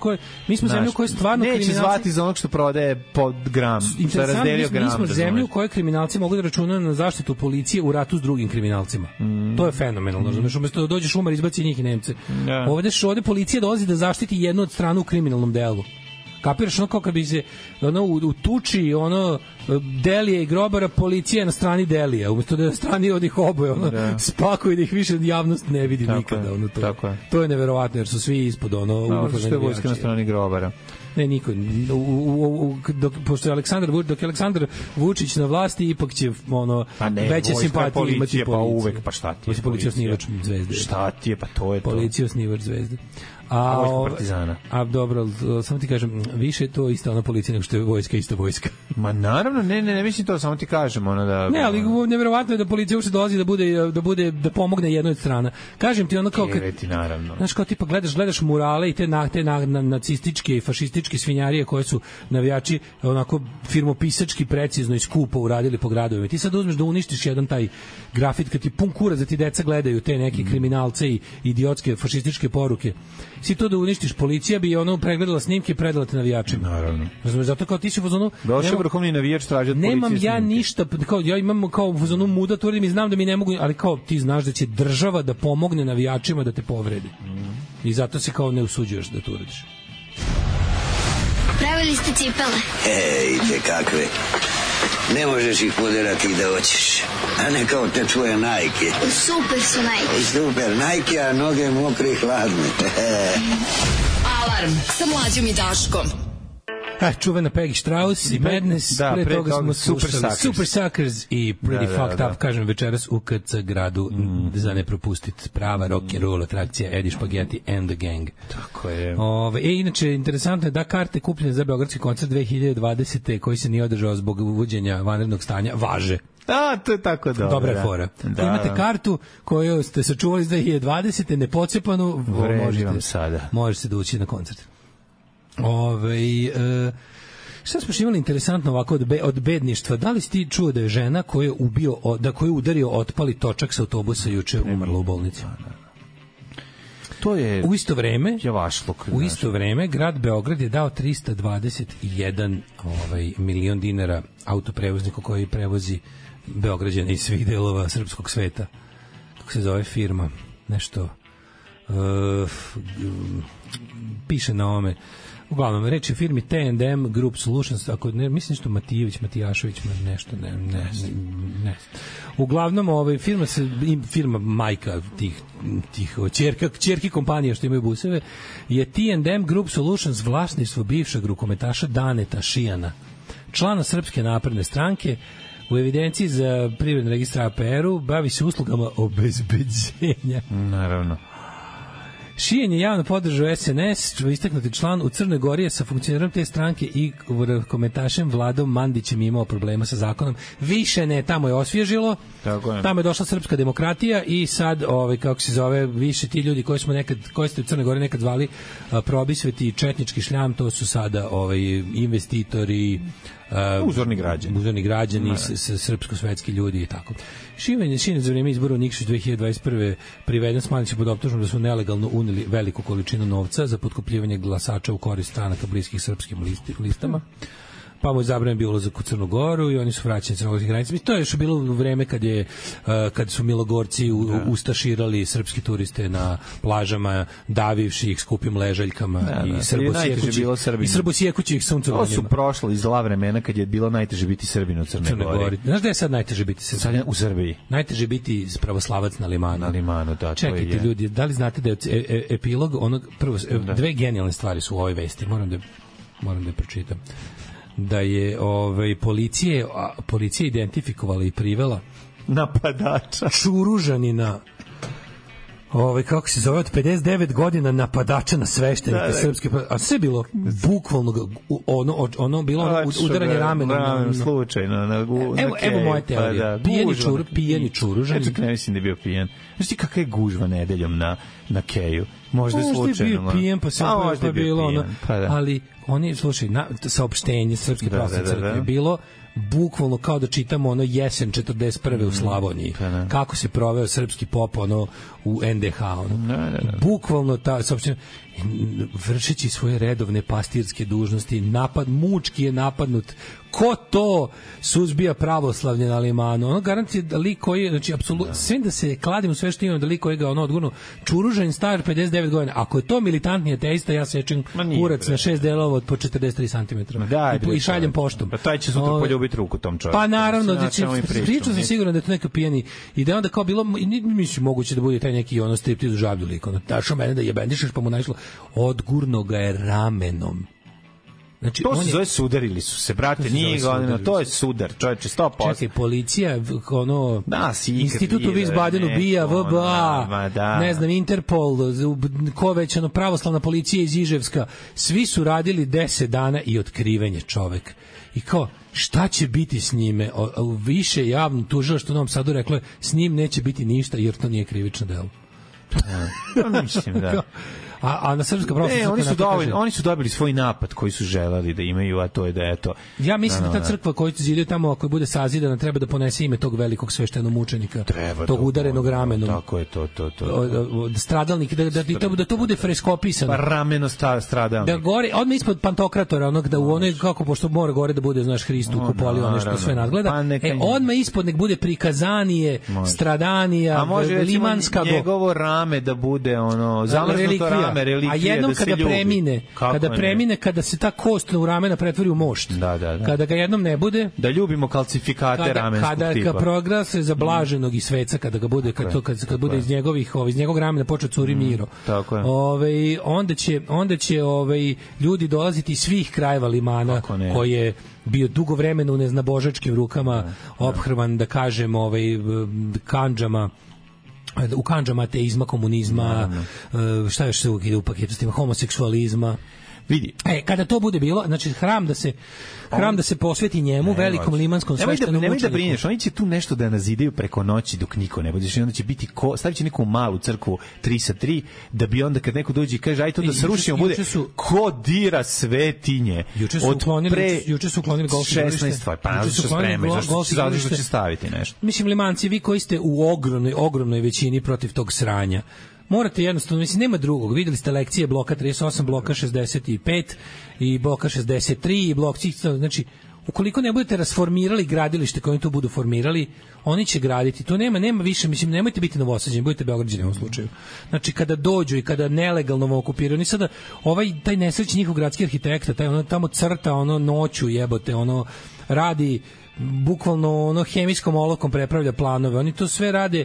mi smo zemlju u kojoj stvarno neće zvati za onog što prodaje pod gram, što je razdelio gram. Mi smo zemlju u kojoj kriminalci mogu da računaju na zaštitu policije u ratu s drugim kriminalcima. To je fenomenalno. Znači, umesto da dođeš Umar, izbaci njih i Nemce. Ovde policija dolazi da zaštiti jednu od stranu u kriminalnom delu. Kapiraš, ono kao kad bi se u tuči Delije i Grobara, policija je na strani Delija, umesto da je na strani od ih oboje, spakuje da ih više javnost ne vidi nikada. To je neverovatno, jer su svi ispod što je vojska na strani Grobara? Ne, niko. Pošto je Aleksandar Vučić na vlasti, ipak će veće simpatije imati policija. Pa uvek, pa šta ti je policija? Osnivač Zvezde. Šta ti je, pa to je to. Policija osnivač Zvezde. Partizana. A dobro, samo ti kažem, više je to isto ona policija nego što je vojska, ista vojska. Ma naravno, ne mislim to, samo ti kažem da... Ne, ali nevjerovatno je da policija uopšte dolazi da pomogne jednoj od strana. Kažem ti kao naravno. Znaš, kao tipa gledaš murale i te nacističke i fašističke svinjarije koje su navijači onako firmopisački precizno i skupo uradili po gradovima. Ti sad uzmeš da uništiš jedan taj grafit kad ti pun kurac da ti deca gledaju te neke kriminalce i idiotske fašističke poruke. Si to da uništiš, policija bi pregledala snimke i predala te navijačima. Naravno. Zato kao ti si u fazonu... Došao vrhovni navijač traži od policije snimke. Nemam ja ništa, ja imam kao u fazonu muda, tvrdim i znam da mi ne mogu, ali kao ti znaš da će država da pomogne navijačima da te povredi. I zato se kao ne usuđuješ da to uradiš. Pravili ste cipele? Ejte kakve. Ne možeš ih poderati da hoćeš. A ne kao te tvoje Nike. Super su Nike. Super Nike, a noge mokre i hladne. Alarm sa Mlađom i Daškom. Čuvena Peggy Strauss i Madness, pre toga smo slušali Super Suckers i Pretty Fucked Up, kažem večeras u KC gradu za ne propustit, prava rock and roll atrakcija Eddie Spaghetti and the Gang. Tako je. Inače, interesantno je da karte kupljene za beogradski koncert 2020. koji se nije održao zbog uvođenja vanrednog stanja, važe. To je tako dobro. Dobra je fora. Imate kartu koju ste sačuvali iz 2020. nepocepanu, možete da ući na koncert. Šta smo imali interesantno ovako od bedništva? Da li si ti čuo da je žena koju je udario otpali točak sa autobusa juče umrla u bolnici? To je u isto vreme javašluk. U isto vreme grad Beograd je dao 321 milion dinara autoprevozniku koji prevozi Beograđane iz svih delova srpskog sveta. Kako se zove firma? Nešto piše na ome. Uglavnom, reč je firmi T&M Group Solutions, ako ne, mislim što Matijašević, nešto, ne. Uglavnom, firma majka tih ćerki kompanija što imaju buseve, je T&M Group Solutions vlasništvo bivšeg rukometaša Daneta Šijana, člana Srpske napredne stranke, u evidenciji za privredni registar APR-u, bavi se uslugama obezbeđenja. Naravno. Šijen je javno podržao SNS, istaknuti član u Crnoj Gori je sa funkcionerom te stranke i komentašem Vladom Mandićem imao problema sa zakonom. Više ne, tamo je osvježilo, tamo je došla srpska demokratija i sad, kako se zove, više ti ljudi koji ste u Crnoj Gori nekad zvali probisveti četnički šljam, to su sada investitori, uzorni građani, srpsko-svetski ljudi i tako. Šiven za vreme izbora u Nikšić 2021. priveden s Mandićem pod optužbom da su nelegalno uneli veliku količinu novca za potkupljivanje glasača u korist stranaka bliskih srpskim listama. Pa mu je zabranjen bio ulazak u Crnu Goru i oni su vraćeni crnogorskih granica. To je još bilo u vreme kad su Milogorci ustaširali srpski turiste na plažama, davivši ih skupim ležaljkama i srbosjekući ih suncovanjima. To su prošlo iz zla vremena kad je bilo najteže biti Srbin u Crnoj Gori. Znaš da je sad najteže biti Srbin? U Srbiji. Najteže biti pravoslavac na Limanu. Na Limanu, da. Čekajte ljudi, da li znate da je epilog prvo, dve genijalne stvari su u ovoj vesti, moram da je pročitam. Da je policija identifikovala i privela napadača Čuružanina, kako se zove, od 59 godina napadača na sveštenike srpske, a sve bilo bukvalno ono bilo udaranje ramenom slučajno evo moja teorija, pijeni Čuružanin. Ne mislim da je bio pijen. Znaš ti kakva je gužva nedeljom na Keju? Možda je slučajno. Možda je bio pijen, pa bilo ono, ali oni, slušaj, saopštenje Srpske pravoslavne crkve je bilo bukvalno kao da čitamo ono jesen 41. u Slavoniji. Kako se proveo srpski pop u NDH. Bukvalno ta saopštenja, vršeći svoje redovne pastirske dužnosti, mučki je napadnut. Ko to suzbija pravoslavlje na Limanu? Ono garancije da lik koji, znači apsolutno, sve da se kladim u sve što imam, da lik koji ga odgurno, Čuružanin star 59 godina. Ako je to militantni ateista, ja sečem kurac na 6 delova od po 43 cm. I šaljem poštom. Pa taj će sutra poljubiti ruku tom čovjeku. Pa naravno, pričao sam sigurno da je to neka pijeni i da onda kao bilo, mislim moguće da bude taj neki striptiz u žablju lik. Dašao mene da jebendišeš, pa mu naišlo, odgurno ga je ramenom. Znači, to se zove sudarili su se, brate, nije godina, to je sudar, čovječe, 100%. Čekaj, policija, Institut u Wiesbadenu, BIA, VBA, ne znam, Interpol, ko već, pravoslavna policija iz Iževska, svi su radili 10 dana i otkriven je čovek. I kao, šta će biti s njime? Više javno tužilaštvo u Novom Sadu reklo je, s njim neće biti ništa jer to nije krivično delo. Mislim, da. A na srpska pravoslavna oni su dobili svoj napad koji su želeli da imaju, a to je da eto. Ja mislim da ta crkva koju zidaju tamo, ako bude sazidana, treba da ponese ime tog velikog sveštenomučenika, tog udarenog ramenom. Tako je to. Stradalnik, da to bude freskopisano. Pa rameno stradalnik. Da gore, odmah ispod Pantokratora, onog da u onoj, kako pošto mora gore da bude, znaš, Hristu kupoli, ono što sve nadgleda. Odmah ispod nek bude prikazanije, stradanija, limanska. Njegovo rame da bude zamrznuto rame. A jednom kada premine, kada se ta kost u ramena pretvori u mošt, kada ga jednom ne bude, da ljubimo kalcifikate ramenskog tipa. Kada proglase za blaženog i sveca, kada ga bude, kad bude iz njegovog ramena počeo curi miro. Onda će ljudi dolaziti iz svih krajeva Limana, koji je bio dugo vremena u neznabožačkim rukama, ophrvan, da kažem, kandžama, u kandžama ateizma, komunizma, šta još se ide u paketu s tim, homoseksualizma. Vidi. Kada to bude bilo, znači hram da se posveti njemu, velikom limanskom sveštenom mučeniku. Nemoj da brineš, oni će tu nešto da nazidaju preko noći dok niko ne bude. Onda će biti stavit će neku malu crkvu 3 sa 3, da bi onda kad neko dođe i kaže aj to da srušimo, bude ko dira svetinje. Juče su uklonili golf igralište. 16 stvari, pa naravno se spremaju, zašto će staviti nešto. Mislim, Limanci, vi koji ste u ogromnoj većini protiv tog sranja, morate jednostavno, mislim, nema drugog. Videli ste lekcije bloka 38, bloka 65 i bloka 63 i blok, znači, ukoliko ne budete rasformirali gradilište koje oni tu budu formirali, oni će graditi. To nema više, mislim, nemojte biti Novosađeni, budete Beograđani u ovom slučaju. Znači, kada dođu i kada nelegalno okupiraju, oni sada, taj nesrećni njihov gradski arhitekta, taj tamo crta, noću jebote, radi bukvalno ono hemijskom olovkom prepravlja planove. Oni to sve rade,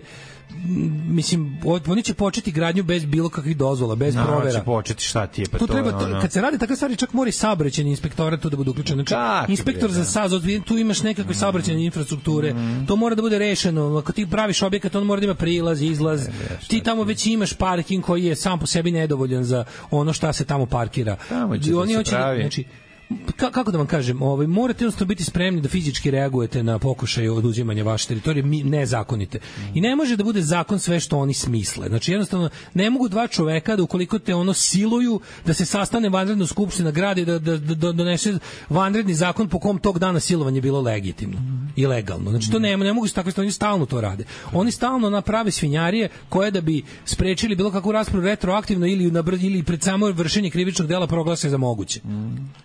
mislim, oni će početi gradnju bez bilo kakvih dozvola, bez provera. Će početi, šta ti je, pa to treba, kad se radi takve stvari, čak mora i saobraćajni inspektorat tu da bude uključen. Znači, inspektor za SAZ, tu imaš nekakve saobraćajne infrastrukture, to mora da bude rešeno. Ako ti praviš objekat, on mora da ima prilaz, izlaz. Ti tamo već imaš parking koji je sam po sebi nedovoljan za ono šta se tamo parkira. Oni hoće, znači, kako da vam kažem, morate jednostavno biti spremni da fizički reagujete na pokušaj oduzimanja vaše teritorije nezakonite. I ne može da bude zakon sve što oni smisle. Znači jednostavno ne mogu dva čoveka da ukoliko te ono siluju da se sastane vanredna skupština grada i da donese vanredni zakon po kom tog dana silovanje bilo legitimno i legalno. Znači to ne mogu se takve stvari, oni stalno to rade. Oni stalno naprave svinjarije koje da bi sprečili bilo kakvu raspravu retroaktivno ili pred samo vršenje krivičnog dela proglase za moguće.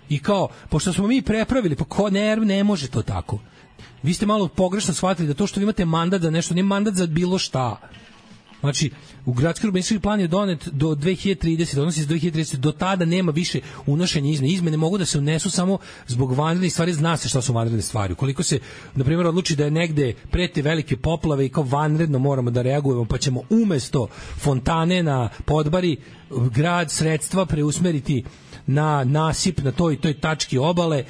I kao, pošto smo mi prepravili, pa ko ne može to tako. Vi ste malo pogrešno shvatili da to što vi imate mandat za nešto, nije mandat za bilo šta. Znači, u gradski urbanistički plan je donet do 2030, odnosi se do 2030, do tada nema više unošenja izmene. Izmene mogu da se unesu samo zbog vanrednih stvari, zna se šta su vanredne stvari. Ukoliko se, na primjer, odluči da je negde prete velike poplave i kao vanredno moramo da reagujemo, pa ćemo umesto fontane na Podbari grad sredstva preusmeriti na nasip na toj tački obale,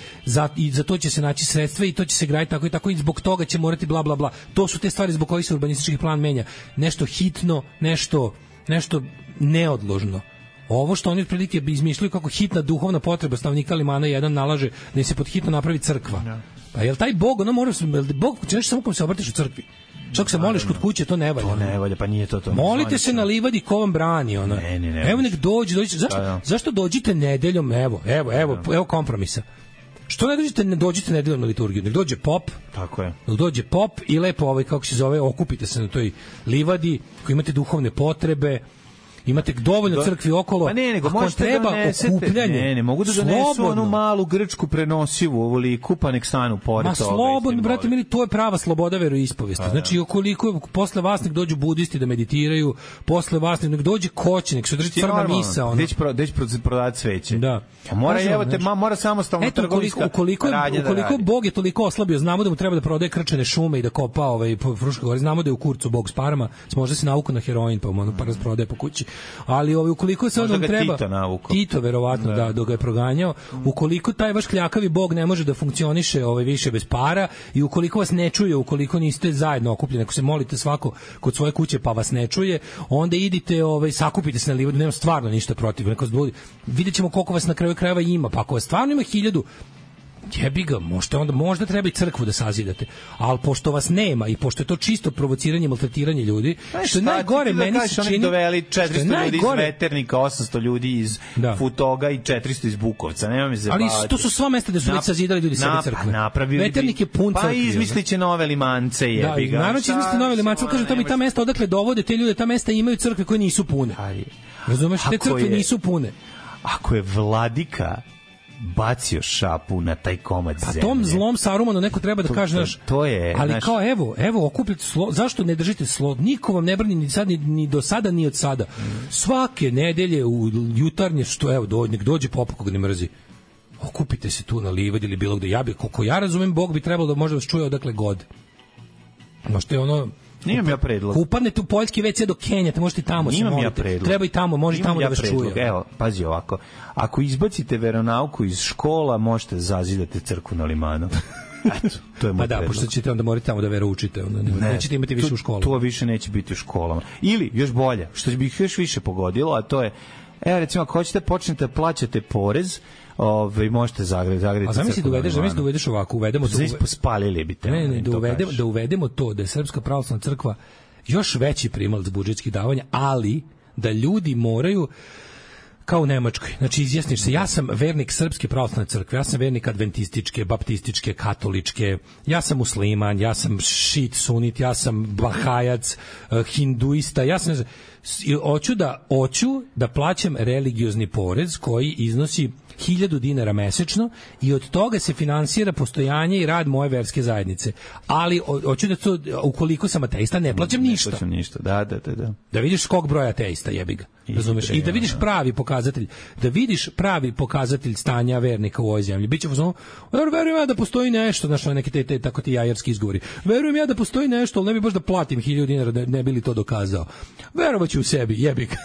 i za to će se naći sredstva i to će se graditi tako i tako i zbog toga će morati bla bla bla. To su te stvari zbog kojih se urbanistički plan menja. Nešto hitno, nešto neodložno. Ovo što oni otprilike izmišljaju kako hitna duhovna potreba stanovnika Limana 1 nalaže da im se pod hitno napravi crkva. Pa jel taj Bog, ono mora se, Bog ćeš samo kom se obratiš u crkvi. Čak se moliš kod kuće, to ne valja. To ne valja, pa nije to. Molite se na livadi ko vam brani, ono. Ne. Evo nek dođe. Zašto dođite nedeljom? Evo kompromisa. Što ne dođite nedeljom na liturgiju? Nek dođe pop. Tako je. Nek dođe pop i lepo kako se zove, okupite se na toj livadi, koji imate duhovne potrebe. Imate dovoljno crkvi okolo. Pa nego možete treba okupljanje. Ne, mogu da donesu onu malu grčku prenosivu, ovoliku, pa nek stanu pored toga. Slobodno, brate mili, to je prava sloboda veroispovesti. Znači, ukoliko posle vas nek dođu budisti da meditiraju, posle vas nek dođe koći, nek se drži crna misa. Deć prodati sveće. Da. Mora samostalno trgovinska. Ukoliko Bog je toliko oslabio, znamo da mu treba da prodaje krčene šume i da kopa po Fruškoj gori, znamo da je u kurcu Bog s parama, možda se navuku na heroin, pa pa rasprodaje po kući. Ali ukoliko se on treba Tito verovatno da ga je proganjao, ukoliko taj vaš kljakavi Bog ne može da funkcioniše više bez para i ukoliko vas ne čuje, ukoliko niste zajedno okupljeni, ako se molite svako kod svoje kuće pa vas ne čuje, onda idite sakupite se na livadu, nema stvarno ništa protiv, videćemo koliko vas na kraju krajeva ima, pa ako vas stvarno ima 1000, jebi ga, možda treba i crkvu da sazidate, ali pošto vas nema i pošto je to čisto provociranje, maltretiranje ljudi, što je najgore, meni se čini, doveli 400 ljudi iz Veternika, 800 ljudi iz Futoga i 400 iz Bukovca, nema mi se ali to su sva mesta gde su već sazidali ljudi sebi crkve. Veternik je pun crkvi. Pa izmisliće nove limance, jebi ga. Naravno će izmisliti nove limance, kaže to mi ta mesta odakle dovode te ljude, ta mesta imaju crkve koje nisu pune. Razumeš, te crkve nisu pune. Ako je vladika bacio šapu na taj komad zemlje. Pa tom zlom Sarumanu neko treba da kaže, to je, ali kao evo okupite zašto ne držite niko vam ne brani ni do sada ni od sada. Svake nedelje u jutarnje nek dođe pop koga ne mrzi. Okupite se tu na livadi ili bilo gde. Koliko ja razumem, Bog bi trebalo da može vas čuje odakle god. Možete Nimam ja predlog. Upadnete u poljski WC do Kenjata, možete tamo se moliti. Treba i tamo, može tamo da vas čuje. Evo, pazi ovako. Ako izbacite veronauku iz škola, možete zazidati crkvu na Limanu. Eto, to je moj predlog. Pošto ćete onda morati tamo da veroučite. Nećete imati više u školama. To više neće biti u školama. Ili, još bolje, što bi ih još više pogodilo, a to je, recimo, ako hoćete počnete plaćate porez, možete zagraditi. A zamisli da uvedeš ovako, uvedemo to. Spalili bi te. Da uvedemo to, da je Srpska pravoslavna crkva još veći primalac budžetskih davanja, ali da ljudi moraju kao u Nemačkoj. Znači, izjasniš se, ja sam vernik Srpske pravoslavne crkve, ja sam vernik adventističke, baptističke, katoličke, ja sam musliman, ja sam šit, sunit, ja sam bahajac, hinduista, ja sam... Hoću da plaćam religiozni porez koji iznosi 1000 dinara mesečno i od toga se finansira postojanje i rad moje verske zajednice. Ali hoću da ukoliko sam ateista, ne plaćam ništa. Ne plaćam ništa, da. Da vidiš skok broja ateista, jebi ga. Razumeš? I da vidiš pravi pokazatelj, stanja vernika u ovoj zemlji. Biće verujem ja da postoji nešto, znaš, neki te tako ti jajarski izgovori. Verujem ja da postoji nešto, al ne bi baš da platim 1000 dinara da ne bi li to dokazao. Verovaću u sebi, jebi ga.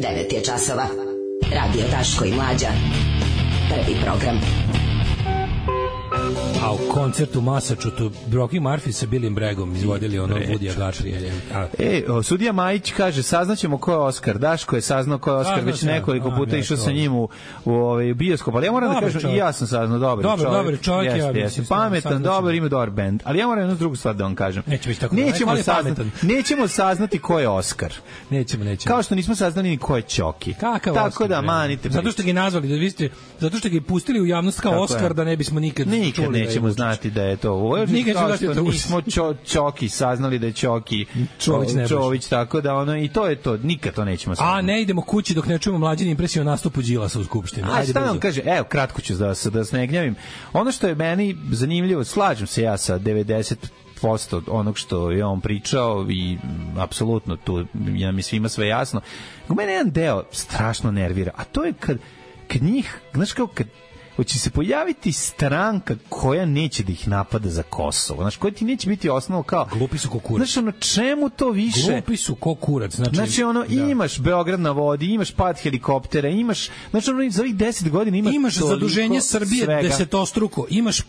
9 je časova. Radio Daško i Mlađa. Prvi program. A u koncertu Masačutu Brocky Murphy sa Billyem Braggom izvodili ono Woody Guthrie. Sudija Majić kaže, saznaćemo ko je Oskar. Daško je saznao ko je Oskar, već nekoliko puta išao sa njim u bioskop. Ali ja moram da kažem, i ja sam saznao, dobar čovjek. Pametan, dobar, ima dobar bend. Ali ja moram jednu drugu stvar da vam kažem. Nećemo saznati ko je Oskar. Nećemo. Kao što nismo saznali ni ko je Ćoki. Tako da manite. Zato što ga nazvali, zato što ga pustili u javnost kao Oskar, da ne bismo nikad nećemo znati da je to. Nismo Ćoki saznali da je Ćoki Čović, tako da i to je to, nikad to nećemo saznati. A ne idemo kući dok ne čujemo Mlađine impresije o nastupu Đilasa u Skupštini. Šta nam kaže, evo kratko ću da se ne gnjavim. Ono što je meni zanimljivo, slažem se ja sa 90% onog što je on pričao i apsolutno tu mi svima sve jasno. U mene jedan deo strašno nervira, a to je kad njih, znaš kao kad hoće se pojaviti stranka koja neće da ih napada za Kosovo. Znaš, koja ti neće biti osnovo kao... Glupi su ko kurac. Znaš, čemu to više? Glupi su ko kurac. Znači, imaš Beograd na vodi, imaš pad helikoptera, imaš... Znači, za ovih 10 godina imaš zaduženje Srbije svega. Desetostruko, imaš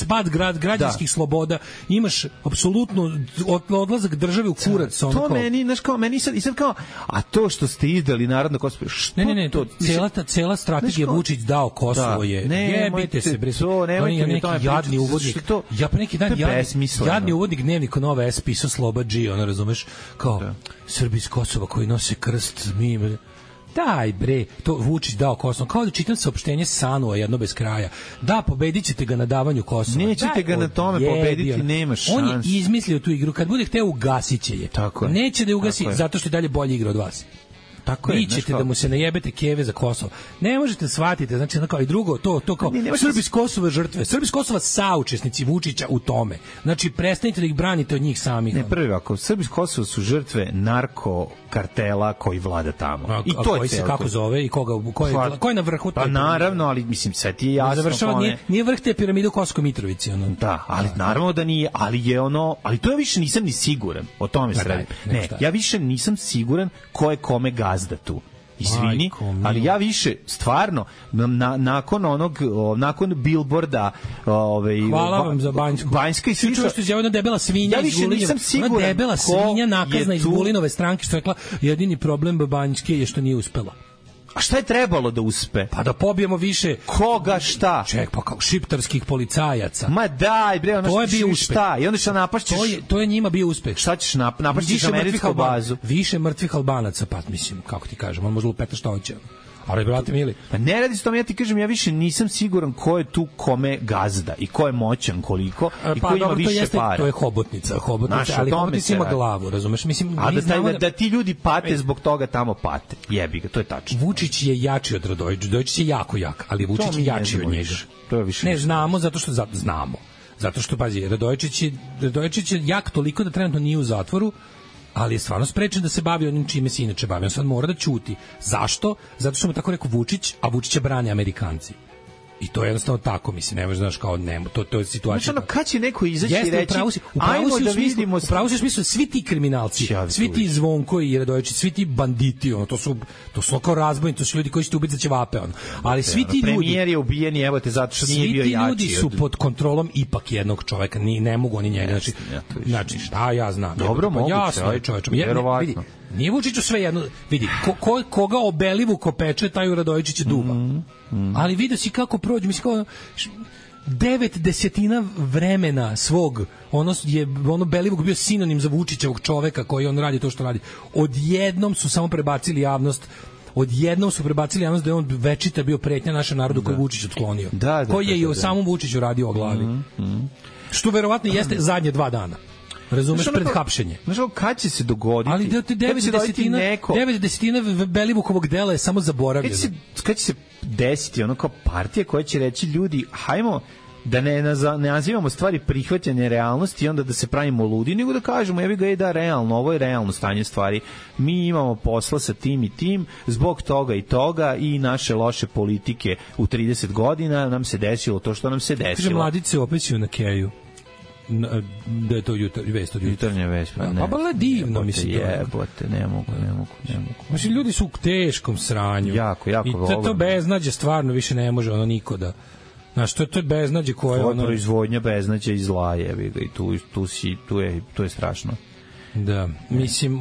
pad građanskih sloboda, imaš apsolutno odlazak države u kurac. To meni, znaš, kao, meni sad kao... A to što ste izdali narodno Kosovo... Ne, cela strategija Vučić dao Kosovo je... Jebite se, bre. Jadni uvodnik. Ja pre neki dan jadni uvodnik dnevnika Nova S pisao Sloba G, ono razumeš, kao Srbi iz Kosova koji nose krst, daj bre, to Vučić dao Kosovo. Kao da čitam saopštenje Sanua jedno bez kraja. Da, pobedit ćete ga na davanju Kosova. Nećete ga na tome pobediti, nema šans. On je izmislio tu igru. Kad bude hteo, ugasit će je. Neće da je ugasi, zato što je dalje bolje igra od vas. Vi ćete da mu se najebete keve za Kosovo. Ne možete shvatiti, znači kao i drugo, to kao Srbi iz Kosova žrtve, Srbi iz Kosova saučesnici Vučića u tome. Znači prestanite da ih branite od njih samih. Ne, prvi ovako, Srbi iz Kosova su žrtve narko kartela koji vlada tamo. I to je se kako zove i ko je na vrhu? Pa naravno, ali mislim sve ti je jasno. Nije vrh te piramide u Kosovskoj Mitrovici, Da, ali naravno da nije, ali to ja više nisam ni siguran. O tome se radi. Ne, ja više nisam siguran ko je kome gazda tu. Izvini, ali ja više stvarno nakon billboarda hvala vam za Banjska i slično što je jedna debela svinja iz Vulinova, ona debela svinja nakazna iz Vulinove stranke što je rekla jedini problem Banjske je što nije uspela. A šta je trebalo da uspe? Pa da pobijemo više... Koga šta? Ček, pa kao šiptarskih policajaca. Ma daj, bre, ono što ćeš šta? I onda šta napašćeš? To je njima bio uspeh. Šta ćeš napašćeš američku bazu? Više mrtvih Albanaca, pa mislim, kako ti kažem, on može lupeta šta hoće. Ali, brate mili... Pa ne radi se tome, ja ti kažem, ja više nisam siguran ko je tu kome gazda i ko je moćan koliko i ko ima više para. To je hobotnica, ali hobotnica ima glavu, razumeš? Mislim, da ti ljudi pate zbog toga tamo pate. Jebi ga, to je tačno. Vučić je jači od Radojičića, Radojičić je jako jak, ali Vučić je jači od njega. To je više. Ne, znamo, zato što, pazi, Radojičić je jak toliko da trenutno nije u zatvoru, ali je stvarno sprečen da se bavi onim čime se inače bavi. On sad mora da ćuti. Zašto? Zato što mu tako rekao Vučić, a Vučića brane Amerikanci. I to je jednostavno tako, mislim, ne možeš, znaš, kao nemo, to je situacija. Znači, kad će neko izaći i reći, ajmo da vidimo... Upravo si u smislu, svi ti kriminalci, svi ti Zvonko i Radojičić, svi ti banditi, to su kao razbojni, to su ljudi koji će ti ubiti za ćevape, ali svi ti ljudi... Premijer je ubijen, evo te, zato što nije bio jači. Svi ti ljudi su pod kontrolom ipak jednog čoveka, ne mogu oni njega, znači, šta ja znam. Dobro, moguće, vjerovatno. Nije Vučiću sve jedno, vidi, koga Obelivuko peče, taj u Radojičića duva. Ali vidio si kako prođe, mislim kao 9/10 vremena svog, Belivuk bio sinonim za Vučićevog čoveka koji on radi to što radi. Odjednom su samo prebacili javnost da je on večita bio pretnja našem narodu koji Vučić otklonio. Koji je i o samom Vučiću radio o glavi. Što verovatno jeste zadnje 2 dana. Razumeš, pred hapšenje. Znaš, kad će se dogoditi? Ali 9/10 Belivukovog dela je samo zaboravljeno. Kad će se desiti ono kao partija koja će reći ljudi, hajmo da ne nazivamo stvari prihvatanje realnosti i onda da se pravimo ludi, nego da kažemo, jebi ga, da, realno, ovo je realno stanje stvari. Mi imamo posla sa tim i tim, zbog toga i toga i naše loše politike u 30 godina nam se desilo to što nam se desilo. Kaže, mladice opećuju na Keju. Da je to vest od jutarnja vest, pa ne. Pa divno, mislim. Jebote, ne mogu. Znači, ljudi su u teškom sranju. Jako i to beznađe stvarno više ne može niko da... Znaš, to je beznađe koje... To je proizvodnja beznađa i zla, jebi ga, i tu je strašno. Da, mislim,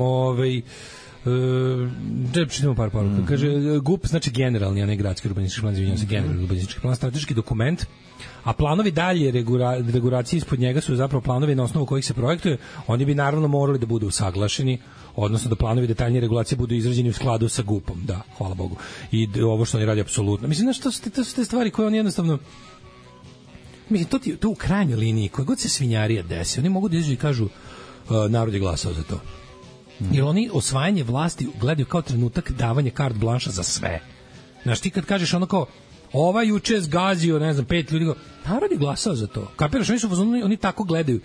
da čitamo par poruka. Kaže, GUP znači generalni, a ne gradski urbanistički plan, izvinjam se, generalni urbanistički plan, strateški dokument, a planovi dalje regulacije ispod njega su zapravo planovi na osnovu kojih se projektuje. Oni bi naravno morali da budu usaglašeni, odnosno da planovi detaljnije regulacije budu izrađeni u skladu sa GUP-om, da, hvala Bogu. I ovo što oni radi apsolutno. Mislim, znaš, to su te stvari koje oni jednostavno... Mislim, to u krajnjoj liniji, koja god se svinjarija desi, oni mogu da izađu i kažu narod je glasao za to. Jer oni osvajanje vlasti gledaju kao trenutak davanja carte blanche za sve. Znaš, ti kad kažeš ono kao, ova juče zgazio, ne znam, 5 ljudi, narod je glasao za to. Kapiraš, oni tako gledaju.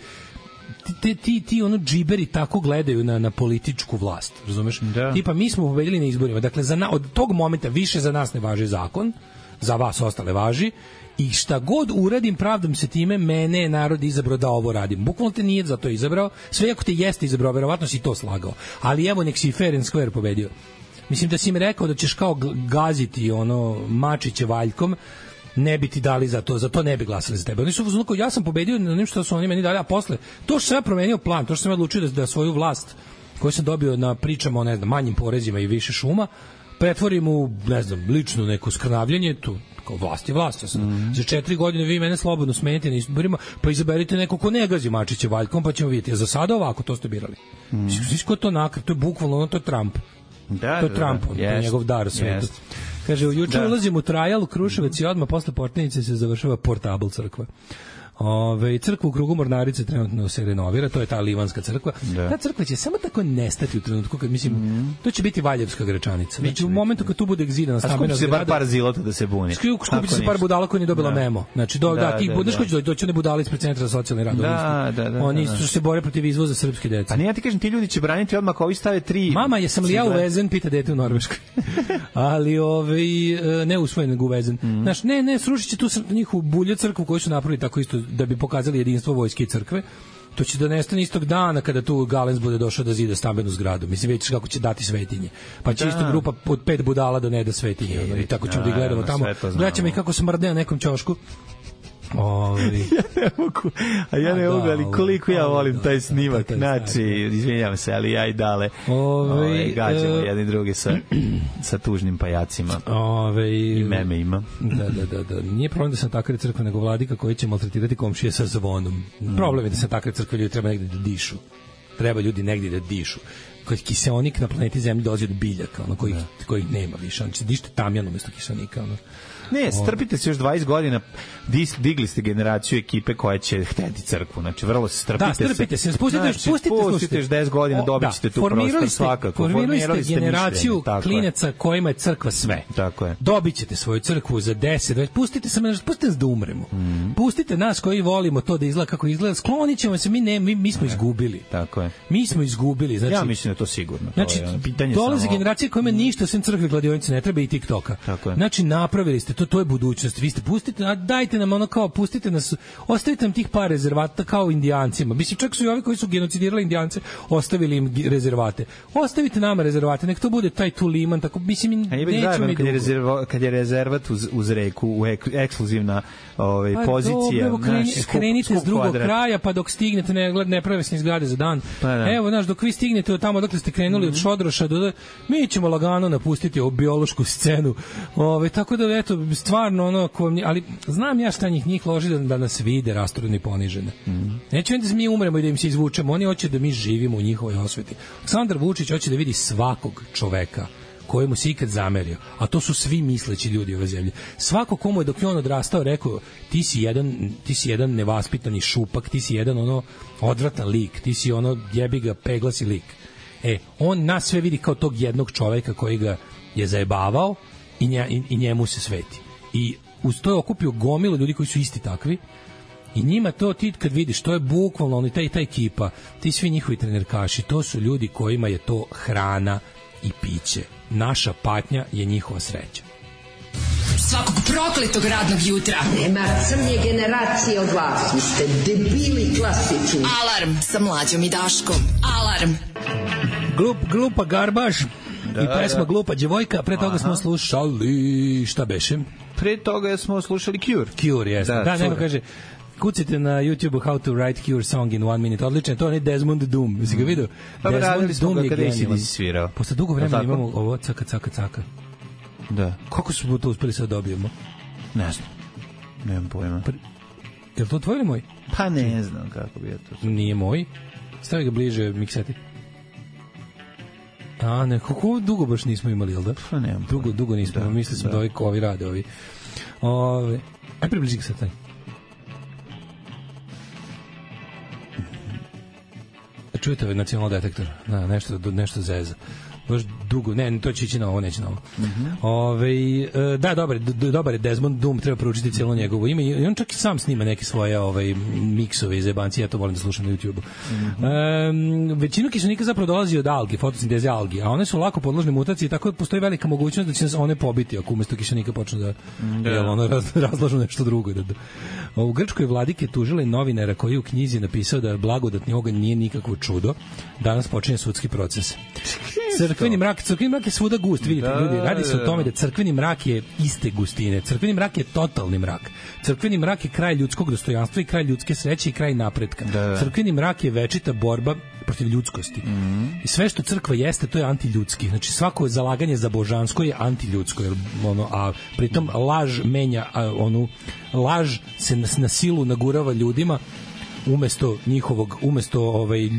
Ti ono džiberi tako gledaju na političku vlast, razumeš? Da. Tipa, mi smo pobedili na izborima, dakle, od tog momenta više za nas ne važi zakon, za vas ostale važi, i šta god uradim, pravdam se time, mene je narod izabrao da ovo radim. Bukvalno te nije za to izabrao, sve ako te jeste izabrao, verovatno si to slagao. Ali evo, nek si fair and square pobedio. Mislim da si im rekao da ćeš kao gaziti mačiće valjkom, ne bi ti dali za to ne bi glasali za tebe. Oni su uzmano, ja sam pobedio na onim što su oni meni dali, a posle, to što sam ja promenio plan, to što sam ja odlučio da svoju vlast koju sam dobio na pričama o, ne znam, manjim porezima i više šuma, pretvorim u, ne znam, lično neko skrnavljanje, tu kao vlast je vlast. Ja sam, za 4 godine vi mene slobodno smenite na izborima, pa izaberite neko ko ne gazi mačiće valjkom, pa ćemo vidjeti. A za sada ovako, to ste birali. Sviš ko to nakr, to je bukvalno, to je Trump. To je Trump, to je njegov dar svetu. Kaže, juče ulazim u Trajal, u Kruševac i odmah posle Portenice se završava Portable crkva. Crkva u krugu Mornarice trenutno se renovira, to je ta Livanska crkva. Ta crkva će samo tako nestati u trenutku kad, mislim, to će biti Valjevska Gračanica. Znači, u momentu kad tu bude egzidana stambena zgrada... A skupi se bar par zilota da se buni. Skupi se par budala koji nije dobila memo. Znači, ti budeš koji će doći one budale ispred Centra za socijalni rad. Oni se bore protiv izvoza srpske dece. A ne, ja ti kažem, ti ljudi će braniti odmah ako ovi stave 3... Mama, jesam li ja uvezen, pita dete u Norveškoj. Ali, ne usvojen, nego uvezen. Znaš, ne, srušit će tu njihovu bulje crkvu koju su napravili tako isto da bi pokazali jedinstvo vojske i crkve. To će da nestane istog dana kada tu Galens bude došao da zida stambenu zgradu. Mislim, već kako će dati svetinje. Pa će isto grupa od 5 budala da ne da svetinje. I tako ćemo da gledamo tamo. Gledaćemo i kako smrde na nekom ćošku. Ja ne mogu, ali koliko ja volim taj snimak. Znači, izvinjam se, ali ja i Dale gađamo jedni drugi sa tužnim pajacima i meme ima. Da. Nije problem da se takre crkve, nego vladika koji će maltretirati komšije sa zvonom. Problem je da se takre crkve, ljudi treba negdje da dišu. Treba ljudi negdje da dišu. Koji kiseonik na planeti Zemlji dolazi od biljaka, kojih nema više. Znači, dište tamjan umesto kiseonika, Ne, strpite se još 20 godina, digli ste generaciju ekipe koja će hteti crkvu, znači vrlo se strpite se. Da, strpite se, pustite još 10 godina, dobit ćete tu prostor svakako. Formirali ste generaciju klineca kojima je crkva sve. Tako je. Dobit ćete svoju crkvu za 10, pustite nas da umremo. Pustite nas koji volimo to da izgleda kako izgleda, sklonit ćemo se, mi smo izgubili. Tako je. Mi smo izgubili. Znači, ja mislim da je to sigurno. Znači, dolaze generacije kojima ništa sem crkve, kladionice ne treba i TikToka. Znači, napravili ste to je budućnost. Vi ste dajte nam pustite nas, ostavite nam tih par rezervata kao Indijancima. Mislim, čak su i ovi koji su genocidirali Indijance ostavili im rezervate. Ostavite nama rezervate, nek to bude taj Tuliman, tako, mislim, nećemo mi dugo. Kad je rezervat uz reku, ekskluzivna pozicija. Krenite s drugog kraja, pa dok stignete, ne prave se ni zgrade za dan. Evo, znaš, dok vi stignete od tamo, dokle ste krenuli od Šodroša, mi ćemo lagano napustiti ovu biološku scenu. Tako da, eto, stvarno ali znam ja šta njih loži da nas vide rasturene i ponižene. Neće da mi umremo i da im se izvučemo, oni hoće da mi živimo u njihovoj osveti. Aleksandar Vučić hoće da vidi svakog čoveka kojemu se ikad zamerio, a to su svi misleći ljudi ove zemlje. Svako komu je dok je on odrastao rekao ti si jedan nevaspitani šupak, ti si jedan odvratan lik, ti si jebi ga peglasi lik. On nas sve vidi kao tog jednog čoveka koji ga je zajebavao i njemu se sveti. I uz to je okupio gomilu ljudi koji su isti takvi, I njima to ti kad vidiš, to je bukvalno oni ta ekipa, ti svi njihovi trenerkaši, to su ljudi kojima je to hrana i piće. Naša patnja je njihova sreća. Svakog prokletog radnog jutra. Nema crnje generacije od vas. Vi ste debili klasični. Alarm sa Mlađom i Daškom. Alarm. Glupa garbaš i pesma Glupa djevojka. Pre toga smo slušali, šta beše? Pre toga smo slušali Cure. Cure, jesno. Da, neko kaže, kucite na YouTube How to write Cure song in 1 minute. Odlično, to je Desmond Doom. Jesi ga vidio? Desmond Doom je genijalan. Svirao. Posle dugo vremena imamo ovo caka. Da. Kako smo to uspeli sad dobijemo? Ne znam. Nemam pojma. Je li to tvoj ili moj? Pa ne znam kako bi ja to... Nije moj. Stavi ga bliže mikseti. A ne, kako dugo baš nismo imali, jel da? Pa nemam pojma. Dugo nismo. Da, mislili smo da ovi rade ovi. Aj približi ga sad taj. Čujete ovaj nacionalni detektor? Da, nešto zeza. Baš dugo, ne, to će ići na ovo, neće na ovo. Da, dobar je Desmond Doom, treba proučiti cijelo njegovo ime i on čak i sam snima neke svoje miksove iz jebancije, ja to volim da slušam na YouTube-u. Većinu kiselnika zapravo dolazi od algi, fotosinteze algi, a one su lako podložne mutaciji, tako da postoji velika mogućnost da će nas one pobiti ako umesto kiselnika počnu da razlažu nešto drugo. U Grčkoj vladike tužila i novinara koji je u knjizi napisao da blagodatni oganj nije nikakvo čudo. Danas počinje sudski proces. Crkveni mrak je svuda gust, vidite, ljudi, radi se o tome da crkveni mrak je iste gustine, crkveni mrak je totalni mrak, crkveni mrak je kraj ljudskog dostojanstva i kraj ljudske sreće i kraj napretka, crkveni mrak je večita borba protiv ljudskosti i sve što crkva jeste, to je antiljudski, znači svako zalaganje za božansko je antiljudsko, a pritom laž menja, laž se na silu nagurava ljudima umesto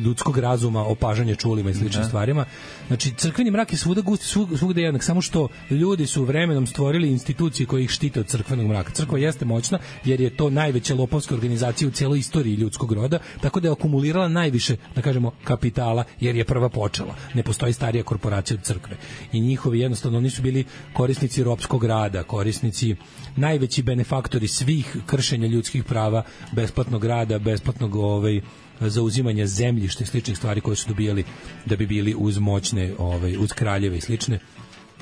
ljudskog razuma, opažanja čulima i sličnim stvarima. Znači, crkveni mrak je svuda gust, svugde jednak, samo što ljudi su vremenom stvorili institucije koje ih štite od crkvenog mraka. Crkva jeste moćna, jer je to najveća lopovska organizacija u cijeloj istoriji ljudskog roda, tako da je akumulirala najviše, da kažemo, kapitala, jer je prva počela. Ne postoji starija korporacija od crkve. I njihovi, jednostavno, oni su bili korisnici ropskog rada, korisnici, najveći benefaktori svih kršenja ljudskih prava, besplatnog rada, besplatnog zauzimanja zemljišta i sličnih stvari koje su dobijali da bi bili uz moćne, uz kraljeve i slične,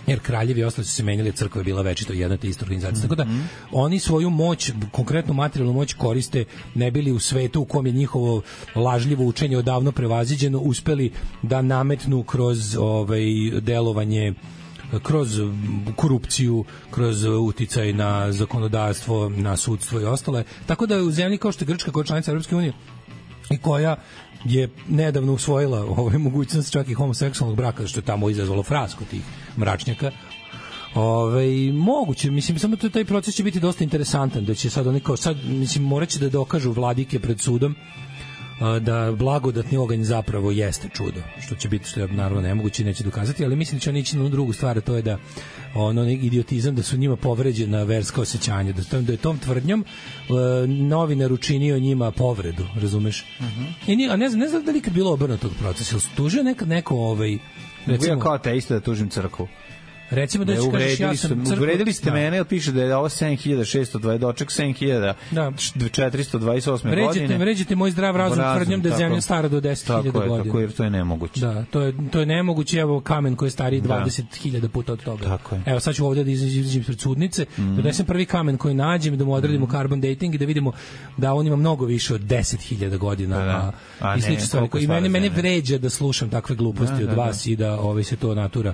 jer kraljevi i ostali su se menjali, crkva je bila večito jedna te ista organizacija. Tako da oni svoju moć, konkretnu materijalnu moć koriste ne bili u svetu u kom je njihovo lažljivo učenje odavno prevaziđeno, uspeli da nametnu kroz delovanje, kroz korupciju, kroz uticaj na zakonodavstvo, na sudstvo i ostale. Tako da u zemlji kao što je Grčka, koja je članica Europske unije i koja je nedavno usvojila mogućnost čak i homoseksualnog braka, što je tamo izazvalo frasku tih mračnjaka, moguće, mislim, samo taj proces će biti dosta interesantan, da će sad oni kao sad, mislim, morat će da dokažu vladike pred sudom da blagodatni oganj zapravo jeste čudo, što će biti, što je naravno nemoguće, neće dokazati, ali mislim da će oni ići na drugu stvar, to je da idiotizam, da su njima povređena verska osjećanja, da je tom tvrdnjom novinar učinio njima povredu, razumeš? A ne znam da li ikad bilo obrnutog procesa, ili tužio nekad neko recimo, ja kao ateista da tužim crkvu. Recimo da ću kažeš ja sam crkva. Uvredili ste mene, piše da je ovo 7620, doček 7428 godine. Vređate moj zdrav razum tvrdnjom da je zemlja stara do 10.000 godina. Tako je, to je nemoguće. Da, to je nemoguće, evo kamen koji je stariji 20.000 puta od toga. Evo sad ću ovdje da izađem pred sudnice, da donesem prvi kamen koji nađem i da mu odradimo carbon dating i da vidimo da on ima mnogo više od 10.000 godina. I slično stvari. I mene vređa da slušam takve gluposti od vas i da se to natura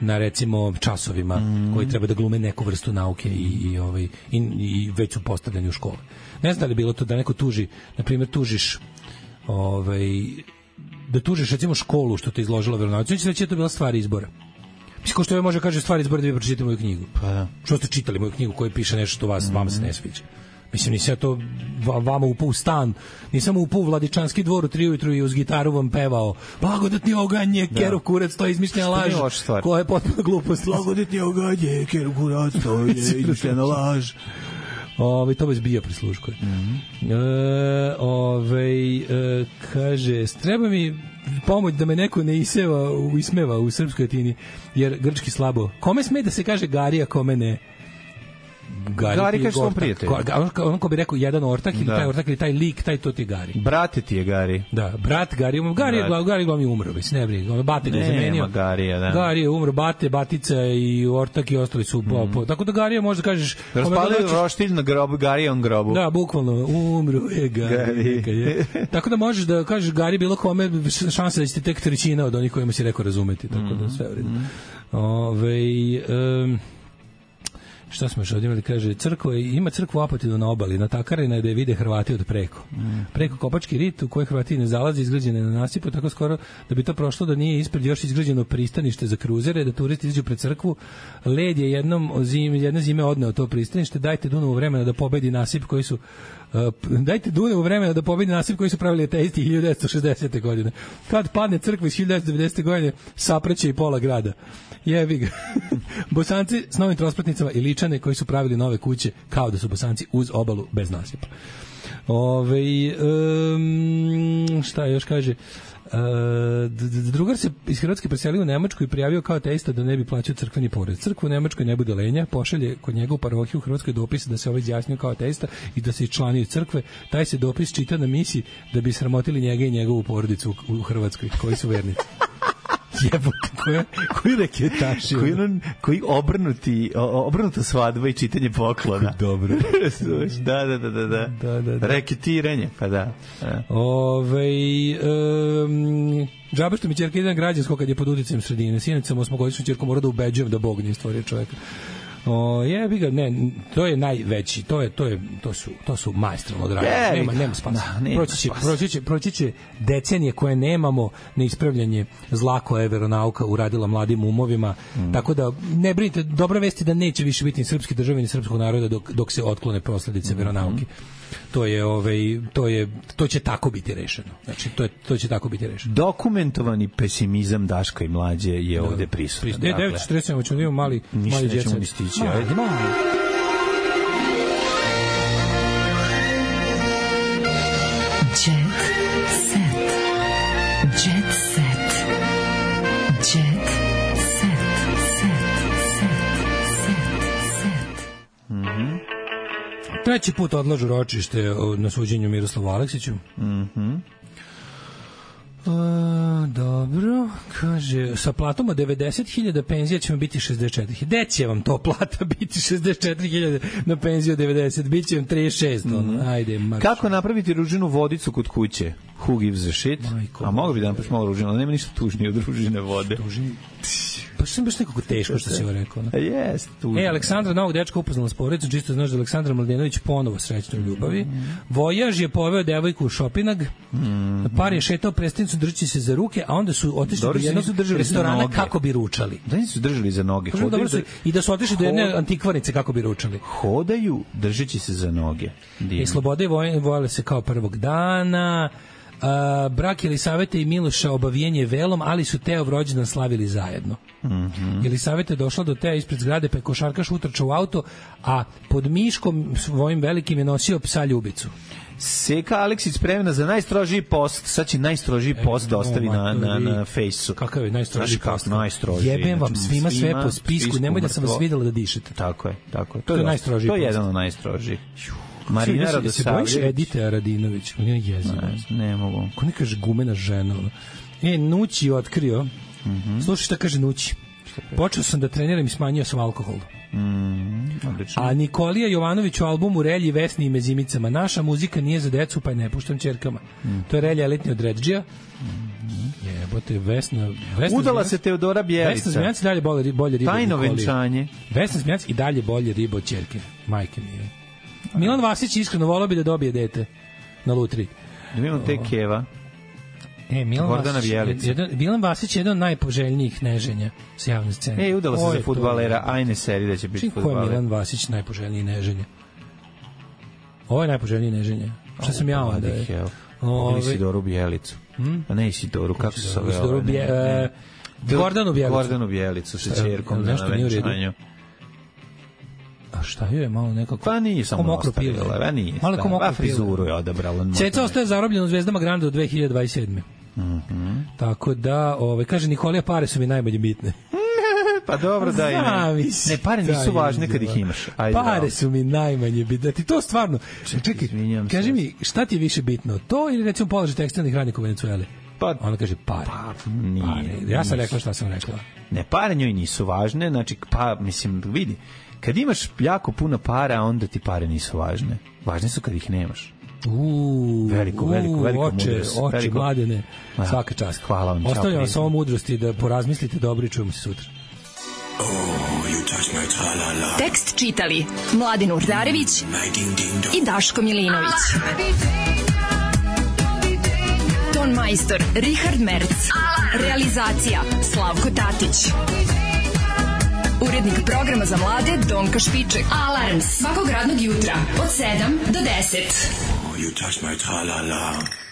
na recimo časovima koji treba da glume neku vrstu nauke i već su postavljeni u škole. Ne znam da li je bilo to da neko tuži, na primjer tužiš da tužiš recimo školu što te izložila veronauci, neće reći da je to bila stvar izbora. Mislim, ko što može kaže stvar izbora da vi pročitate moju knjigu. Pa da. Što ste čitali moju knjigu koja piše nešto što vama se ne sviđa. Mislim, nisam ja to vama upao u stan, nisam upao u Vladičanski dvor u 3 ujutru i uz gitaru vam pevao blagodatni oganje, keru kurac, to je izmišljena laž, koja je potpuno glupost. Blagodatni oganje, keru kurac, to je izmišljena laž. To vas bija prisluškuje. Kaže, treba mi pomoć da me neko ne ismeva u srpskoj latini, jer grčki slabo. Kome sme da se kaže Garija, kome ne? Gari kaže svom prijatelju. On ko bi rekao jedan ortak ili taj ortak ili taj lik, taj to ti je Gari. Brate ti je Gari. Da, brat Gari. Gari glavni umro, ne briga. Ono Bate ga je zamenio. Gari je umro, Bate, Batica i ortak i ostali su tako da Gari je možda kažeš raspalio roštilj na grobu, Gari on grobu. Da, bukvalno umro je Gari. Tako da možeš da kažeš Gari bilo kome, šansa da ćete tek trećina od onih kojima si rekao razumeti, tako da sve u redu. Šta smo još ovdje imali, kaže, ima crkvu u Apatinu na obali, natakarena je da je vide Hrvati od preko. Preko Kopački rit u kojoj Hrvati ne zalaze, izgrađene na nasipu, tako skoro da bi to prošlo da nije ispred još izgrađeno pristanište za kruzere, da turisti izađu pred crkvu. Led je jedne zime odneo to pristanište, dajte Dunavu vremena da pobedi nasip koji su pravili ateisti 1960. godine. Kad padne crkva iz 1990. godine, sapreće i pola grada. Jebi ga. Bosanci s novim trospratnicama i Ličane koji su pravili nove kuće kao da su Bosanci uz obalu bez nasipa. Šta još kaže? Drugar se iz Hrvatske preselio u Nemačku i prijavio kao ateista da ne bi plaćao crkveni porez. Crkva u Nemačkoj ne bude lenja, pošalje kod njega u parohiju u Hrvatskoj dopis da se ovaj izjasnio kao ateista i da se iščlanio iz crkve. Taj se dopis čita na misi da bi sramotili njega i njegovu porodicu u Hrvatskoj, koji su vernici. Jebote, koji reketaši. Koji obrnuta svadba i čitanje poklona. Dobro. Da. Reketiranje, pa da. Džaba što mi ćerka ide na građansko kad je pod uticajem sredine. Sinoć sam 8-godišnju ćerku morao da ubeđujem da Bog nije stvorio čoveka. Jebi ga, ne, to je najveći, to su maestralno dragi. Nema spasa. Proći će decenije koje nemamo na ispravljanje zla koje je veronauka uradila mladim umovima. Tako da ne brinite, dobra vest je da neće više biti ni srpski države ni srpskog naroda dok se otklone posledice veronauke. To će tako biti rešeno. Znači to će tako biti rešeno. Dokumentovani pesimizam Daška i Mlađe je ovde prisutan. 9:47 ćemo da imamo mali nećemo ni stići. Ajde. Treći put odlažu ročište na suđenju Miroslavu Aleksiću. Dobro, kaže, sa platom od 90.000 penzija ćemo biti 64.000. Gde će vam to plata biti 64.000 na penziju 90? Biće vam 36. Ajde, marš. Kako napraviti ružinu vodicu kod kuće? Who gives a shit? A mogu bi da napraviš malo ružinu, ali nema ništa tužnije od ružine vode. Pa što sam baš nekako teško što si joj rekao. Jest, tužno. Aleksandra novog dečka upoznala s porodicom, čisto znaš da Aleksandra Mladenović ponovo srećna u ljubavi. Vojaž je poveo devojku u šopinag, par je šetao prestonicu držeći se za ruke, a onda su otišli do jednog restorana kako bi ručali. Da nisu držali za noge. I da su otišli do jedne antikvarnice kako bi ručali. Hodaju držeći se za noge. Sloboda i vojele se kao prvog dana. Brak Jelisavete i Miloša obavijen je velom, ali su Teov rođendan slavili zajedno. Jelisaveta je došla do Teo ispred zgrade, pa je košarkaš utrčao u auto, a pod miškom svojim velikim je nosio psa Ljubicu. Seka Aleksić spremna za najstrožiji post. Sad će najstrožiji post da ostavi na fejsu. Kakav je najstrožiji post? Najstrožiji. Jebem vam svima sve po spisku, nemoj da sam vas videla da dišete. Tako je. To je najstrožiji post. To je jedan od najstrožijih. Marina Radosavljević. Se bojiš Edite Radinović? On je jezivo. Ne mogu. Ko ne kaže gumena žena? Nući je otkrio. Slušaj šta kaže Nući. Počeo sam da treniram i smanjio sam alkohol. A Nikolija Jovanović u albumu Relji, Vesni i Mezimicama. Naša muzika nije za decu, pa je ne puštam ćerkama. To je Relja elitni od Redžija. Jebote, Vesna udala se Teodora Bjelica. Vesna Zmijanac i dalje bolje riba. Tajno venčanje. Vesna Zmijanac i dalje bolje riba od ćerke. Majke mi je. Milan Vasić iskreno volao bi da dobije dete na lutri. Da imamo te Keva. Milan Vasić je jedan od najpoželjnijih neženja s javne scene. Udala se za fudbalera, ajne seri da će biti fudbaler. Ko je Milan Vasić najpoželjniji neženja? Ovo je najpoželjniji neženja. Šta sam ja onda? Isidoru Bjelicu. A ne Isidoru, kako se zove? Gordanu Bjelicu sa čerkom na venčanju. A šta je malo nekako? Pa nije samo ostavila, nije. Malo ko mokro frizuru je odabrala. Ceca ostaje zarobljen u Zvezdama Granda do 2027. Tako da, kaže Nikolija, pare su mi najbolje bitne. Pa dobro, da ne, pare nisu važne kad ih imaš. Ajde, pare su mi najmanje bitne. Ti to stvarno... Čekaj, kaži mi, šta ti je više bitno? To ili recimo položaj tekstilnih radnika u Venecueli? Pa, ona kaže pare. Pa, nije. Pare. Ja sam rekla šta sam rekla. Ne, pare njoj nisu važne, znači, pa, mislim, vidi, kad imaš jako puno para, onda ti pare nisu važne. Važne su kad ih nemaš. Veliko oče, Mladene, svaka čast. Hvala vam. Ostavljam vas ovo mudrosti da porazmislite dobro i čujemo se sutra. Tekst čitali Mladin Urdarević i Daško Milinović. Ton majstor Richard Merc. Realizacija Slavko Tatić. Urednik programa za mlade Donka Špiček. Alarms svakog radnog jutra od 7 do 10. You touch my tra-la-la.